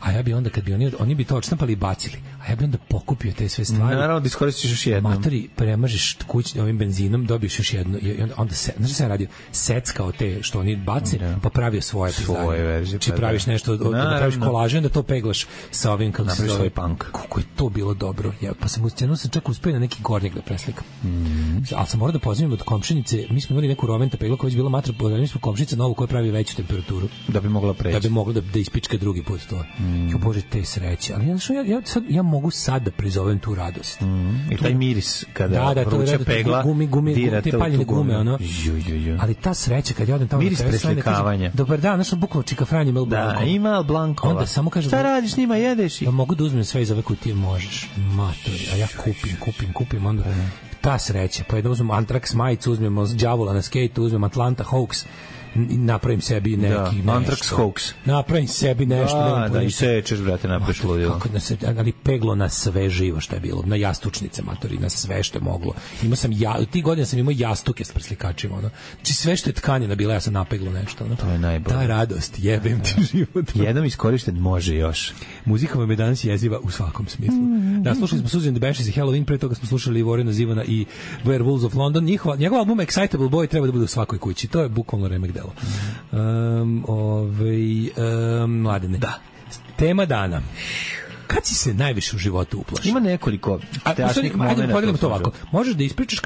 A ja bi onda, kad bi oni bi to odštampali i bacili, a ja bi onda pokupio te sve stvari. Naravno, da iskoristiš još jednom. Matori, premažeš kućnim ovim benzinom, dobiješ još jedno, i onda znači sam radio, seckao te što oni bace, pa pravio svoje verzije. Či praviš nešto, da praviš kolažen, da to peglaš sa ovim, kako se zove, punk. Kako je to bilo dobro. Ja, pa sam čak uspio na neki gornjeg da preslikam. Ali sam morao da pozivim od komšinice, mi smo imali neku roventa pegla koja je bila matra, mi smo komšinica novu koja pravi veću temperaturu. Da bi mogla preći. Da bi mogla da ispička drugi put to. Jo Bože, te sreće. Ali ja mogu sad da prizovem tu radost. I taj miris kada vruća pegla dira te paljene gume, ono. Ali ta sreća kad ja odem tamo miris preslikavanja. Dobar dan, našo bukvalno čika Franje Mel Blanco. Da, ima Mel Blanco. Onda samo kažem, šta radiš s njima, jedeš? Da mogu da uzmem sve iz ove kutije, možeš. Matori, a ja kupim onda. Ta sreća, pa je da uzmem Anthrax majicu, uzmemo đavola na skejtu, uzmem Atlanta Hawks, napravim sebi neki Anthrax Hoax. Napravim sebi nešto. Da, i sečeš, brate, napraviš ludilo. Ali peglo na sve živo što je bilo. Na jastučnice, matori, na sve što je moglo. Imao sam, ti godina sam imao jastuke s preslikačima. Znači sve što je tkanina bila, ja sam napeglo nešto. To je najbolje. Ta radost, jebem ti život. Jednom iskorišten može još. Muzika vam je danas jeziva u svakom smislu. Da, slušali smo Suzy and the Banshees i Halloween, pre toga smo slušali Warrena Zevona i Werewolves of London. Njegov album Excitable Boy treba da bude u svakoj kući. To je bukvalno remek delo. Mladene. Da. Tema dana. Kad si se najviše u životu uplašio? Ima nekoliko strašnih momenta. Ajde, podelimo to ovako. Možeš da ispričaš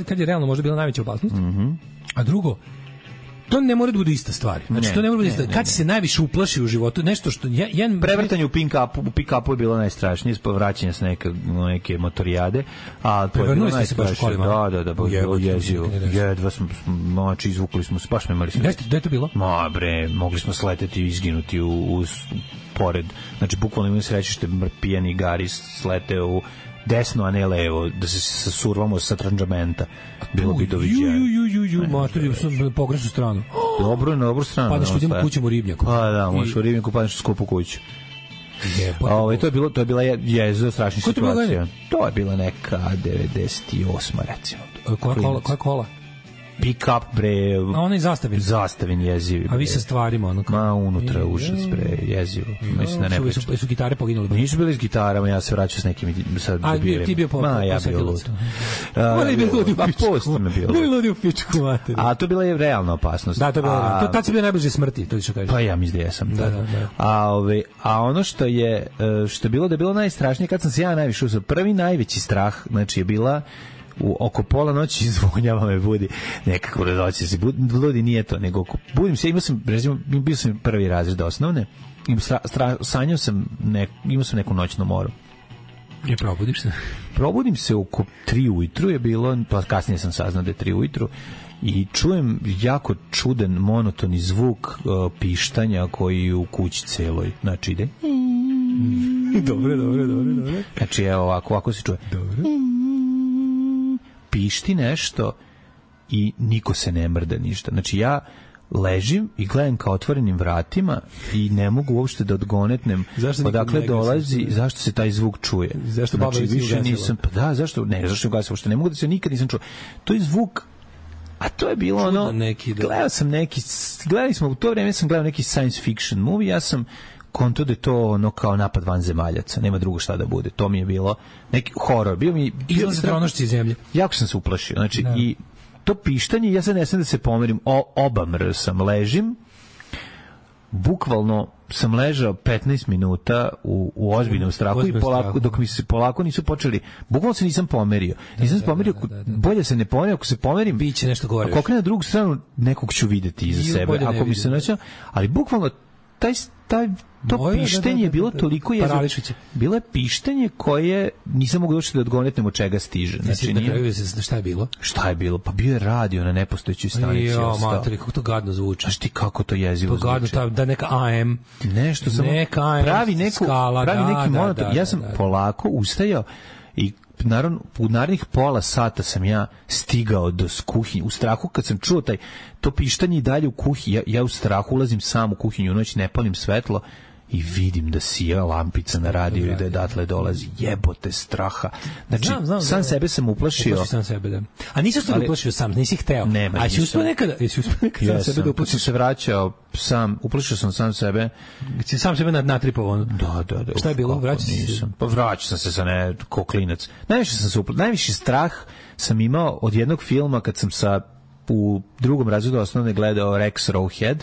kad je realno možda bila najveća opasnost, a drugo, to ne mora da bude ista stvar. Znači, to ne mora da bude ista. Kad si se najviše uplašio u životu, nešto što... Prevrtanje u pick-upu je bilo najstrašnije, vraćanje s neke motorijade, a to je bilo najstrašnije. Da, bilo jezivo. Jedva smo, znači, izvukli smo se, baš smo imali... Gde je to bilo? Ma, bre, mogli smo sleteti i izginuti pored. Znači, bukvalno imamo sreće što pijani gari slete u desno, a ne levo, da se sasurvamo sa tranđamenta. Bilo bi doviđenje. Matori, sam pogrešnu stranu. Dobro, na dobru stranu. Padneš ljudima kućem u Ribnjaku. Pa da, možeš u Ribnjaku, padneš u skupu kuću. To je bila jeziva strašna situacija. To je bila neka 98. recimo. Koja kola? pick up bre. A onaj Zastavin jezivi. A vi sa stvarima ono kao. Ma unutra užas bre, jezivo. Mislim da ne pričam. Su gitare poginule? Nisu bili s gitarama, ja se vraćao s nekim sad debilima. A ti bio po ja bio lud. Oni bi ludi u pičku. Bili ludi u pičku mater. A to bila je realna opasnost. Da, to je bilo. Tad si bio najbliže smrti, to ti što kažeš. Pa ja mislim da jesam. Da. A ono što je bilo da je bilo najstrašnije kad sam se ja najviše usao. Prvi najveći strah, znači je bila oko pola noći zvonjava me budi nekako radoće se budi nije to nego budim se bio sam prvi razred osnovne i sanjao sam imao sam neku noćnu moru. I probudiš se? Probudim se oko 3 ujutru je bilo, pa kasnije sam saznao da je 3 ujutru i čujem jako čudan monotoni zvuk pištanja koji u kući celoj, znači ide Dobre. znači evo ovako se čuje dobro. Pišti nešto i niko se ne mrda ništa. Znači ja ležim i gledam ka otvorenim vratima i ne mogu uopšte da odgonetnem odakle dolazi, zašto se taj zvuk čuje. Zašto znači, baba više nisam, pa da, zašto ne ugasila, uopšte ne mogu da se nikad nisam čuo. To je zvuk, a to je bilo ono, gledali smo, u to vreme sam gledao neki science fiction movie, ja sam konto da je to ono kao napad vanzemaljaca, nema drugo šta da bude. To mi je bilo neki horor. Izlaze tronošci iz zemlje. Jako sam se uplašio. Znači, i to pištanje, ja sad ne sam da se pomerim, obamr sam, ležim, bukvalno sam ležao 15 minuta u ozbiljnom strahu i polako, dok mi se polako nisu počeli, bukvalno se nisam pomerio. Nisam se pomerio, bolje se ne pomerio, ako se pomerim, biće nešto gore. Ako okrenem na drugu stranu, nekog ću videti iza sebe. Ako mi se nađe, ali bukvalno to pištenje je bilo toliko jezivo. Bilo je pištenje koje nisam mogu doći da odgonetnem od čega stiže. Znači, na kraju šta je bilo? Šta je bilo? Pa bio je radio na nepostojećoj stanici. Jo, materi, kako to gadno zvuči. Znaš ti kako to jezivo zvuči? To gadno, da neka AM. Nešto samo pravi neki monoton. Ja sam polako ustajao i naravno, u narednih pola sata sam ja stigao do kuhinje. U strahu kad sam čuo to pištanje i dalje u kuhinji, ja u strahu ulazim sam u kuhinju u noć, ne palim svetlo i vidim da sija lampica na radiju i da je datle dolazi. Jebote straha. Znači, sam sebe sam uplašio. Uplašio sam sebe, da. A nisi ostalo uplašio sam, nisi hteo. Nema, a si uspio nekada sam sebe da uplašiš? Kad sam se vraćao sam, uplašio sam sam sebe. Si sam sebe natripovao? Da. Šta je bilo? Vraćao se? Pa vraćao sam se sa ko klinac. Najviši strah sam imao od jednog filma kad sam u drugom razredu osnovne gledao Rex Rowhead.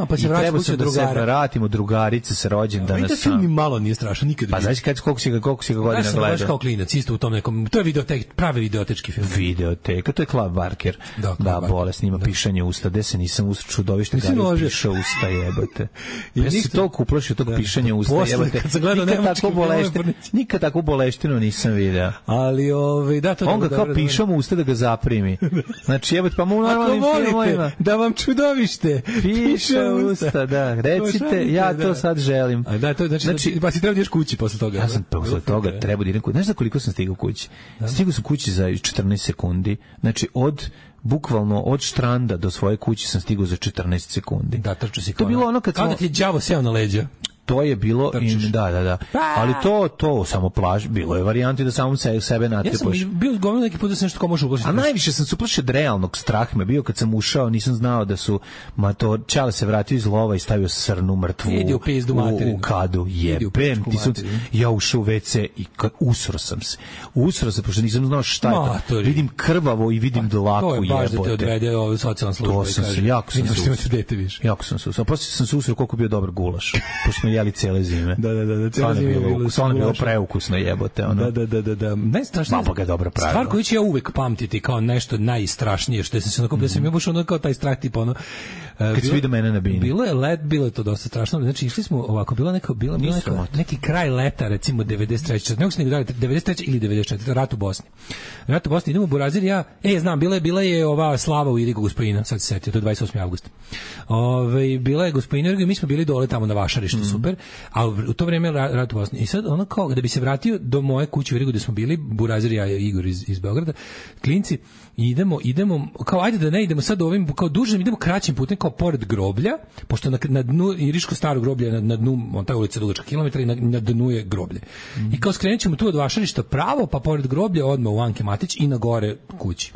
Pa se trebao sam da se vratimo drugarice sa rođendana. I to film mi malo nije strašan, nikad. Pa znaš koliko si ga godina gledao? Ja sam kao klinac, isto u tom nekom, to je pravi videotečki film. Videoteka, to je Clive Barker. Da, bolest, ima pišanje usta, gde se nisam čudovište gari pišao usta, jebote. Ja si toliko uplašio tog pišanja usta, jebote. Nikad takvu boleštinu nisam video. Ali, da, to je on ga kao pišao mu usta da ga zaprimi. Znači, jebote, pa mu normalnim filmovima. Da vam čudovište piše usta, da. Recite, ja to sad želim. Da, to znači, pa si treba da ideš kući posle toga. Ja sam posle toga treba da idem kući. Znaš za koliko sam stigao kući? Stigao sam kući za 14 sekundi. Znači, bukvalno od štranda do svoje kuće sam stigao za 14 sekundi. Da, trčao si kao. To je bilo ono kad da ti je đavo seo na leđa. To je bilo da. Ali to samo plaž, bilo je varijanti da samo sebe natripaš. Ja sam bio govorio neki put da se nešto kao može uplašiti. A najviše sam se uplašio od realnog straha me bio kad sam ušao, nisam znao da su Čale se vratio iz lova i stavio srnu mrtvu u kadu. Jebem ti sunce. Ja ušao u WC i usro sam se, pošto nisam znao šta je. Vidim krvavo i vidim dlaku. To je baš da te odvede socijalna služba. To sam se, jako sam se usro. Poslije sam se usro koliko bio dobar gulaš. Pošto jeli cele zime. Da, cele zime je bilo preukusno jebote. Ono. Da. Najstrašnije. Mama ga je dobro pravila. Stvar koju ću ja uvek pamtiti kao nešto najstrašnije, što sam se nakupio, sam ja baš ono kao taj strah tipa ono. Kad si vidio mene na bini. Bilo je to dosta strašno. Znači, išli smo ovako, bilo neki kraj leta, recimo 93. Nego se nego dali 93. ili 94. Rat u Bosni. Idemo u Burazir, znam, bila je ova slava u Irigu Gospojina, sad se setio, to je 28. avgusta. Bila je Gospojina Irigu i mi smo bili dole tamo na Vašarištu, super, a u to vreme rat u Bosni. I sad ono kao, da bi se vratio do moje kuće u Irigu gde smo bili, Burazir, ja i Igor iz Beograda, klinci, idemo, kao ajde da ne idemo sad ovim, kao dužem, idemo kraćim putem, kao pored groblja, pošto na dnu Iriško staro groblje, na dnu, ta ulica dugačka kilometra i na dnu je groblje. I kao skrenut ćemo tu od Vašarišta pravo, pa pored groblja odmah u Anke Matić i na gore kući.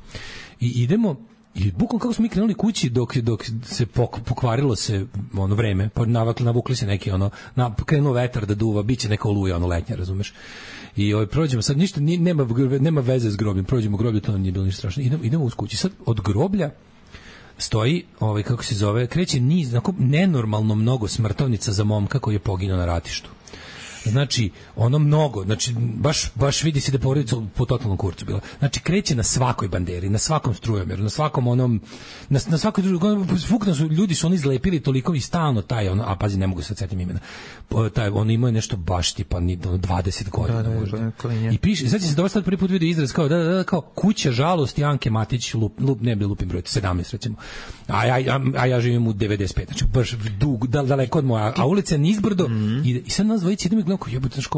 I idemo I bukvalno kako smo mi krenuli kući dok se pokvarilo se ono vreme, pa navukli se neki ono, krenuo vetar da duva, biće neka oluja ono letnja, razumeš? I prođemo sad ništa, nema veze s grobljem, prođemo groblje, to nije bilo ništa strašno. Idemo uz kući. Sad od groblja stoji, kako se zove, kreće niz, nenormalno mnogo smrtovnica za momka koji je poginuo na ratištu. Znači, ono mnogo, znači, baš vidi se da porodica po totalnom kurcu bila. Znači, kreće na svakoj banderi, na svakom strujomeru, na svakom onom, na svakoj drugom, ljudi su oni izlepili toliko i stalno taj, ono, a pazi, ne mogu se setim imena, taj, ono imao je nešto baš tipa 20 godina možda. I piše, sad će se dosta prvi put vidio izraz kao kuća žalosti Anke Matić, ne bi lupim broj, 17 recimo, a ja živim u 95, znači baš daleko od moja, a ulica je nizbrdo i sad nas dvojici idemo i gledamo kao jebote, znači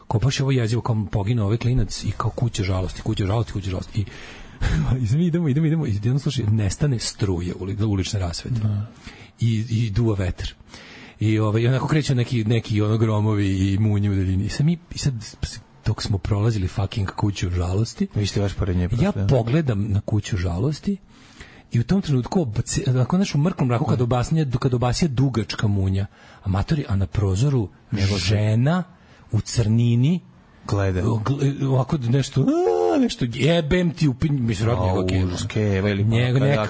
kao baš je ovo jezivo, kao poginuo ovaj klinac i kao kuća žalosti i idemo i jedno slušaj, nestane struje ulične rasvete i duva vetar i onako kreću neki ono gromovi i munje u daljini i sad dok smo prolazili fucking kuću žalosti, vi ste baš pored nje, ja pogledam na kuću žalosti i u tom trenutku onako našu mrklom mraku kad obasija dugačka munja, a na prozoru žena u crnini gleda ovako nešto jebem ti mislim rodnjega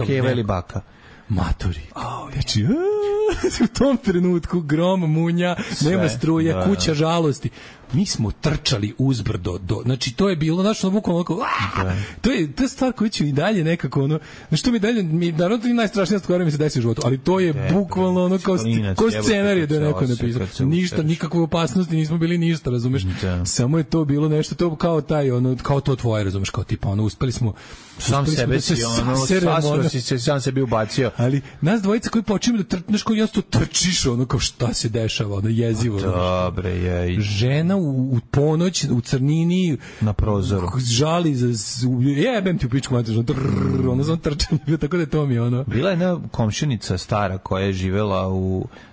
keva ili baka matori. Znači, u tom trenutku grom, munja, nema struje, kuća žalosti. Mi smo trčali uzbrdo znači to je bilo našto bukvalno to je stvar koju ću i dalje nekako ono, što mi dalje naravno to je najstrašnija stvar mi se desi u životu, ali to je bukvalno ono kao scenarij da je neko napisao, ništa, nikakve opasnosti, nismo bili ništa, razumeš, samo je to bilo nešto, to kao taj ono, kao to tvoje, razumeš, kao tipa ono, uspeli smo sam sebi ubacio, ali nas dvojica koji počinjemo da trčneš, koji jasno trčiš ono kao šta se dešava, ono jezivo, dobre je žena u ponoć u crnini na prozoru žali jebem ti u pičku mater, ono sam trčan, tako da je to mi ono. Bila je jedna komšinica stara koja je živela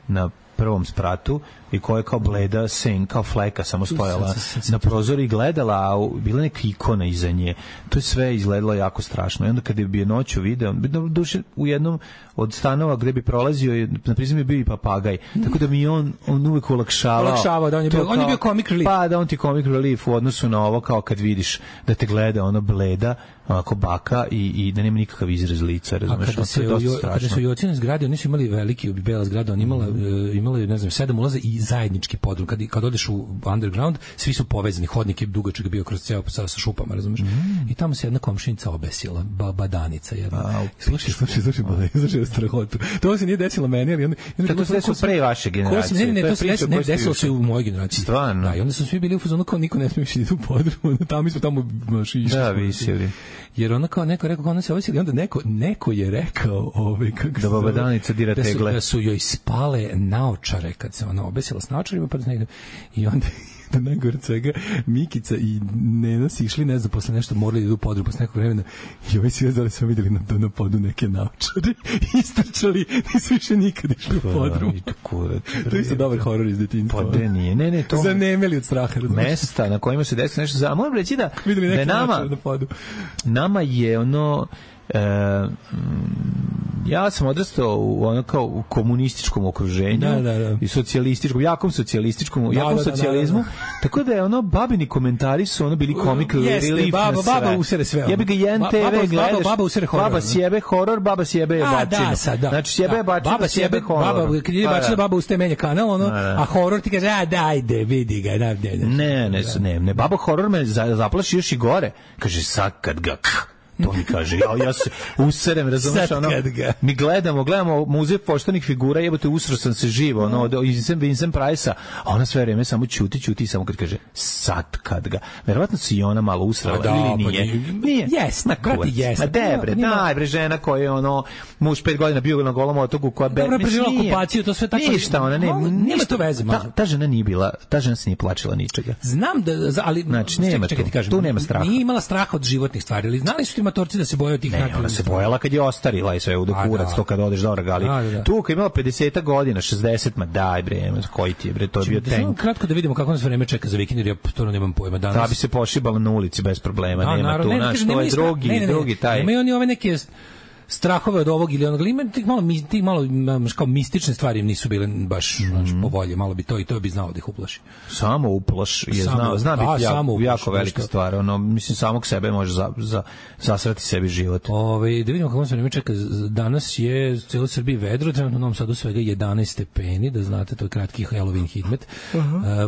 na prvom spratu i koja je kao bleda sen, kao fleka samo stojala na prozoru i gledala, a bila neka ikona iza nje. To je sve izgledalo jako strašno. I onda kada bi je noću video, duše u jednom od stanova gde bi prolazio, na prizem je bio i papagaj, tako da mi on uvek olakšavao. Da, on je bio comic relief. Pa da, on ti comic relief u odnosu na ovo, kao kad vidiš da te gleda ono bleda, onako baka i da nema nikakav izraz lica, razumeš? Kada su Jocine zgrade, oni su imali veliki, bela zgrada, oni imali, ne znam, 7 ulaza i zajednički podrum. Kad odeš u underground, svi su povezani, hodnik je dugačak bio kroz ceo sa šupama, razumeš? I tamo se jedna komšinica obesila, baba Danica jedna. Slušaj strahotu. To se nije desilo meni, ali tako se desilo pre vaše generacije. Ne, to se desilo se u mojoj generaciji. Stvarno. Da, i onda su svi bili u fazonu kao niko ne smije ići u podrum, tamo mi smo tamo išli. Da, visili. Jer ona kao neko rekao, ona se obesila i onda neko je rekao kako da baba Danica dira tegle. Da su joj spale naočare kad se ona obesila s naočarima, pa i onda da najgore svega Mikica i Nena si išli, ne znam, posle nešto morali da idu u podrum posle nekog vremena i ovaj svi da smo vidjeli na podu neke naočare istrčali, nisu više nikad išli u podrum. To je isto dobar horor iz detinjstva. Pa nije, ne, to zanemeli od straha. Mesta na kojima se desi nešto za... Moram reći da je nama je ono... ja sam odrastao u komunističkom okruženju i socijalističkom, jakom socijalizmu, tako da je ono babini komentari su ono bili comic relief na sve. Baba usere sve. Jebi ga jedan TV gledaš, baba sjebe horor, baba sjebe bačinu. Znači sjebe bačinu, sjebe horor. Kad je bačina, baba uste menja kanal, a horor ti kaže, dajde, vidi ga. Ne, baba horor me zaplaši još i gore. Kaže, sad kad ga... To mi kaže, ja se userem, razumiješ, ono, mi gledamo muzej poštenih figura, jebote, usro sam se živo, ono, iz Vincent Price-a, a ona sve vreme samo ćuti, samo kad kaže, sad kad ga, verovatno si i ona malo usrala, ili nije? Nije. Jesna, krati jesna. Daj bre, žena koja je, ono, muž 5 godina bio na Golom otoku, koja dobra preživjela okupaciju, to sve tako. Ništa, ona nema to veze. Ta žena nije bila, ta žena se nije plačila ničega. Znam da, ali, znači, tu nema straha. Nije imala straha od životnih stvari, ali znali su ti matorci da se boje od tih naknadnih. Ona se bojala kad je ostarila i sve u dokurac, to kad odeš do regali. Tu kad je imala 50 godina, 60, ma daj bre, koji ti je bre, to je bio tank. Kratko da vidimo kako nas vreme čeka za vikend, jer ja to nemam pojma danas. Da bi se pošibala na ulici bez problema, nema tu, znaš, to je drugi taj. Imaju oni ove neke strahove od ovog ili onog, ali ima tih malo kao mistične stvari im nisu bile baš po volji, malo bi to i to bi znao da ih uplaši. Samo uplaš je zna biti jako velika stvar, ono, mislim, samog sebe može zasrati sebi život. Da vidimo kako se vreme čeka, danas je u cijeloj Srbiji vedro, trenutno u Novom Sadu svega 11 stepeni, da znate, to je kratki Halloween hidmet.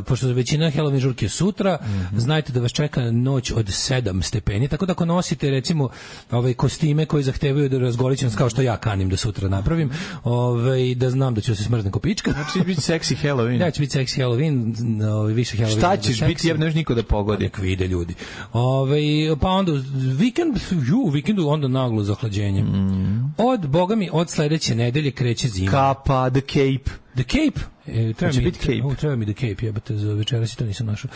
Pošto većina Halloween žurke sutra, znajte da vas čeka noć od 7 stepeni, tako da ako nosite, recimo, kostime koji zahtevaju da razgolićem, kao što ja kanim da sutra napravim, da znam da ću se smrzne ko pička. Znači biti seksi Halloween. Ja ću biti seksi Halloween, više Halloween. Šta ćeš biti, jer neš niko da pogodi. Nek vide ljudi. Pa onda vikendu onda naglo zahlađenje. Od sledeće nedelje kreće zima. Kapa, the cape. The Cape. Treba mi The Cape, jebate, za večeras i to nisam našao.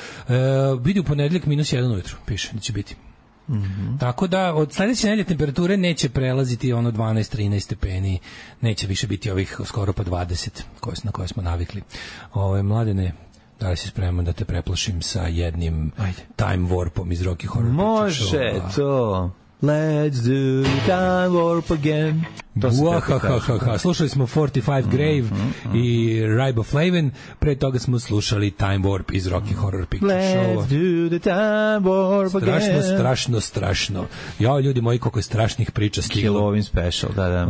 Vidi u ponedeljak -1 ujutru, piše da će biti. Tako da od sledeće nedelje temperature neće prelaziti ono 12-13 stepeni, neće više biti ovih skoro pa 20 na koje smo navikli. Mladene, da li si spreman da te preplašim sa jednim time warpom iz Rocky Horror Picture Show? Može to. Let's do time warp again. Slušali smo 45 Grave i Riboflavin, pre toga smo slušali Time Warp iz Rocky Horror Picture Show. Let's do the time warp again. Strašno. Ja, ljudi moji, koliko je strašnih priča stiglo. Halloween special, da.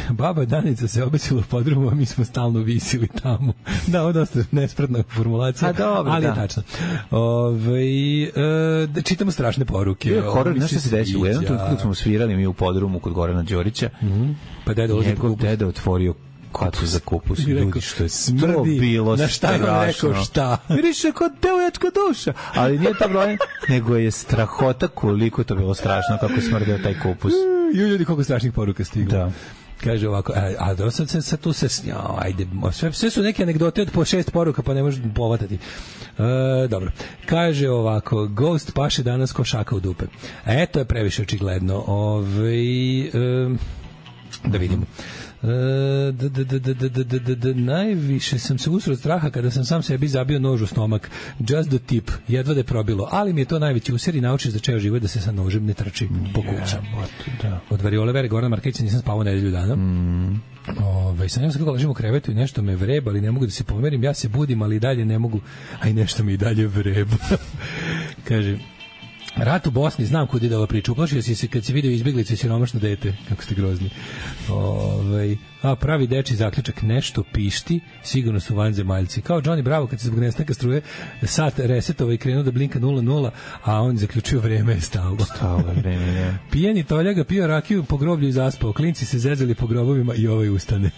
Baba Danica se obesila u podrumu, a mi smo stalno visili tamo. Da, ovo dosta nespretna formulacija, ali je tačno. Čitamo strašne poruke. Horror, nešto se desilo. Jednom tu smo svirali mi u podrumu kod Gorana Đorića. Pa njegov deda otvorio katu za kupus. Ljudi, što je to bilo na šta je rekao šta? Vidiš, kao devojačka duša. Ali nije to problem, nego je strahota koliko to bilo strašno, kako smrdeo taj kupus. Ljudi, koliko strašnih poruka stiglo. Da. Kaže ovako, a sad tu se, ajde, sve su neke anegdote od po 6 poruka, pa ne možeš povatati. Dobro. Kaže ovako, Ghost paše danas ko šaka u dupe. To je previše očigledno. Da vidimo. Najviše sam se usro od straha kada sam sam sebi zabio nož u stomak. Just the tip, jedva da je probilo. Ali mi je to najveći usjer i nauči za čeo život da se sa nožem ne trči po kući. Od variole Vere Gorana Markeća nisam spavao nedelju dana. Sanjam se kako ležim u krevetu i nešto me vreba, ali ne mogu da se pomerim. Ja se budim, ali i dalje ne mogu, a i nešto mi i dalje vreba. Kaže, rat u Bosni, znam kud ide ova priča. Uplašio si se kad si vidio izbjeglice i siromašno dete. Kako ste grozni. Pravi deči zaključak, nešto pišti, sigurno su vanzemaljci. Kao Johnny Bravo kad se zbog nestanka struje sat resetova i krenuo da blinka 0-0, a on zaključio vreme je stalo. Pijeni toljaga pio rakiju po groblju i zaspao. Klinci se zezali po grobovima i ovaj ustane.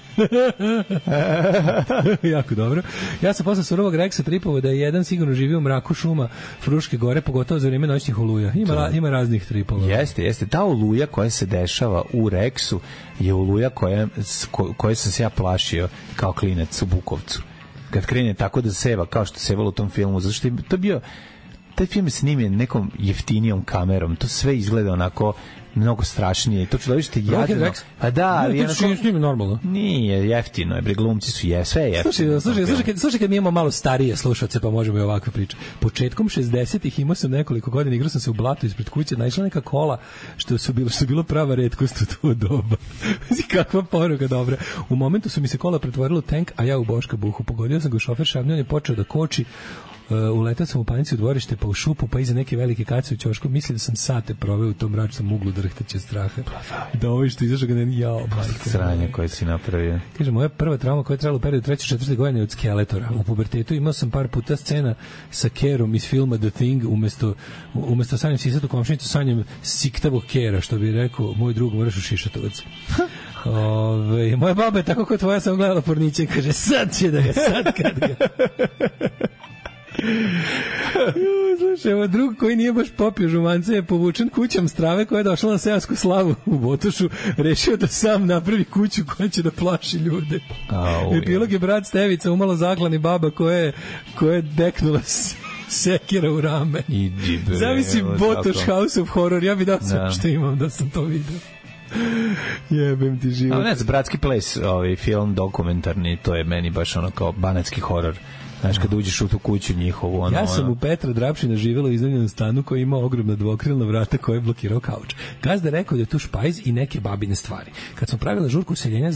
Jako dobro. Ja sam posle surovog Reksa tripovao da je jedan sigurno živio u mraku šuma Fruške gore, pogotovo za vrijeme noćnih oluja. Ima raznih tripova. Jeste. Ta oluja koja se dešava u Reksu je oluja koje sam se ja plašio kao klinac u Bukovcu. Kad krene tako da seva, kao što sevalo u tom filmu, zato što je to bio, taj film je snimljen nekom jeftinijom kamerom, to sve izgleda onako mnogo strašnije. To čudovište je jadno. A da, nije normalno. Nije, jeftino je, glumci su sve je jeftino. Slušaj kad mi imamo malo starije slušalce, pa možemo i ovakve priče. Početkom 60-ih imao sam nekoliko godina, igrao sam se u blatu ispred kuće, naišla neka kola što bilo prava retkost u to doba. Kakva poruka dobra. U momentu su mi se kola pretvorila u tank, a ja u Boška Buhu. Pogodio sam ga u šofer šavnju, on je počeo da koči. Uletao sam u panici u dvorište, pa u šupu, pa iza neke velike kace u ćošku. Mislim da sam sate proveo u tom mračnom uglu drhtaće straha. Da ovo što izašao ga ne jao. Sranje koje si napravio. Kaže, moja prva trauma koja je trajala u periodu 3. 4. godine od Skeletora. U pubertetu imao sam par puta scena sa Kerom iz filma The Thing, umesto sanjem sisatu komšinicu, sanjem siktavog Kera, što bi rekao moj drug, moraš u Šišatovac. Moja baba je tako kao tvoja, sam gledala porniće i kaže, sad će da ga, sad kad ga. Slušaj, evo drug koji nije baš popio žumance je povučen kućom strave koja je došla na seosku slavu u Botošu, rešio da sam napravi kuću koja će da plaši ljude. Epilog je brat Stevica umalo zaklani baba koja je deknula sekira u rame. Zavisi Botoš House of Horror, ja bi dao sve što imam da sam to vidio. Jebem ti život. Ali ne znam, Bratski ples, film dokumentarni, to je meni baš ono kao banatski horor. Znaš, kad uđeš u tu kuću njihovu. Ono, ja sam u Petra Drapšina živjela u iznajmljenom stanu koji ima ogromna dvokrilna vrata koja je blokirao kauč. Gazda rekao da je tu špajz i neke babine stvari. Kad smo pravili žurku useljenja,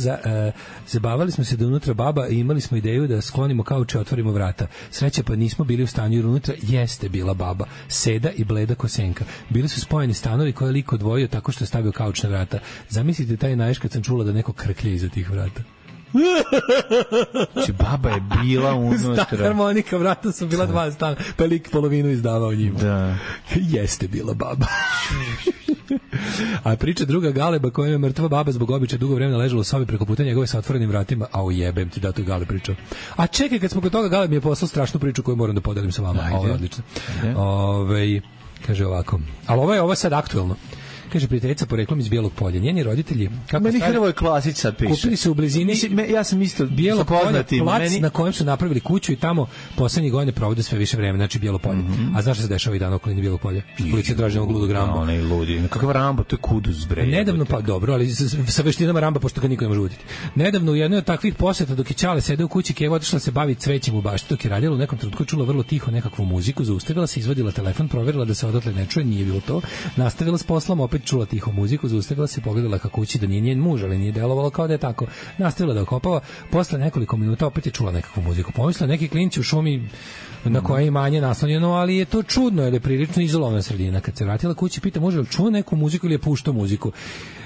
zabavali smo se da unutra baba i imali smo ideju da sklonimo kauč i otvorimo vrata. Sreća pa nismo bili u stanju jer unutra jeste bila baba, seda i bleda kosenka. Bili su spojeni stanovi koje je lik odvojio tako što je stavio kauč na vrata. Zamislite taj naješ kad sam čula da neko krklje iza tih vrata. Znači, baba je bila unutra. Stan harmonika, vrata su bila 2 stana, pa lik polovinu izdavao njima. Da. Jeste bila baba. A priča druga Galeba koja je mrtva baba zbog običaja dugo vremena ležala u sobi preko puta njegove sa otvorenim vratima, a ujebem ti da to je Galeb pričao. A čekaj, kad smo kod toga, Galeb mi je poslao strašnu priču koju moram da podelim sa vama. Ovo je odlično. Kaže ovako, ali ovo je sad aktuelno. Kaže prijateljica poreklom iz Bijelog Polja. Njeni roditelji, kako meni Hrvoje Klasić sad piše. Kupili su u blizini, ja sam isto Bijelog Polja, plac na kojem su napravili kuću i tamo poslednjih godina provode sve više vremena, znači Bijelo Polje. A znaš šta se dešava i dan okolini Bijelog Polja? Policija traži ovog ludog Ramba. Onaj ludi. Kakav Rambo, to je kuduz bre. Nedavno, pa dobro, ali sa veštinama Ramba, pošto ga niko ne može uditi. Nedavno u jednoj od takvih poseta dok je Ćale sedeo u kući, Keva otišla se bavi cvećem u bašti, dok je radila u nekom trenutku čula vrlo tiho nekakvu muziku, zaustavila se, izvadila telefon, proverila da se odatle ne čuje, nije bilo to. Nastavila s poslom, opet čula tiho muziku, zaustavila se, pogledala ka kući da nije njen muž, ali nije delovalo kao da je tako. Nastavila da okopava, posle nekoliko minuta opet je čula nekakvu muziku. Pomislila neki klinci u šumi na koje je imanje naslonjeno, ali je to čudno, jer je prilično izolovana sredina. Kad se vratila kući, pita muža, čuo neku muziku ili je puštao muziku?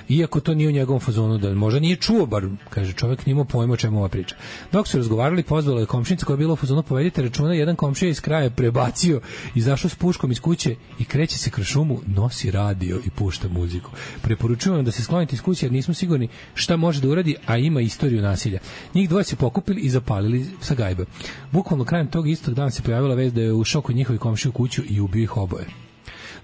Iako to nije u njegovom fazonu, da možda nije čuo, bar, kaže čovjek, nije imao pojma o čemu ova priča. Dok su razgovarali, pozvala je komšinica koja je bila u fazonu, povedite računa, jedan komšija iz kraja prebacio, izašao s puškom iz kuće i kreće se kroz šumu, nosi radio i pušta muziku. Preporučujem vam da se sklonite iz kuće jer nismo sigurni šta može da uradi, a ima istoriju nasilja. Njih dvoje se pokupili i zapalili sa gajbe. Bukvalno krajem tog istog dana se pojavila vest da je ušao kod njihovi komšiji u kuću i ubio ih oboje.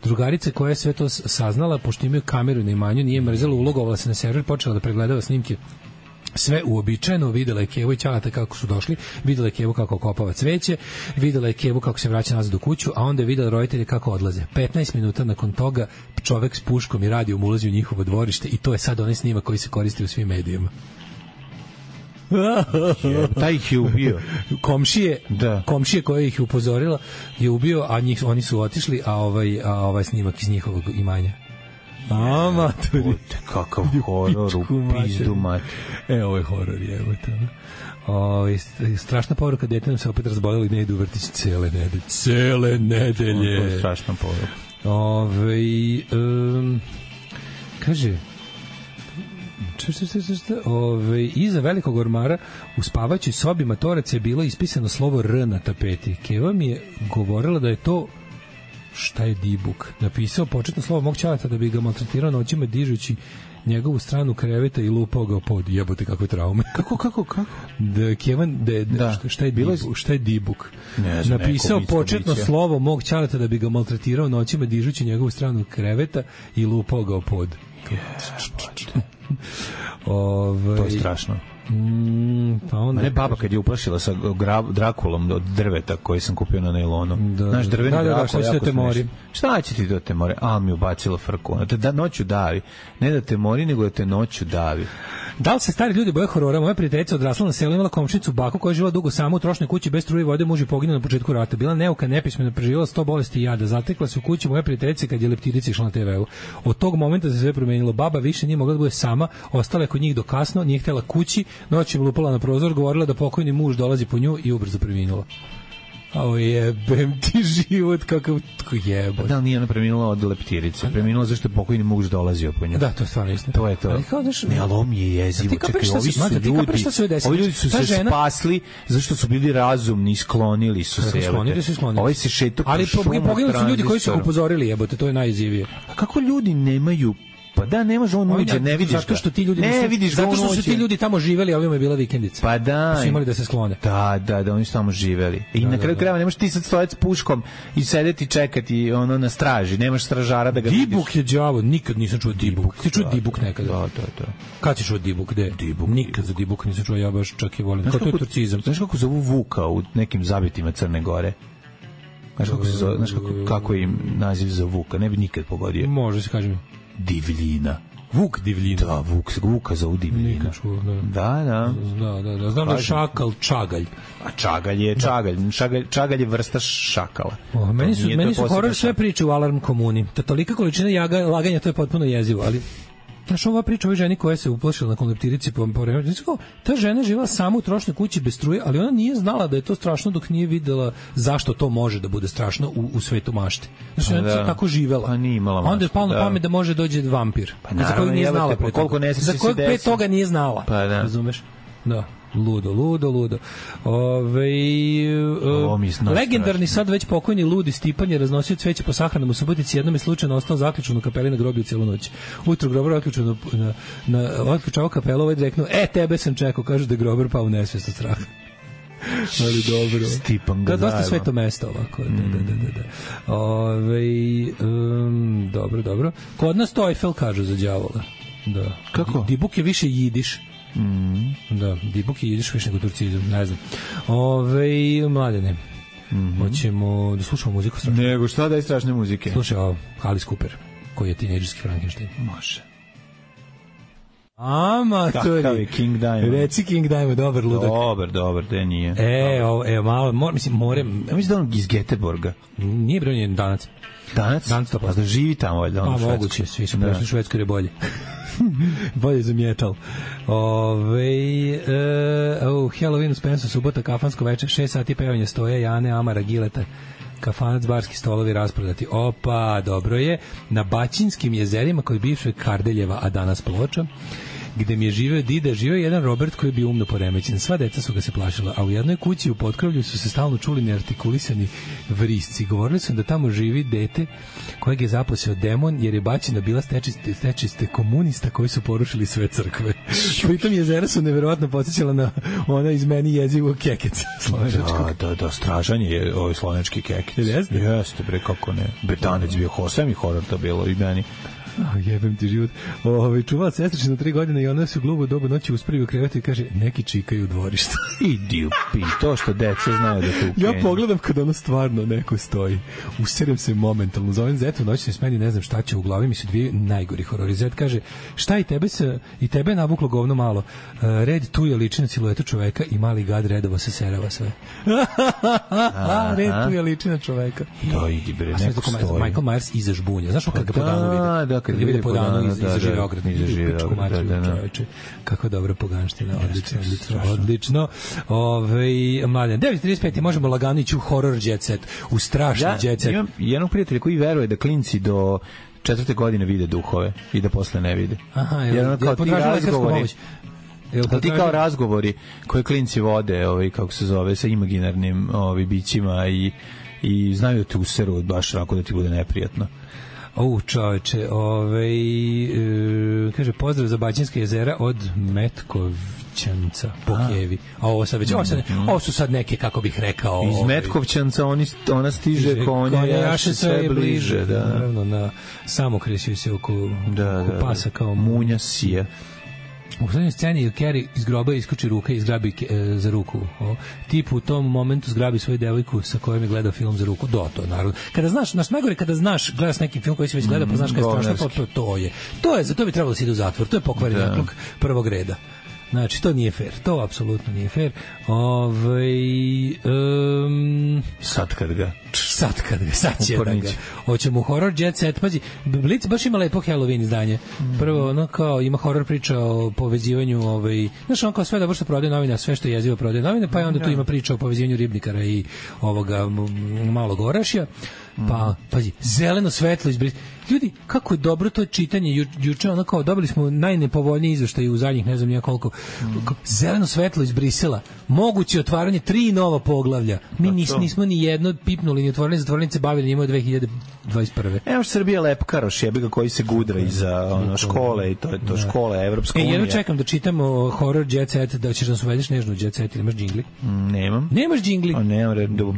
Drugarica koja je sve to saznala, pošto imaju kameru na imanju, nije mrzela, ulogovala se na server, počela da pregledava snimke. Sve uobičajeno, videla je Kevu i Ćalata kako su došli, videla je Kevu kako kopava cveće, videla je Kevu kako se vraća nazad u kuću, a onda je videla roditelje kako odlaze. 15 minuta nakon toga čovek s puškom i radijom ulazi u njihovo dvorište i to je sad onaj snimak koji se koristi u svim medijima. Taj ih je ubio. Komšije koje ih upozorila je ubio, a oni su otišli, a ovaj snimak iz njihovog imanja. A maturi, kakav horor u pizdu mat. Ovo je horor, strašna poruka, dete nam se opet razbolelo i ne idu u vrtić cele nedelje. Strašna poruka. Kaže iza velikog ormara u spavaćoj sobi matoraca je bilo ispisano slovo R na tapeti. Keva mi je govorila da je to šta je dibuk. Napisao početno slovo mog Ćaleta da bi ga maltretirao noćima dižući njegovu stranu kreveta i lupao ga pod. Jebote kakve traume. Kako? Da Kevan šta je dibuk? Napisao početno slovo mog Ćaleta da bi ga maltretirao noćima dižući njegovu stranu kreveta i lupao ga pod. To je strašno. Pa onda ne, baba kad je uplašila sa Drakulom od drveta koji sam kupio na nailonu. Znaš, drveni Drakula jako smešan. Šta će ti da te mori? A mi ubacila frku. Da noću davi. Ne da te mori, nego da te noću davi. Da li se stari ljudi boje horora? Moja prijateljica odrasla na selu, imala komšinicu baku koja je živela dugo sama u trošnoj kući bez struje i vode, muž je poginuo na početku rata. Bila neuka, nepismena, preživjela 100 bolesti i jada. Zatekla se u kući moja prijateljica kad je leptirica išla na TV-u. Od tog momenta se sve promenilo. Baba više nije mogla da bude sama, ostala je kod njih do kasno, nije htjela kući, noćem lupala na prozor, govorila da pokojni muž dolazi po nju i ubrzo preminula. Ao jebem ti život, kakav jebot. Da li nije ona preminula od leptirice? Preminula zašto je pokojni muž dolazio po nju. Da, to je stvarno istina. To je to. Ali kao daš... Ne, ali ovo mi je jezivo. Čekaj, ovi ljudi su se spasli zašto su bili razumni, sklonili su se. Ovaj se šeto po šumu. Ali poginuli su ljudi koji su upozorili, jebote, to je najizivije. A kako ljudi nemaju... Pa da, nemaš on uđe, ne vidiš zato što ti ljudi zato što su ti ljudi tamo živeli, a ovima je bila vikendica. Pa da. Pa su imali da se sklone. Da, oni su tamo živeli. I na kraju krajeva nemaš ti sad stojati s puškom i sedeti čekati ono na straži, nemaš stražara da ga vidiš. Dibuk je đavo, nikad nisam čuo dibuk. Ti čuo dibuk nekada? Da. Kad si čuo dibuk? Gde? Nikad za dibuk nisam čuo, ja baš čak i volim. Kao to je turcizam. Znaš kako zovu Vuka u nekim zabitima Crne Gore? Znaš kako je im naziv za Vuka? Ne bi nikad pogodio. Može se kažem. Divljina. Vuk divljina. Da, Vuka za divljinu. Nikad čuo, da. Da. Znam da je šakal čagalj. A čagalj je čagalj je vrsta šakala. Meni su horor sve priče u Alarm komuni. Ta tolika količina laganja, to je potpuno jezivo, ali znaš, ova priča o ovoj ženi koja se uplašila nakon leptirici po vremenu, ta žena živela sama u trošnoj kući bez struje, ali ona nije znala da je to strašno dok nije videla zašto to može da bude strašno u svetu mašte. Znači, ona je tako živela. Pa nije imala mašte. Onda je palo na pamet da može dođe vampir. Pa naravno, za kojeg nije znala pre toga. Za kojeg pre toga nije znala. Pa da. Razumeš? Da. Ludo. Legendarni sad već pokojni ludi Stipan je raznosio cveće po sahranama u Subotici, jednom je slučajno ostao zaključan u kapeli na groblju cijelu noć. Ujutro grobar otključavao kapelu, ovaj reknuo, tebe sam čekao, kaže da je grobar pao u nesvijest od straha. Ali dobro. Stipan ga dosta sveto mesto ovako. Dobro. Kod nas to Eiffel kažu za đavola. Da. Kako? Dibuk je više jidiš. Da, dibuk je jidiš više nego turcizam, ne znam. Mladene, hoćemo da slušamo muziku strašno. Nego šta daj strašne muzike? Slušaj ovo, Alice Cooper, koji je tinejdžerski Frankenstein. Može. Amatori. Kakav je King Diamond? Reci King Diamond, dobar ludak. Dobar, da nije. Malo, moram... Ja mislim da on iz Göteborga. Nije bre, on je Danac. Danac? Pa da živi tamo, valjda on u Švedskoj. Moguće, svi su prešli u Švedskoj jer je bolje. Bolje za metal. Halloween u Spensu, subota, kafansko večer, 6 sati pevanje stoje, Jane, Amara, Gileta, kafanac, barski stolovi rasprodati. Opa, dobro je. Na Baćinskim jezerima kod bivšeg Kardeljeva, a danas Ploča, gde mi je živeo dida, živeo jedan Robert koji je bio umno poremećen. Sva deca su ga se plašila, a u jednoj kući u potkrovlju su se stalno čuli neartikulisani vrisci. Govorili su da tamo živi dete kojeg je zaposeo demon, jer je Baćina bila stečiste komunista koji su porušili sve crkve. Pritom jezera su neverovatno podsjećala na ona iz meni jezivo Kekec. Da, stražan je ovaj slovenački Kekec. Jeste, bre, kako ne. Betanec bio hosem i horor to bilo i meni. Jebem ti život. Čuvala sestričina 3 godine i ona se u glubu dobu noći uspravi u krevetu i kaže, neki čikaju u dvorištu. Idi u pi, to što deca znaju da tu ja pogledam kad ono stvarno neko stoji. Userem se momentalno. Zovem Zetu, noćni smeni, ne znam šta će u glavi, mi su dvije najgori horori. Zet kaže, šta i tebe je navuklo govno malo. Red tu je liči na siluetu čoveka i mali gad redovo se serava sve. Red tu je liči na čoveka. Da, idi bre, neko stoji. Michael Myers iza žbunja. Znaš kad ga po danu vide? Kad vide po danu iza žive ograd. Kako dobra poganština. Odlično. Mladen, 9.35 možemo lagano ići u horror jet set, u strašni jet set. Imam jednog prijatelja koji veruje da klinci do 4. godine vide duhove i da posle ne vide. Aha, ti kao razgovori koje klinci vode, kako se zove, sa imaginarnim bićima i znaju da te useru baš rako da ti bude neprijatno. Čoveče, kaže, pozdrav za Baćinska jezera od Metkovćanca po Kijevi. A ovo su sad neke, kako bih rekao... Iz Metkovćanca ona stiže konja jaše sve bliže. Naravno, na samokresio se oko pasa kao munja sija. U srednjoj sceni Carrie iz groba iskoči ruka i zgrabi za ruku. Tip u tom momentu zgrabi svoju devojku sa kojom je gledao film za ruku. To je naravno. Kada znaš, najgore kada znaš, gledaš neki film koji si već gledao, pa znaš kada je strašno, to je, za to bi trebalo da se ide u zatvor. To je pokvaren nakluk prvog reda. Znači, to nije fair. To apsolutno nije fair. Sad će da ga. Hoćemo horror jet set. Pazi, Blitz baš ima lepo Halloween izdanje. Prvo, ono kao, ima horror priča o povezivanju, znaš, on kao sve dobro što prodaje novine, sve što je jezivo prodaje novine, pa je onda tu ima priča o povezivanju Ribnikara i ovoga malog orašja. Pa, pazi, zeleno svetlo izbrisalo. Ljudi, kako je dobro to čitanje. Juče ono kao, dobili smo najnepovoljniji izveštaj u zadnjih, ne znam nija koliko. Zeleno svetlo iz Brisela. Moguće otvaranje 3 nova poglavlja. Mi nismo ni jedno pipnuli, ni otvorili, zatvornice bavili njima 2021. Evo Srbija lepkaroš, jebiga koji se gudra iza škole i to je to škola Evropska unija. Jedno čekam da čitamo horror jet set, da ćeš nas uvedeš nežno jet set, ili imaš džingli? Nemam. Nemaš džingli?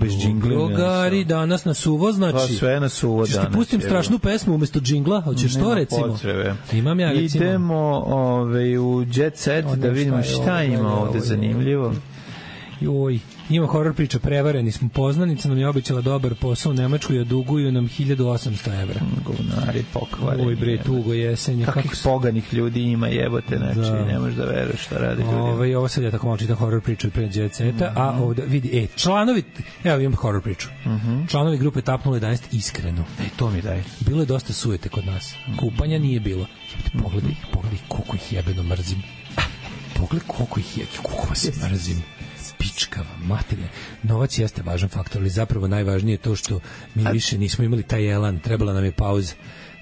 Bez džingli. Drugari, danas na suvo, znači. Pa sve na suvo danas. Češ ti pustim strašnu pesmu umesto džingla, hoćeš to recimo? Potrebe. Imam ja recimo. Idemo u jet set da vidimo šta ima ovde zanimljivo. Joj, ima horor priča, prevareni smo. Poznanica nam je obećala dobar posao u Nemačkoj, a duguju nam 1800 evra. Govnari pokvareni. Oj bre, tugo jesenje. Kakvih poganih ljudi ima, jebote, znači, ne možeš da veruješ šta radi ljudi. Ovo sad ja tako malo čitam horor priču od pre Jet Seta, a ovde, vidi, članovi, evo imam horor priču. Članovi grupe Tapnulo 11 iskreno. To mi daj. Bilo je dosta sujete kod nas. Kupanja nije bilo. Pogledaj koliko ih jebeno mrzim. Pogledaj koliko ih je, koliko vas mrzim. Pičkava, materine. Novac jeste važan faktor, ali zapravo najvažnije je to što mi više nismo imali taj elan, trebala nam je pauza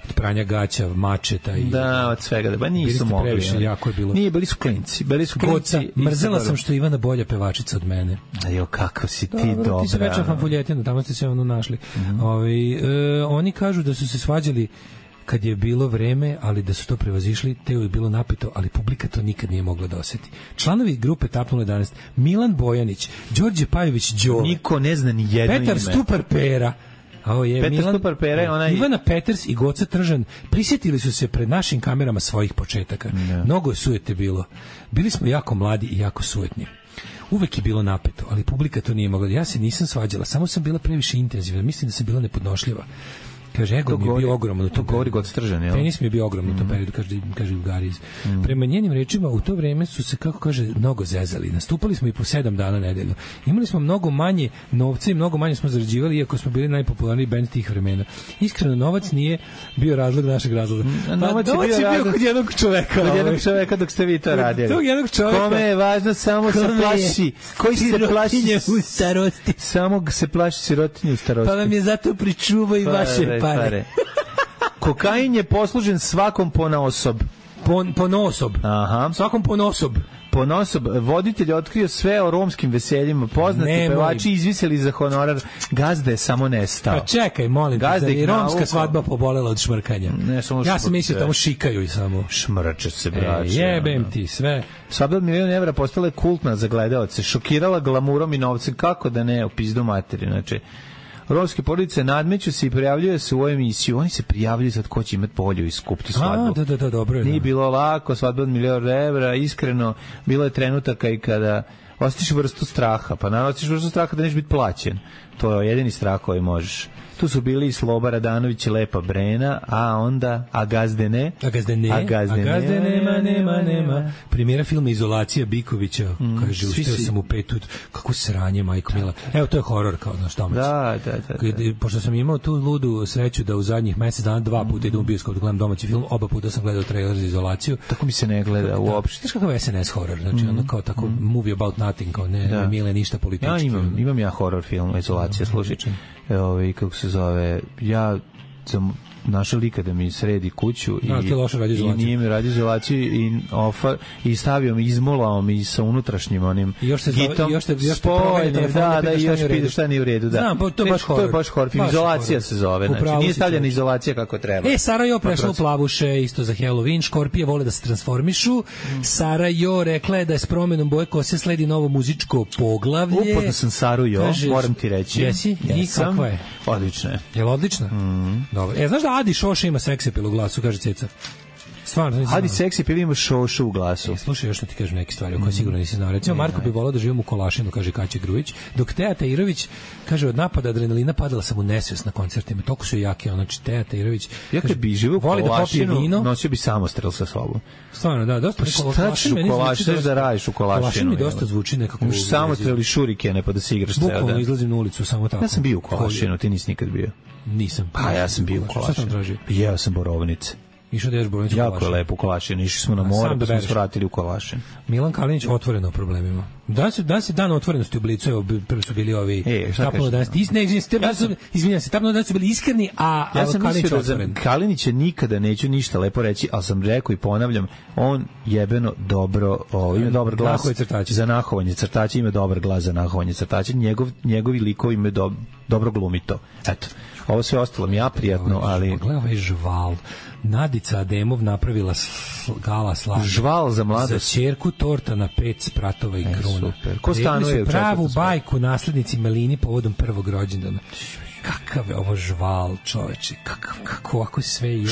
od pranja gaća, mačeta i... Da, od svega, da, nisu mogli. Previše, jako je bilo. Nije, bili su klinci. Goca, mrzela sam što je Ivana bolja pevačica od mene. Ajo, kako si ti dobra. Ti si večer fanfuljetina, tamo ste se ono našli. Oni kažu da su se svađali kad je bilo vreme, ali da su to prevazišli, te je bilo napito, ali publika to nikad nije mogla da osjeti. Članovi grupe Tapnulo 11, Milan Bojanić, Đorđe Pajović Đole, niko ne zna ni jedno ime. Petar Stupar Pera, Petar Stupar Pera, onaj... Ivana Peters i Goca Tržan prisjetili su se pred našim kamerama svojih početaka. Mnogo je sujete bilo. Bili smo jako mladi i jako sujetni. Uvek je bilo napeto, ali publika to nije mogla. Ja se nisam svađala, samo sam bila previše intenzivna. Mislim da sam bila nepodnošljiva. Kaže, ego mi je bio ogromno u tom periodu. Penis mi je bio ogromno u tom periodu, kaže Ugariz. Prema njenim rečima, u to vreme su se, kako kaže, mnogo zezali. Nastupali smo i po 7 dana nedeljno. Imali smo mnogo manje novca i mnogo manje smo zarađivali, iako smo bili najpopularniji bend tih vremena. Iskreno, novac nije bio razlog našeg razloga. Novac je bio kod jednog čoveka. Kod jednog čoveka dok ste vi to radili. Tog jednog čoveka. Kome je važno samo se plaši. Koji se plaši u starosti. Samo se plaši sirotinje u starosti. Pa vam je zato pričuvao i vaše pare. Kokain je poslužen svakom ponaosob. Ponaosob. Aha. Svakom ponaosob. Ponaosob. Voditelj otkrio sve o romskim veseljima. Poznati pevači izviseli za honorar. Gazda je samo nestao. Pa čekaj, molim te, da je romska svadba pobolela od šmrkanja. Ja sam mislio tamo šikaju i samo. Šmrče se, braće. Jebem ti sve. Svadba od 1.000.000 evra postala je kultna za gledaoce. Šokirala glamurom i novcem. Kako da ne, u pizdu materi. Znači, romske porodice nadmeću se i prijavljuje se u emisiju. Oni se prijavljuju sad ko će imati bolju i skuptu svadbu. Da, dobro je. Nije bilo lako, svadba od 1.000.000 evra, iskreno, bilo je trenutaka i kada osjetiš vrstu straha, pa naravno osjetiš vrstu straha da nećeš biti plaćen. To je jedini strah koji možeš. Tu su bili i Sloba Radanović i Lepa Brena, a onda A gazde ne. A gazde nema. Premijera filma Izolacija Bikovića, kaže, ustao sam u 5, kako sranje, majko mila. Evo, to je horor, kao naš domaći. Da. Pošto sam imao tu ludu sreću da u zadnjih mesec dana 2 puta idem u bioskop da gledam domaći film, oba puta sam gledao trailer za Izolaciju. Tako mi se ne gleda uopšte. Znaš kakav je SNS horor, znači ono kao tako movie about nothing, kao ne mile ništa politički. Ja imam ja horor film Izolacija, slušaj. Kako se zove, ja sam našao lika da mi sredi kuću i nije mi radio izolaciju i stavio mi, izmolao mi sa unutrašnjim onim gitom spojnim, da, i još pide šta nije u redu. Znam, to je baš horor. Izolacija se zove, znači nije stavljena izolacija kako treba. Sarajevo prešla u plavuše, isto za Halloween, škorpije vole da se transformišu, Sarajevo rekla je da je s promenom boje kose sledi novo muzičko poglavlje. Upoznao sam Saru moram ti reći. Jesi? I kakva je? Odlična je. Je li odlična? Dobro. Znaš da Adi Šoša ima seksapil u glasu, kaže Ceca. Stvarno, Adi seksapil ima Šošu u glasu. Slušaj, još što ti kažem neke stvari o koje sigurno nisi znao. Recimo, Marko bi volao da živim u Kolašinu, kaže Kaća Grujić, dok Teja Tajirović kaže, od napada adrenalina padala sam u nesvest na koncertima. Toliko su jake, znači Teja Tajirović. Ja kad bi živio u Kolašinu, nosio bi samostrel sa sobom. Stvarno, da, dosta. Šta ćeš u Kolašinu, da radiš u Kolašinu? Kolašinu mi dosta zvuči nekako. Imaš samostrel i šurikene pa da se igraš ceo dan. Bukvalno izlazim na ulicu samo tako. Ja sam bio u Kolašinu, ti nisi nikad bio. Nisam. Pa ja sam bio u Kolašinu. Jeo sam borovnice. Išao da ješ borovnicu u Kolašinu. Jako je lepo u Kolašinu. Išli smo na more, pa smo se vratili u Kolašinu. Milan Kalinić otvoreno o problemima. Danas je dan otvorenosti u Blicu. Evo, prvi su bili ovi Tapnulo 11. Izvinjam se, Tapnulo 11 su bili iskreni, a Kalinić otvoren. Kalinića nikada neću ništa lepo reći, ali sam rekao i ponavljam, on jebeno dobro, ima dobar glas za nahovanje crtača, ima dobar glas za nahovanje crtača, njegovi likovi imaju dobro glumito. Eto. Ovo sve ostalo mi ja prijatno, ali... Gledaj ovaj žval. Nadica Ademov napravila gala slađa. Žval za mladost. Za ćerku torta na 5 spratova i kruna. Super. Ko stanuje u pravu bajku naslednici Melini povodom prvog rođendana. Kakav je ovo žval, čoveče. Kako ovako sve jebe.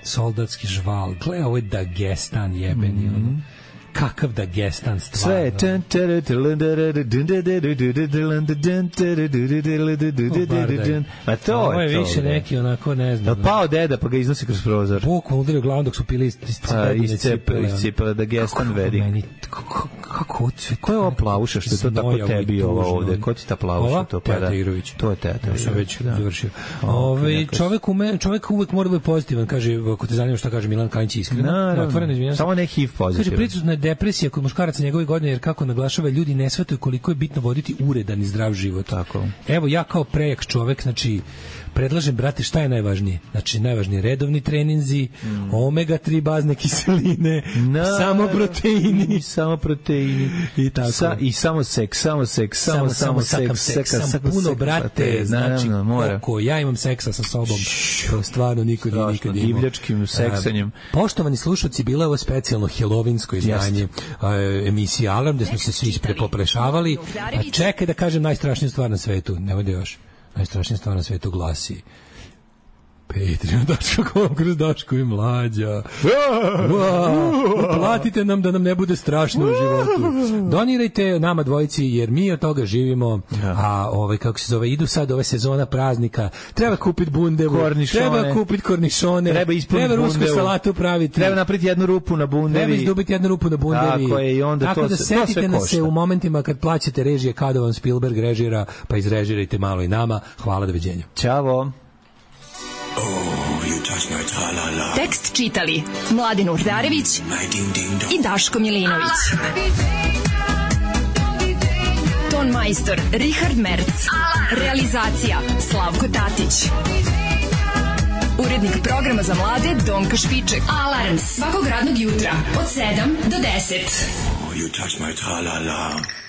Soldatski žval. Gledaj, ovo je Dagestan jebeni. kakav da gestan stvarno. Sve je a to ovo je to. Je više neki onako, ne znam. Da pao deda pa ga iznosi kroz prozor. Bukvom udario glavom dok su pili iscepala da gestan vedi. Kako odsve? Ko je ova plavuša što je to tako tebi ova ovde? Ko ti ta plavuša? To Teta Irović. To je Teta Irović. Sam već završio. Čovek uvek mora da bude pozitivan, kaže, ako te zanima šta kaže Milan Kanić iskreno. Otvoreno, izvinjam se. Samo ne HIV pozitivan. Kaže, prisutna je depresija kod muškaraca njegove godine, jer kako naglašava, ljudi ne shvataju koliko je bitno voditi uredan i zdrav život. Tako. Evo, ja kao prejak čovek, znači, predlažem, brate, šta je najvažnije? Znači, najvažnije redovni treninzi, omega-3 bazne kiseline, samo proteini. I tako. I samo seks. Samo puno, brate, znači, koliko ja imam seksa sa sobom, stvarno nikad imao. Divljačkim seksanjem. Poštovani slušalci, bilo je ovo specijalno helovinsko izdanje emisije Alarm, gde smo se svi prepoprešavali. A čekaj da kažem najstrašniju stvar na svetu, nemoj da još. Najstrašnija stvar na svetu glasi Patreon.com kroz Daško i Mlađa. Platite nam da nam ne bude strašno u životu. Donirajte nama dvojici jer mi od toga živimo. A kako se zove, idu sad ove sezona praznika. Treba kupiti bundevu, treba kupiti kornišone, treba rusku salatu praviti. Treba napraviti jednu rupu na bundevi. Treba izdubiti jednu rupu na bundevi. Tako da setite nas se u momentima kad plaćate režije kada vam Spielberg režira, pa izrežirajte malo i nama. Hvala, doviđenja. Ćao. Tekst čitali Mladin Urdarević i Daško Milinović. Ton majstor Richard Merc. Realizacija Slavko Tatić. Urednik programa za mlade Donka Špiček. Alarms svakog radnog jutra od 7 do 10. You touch my tra-la-la.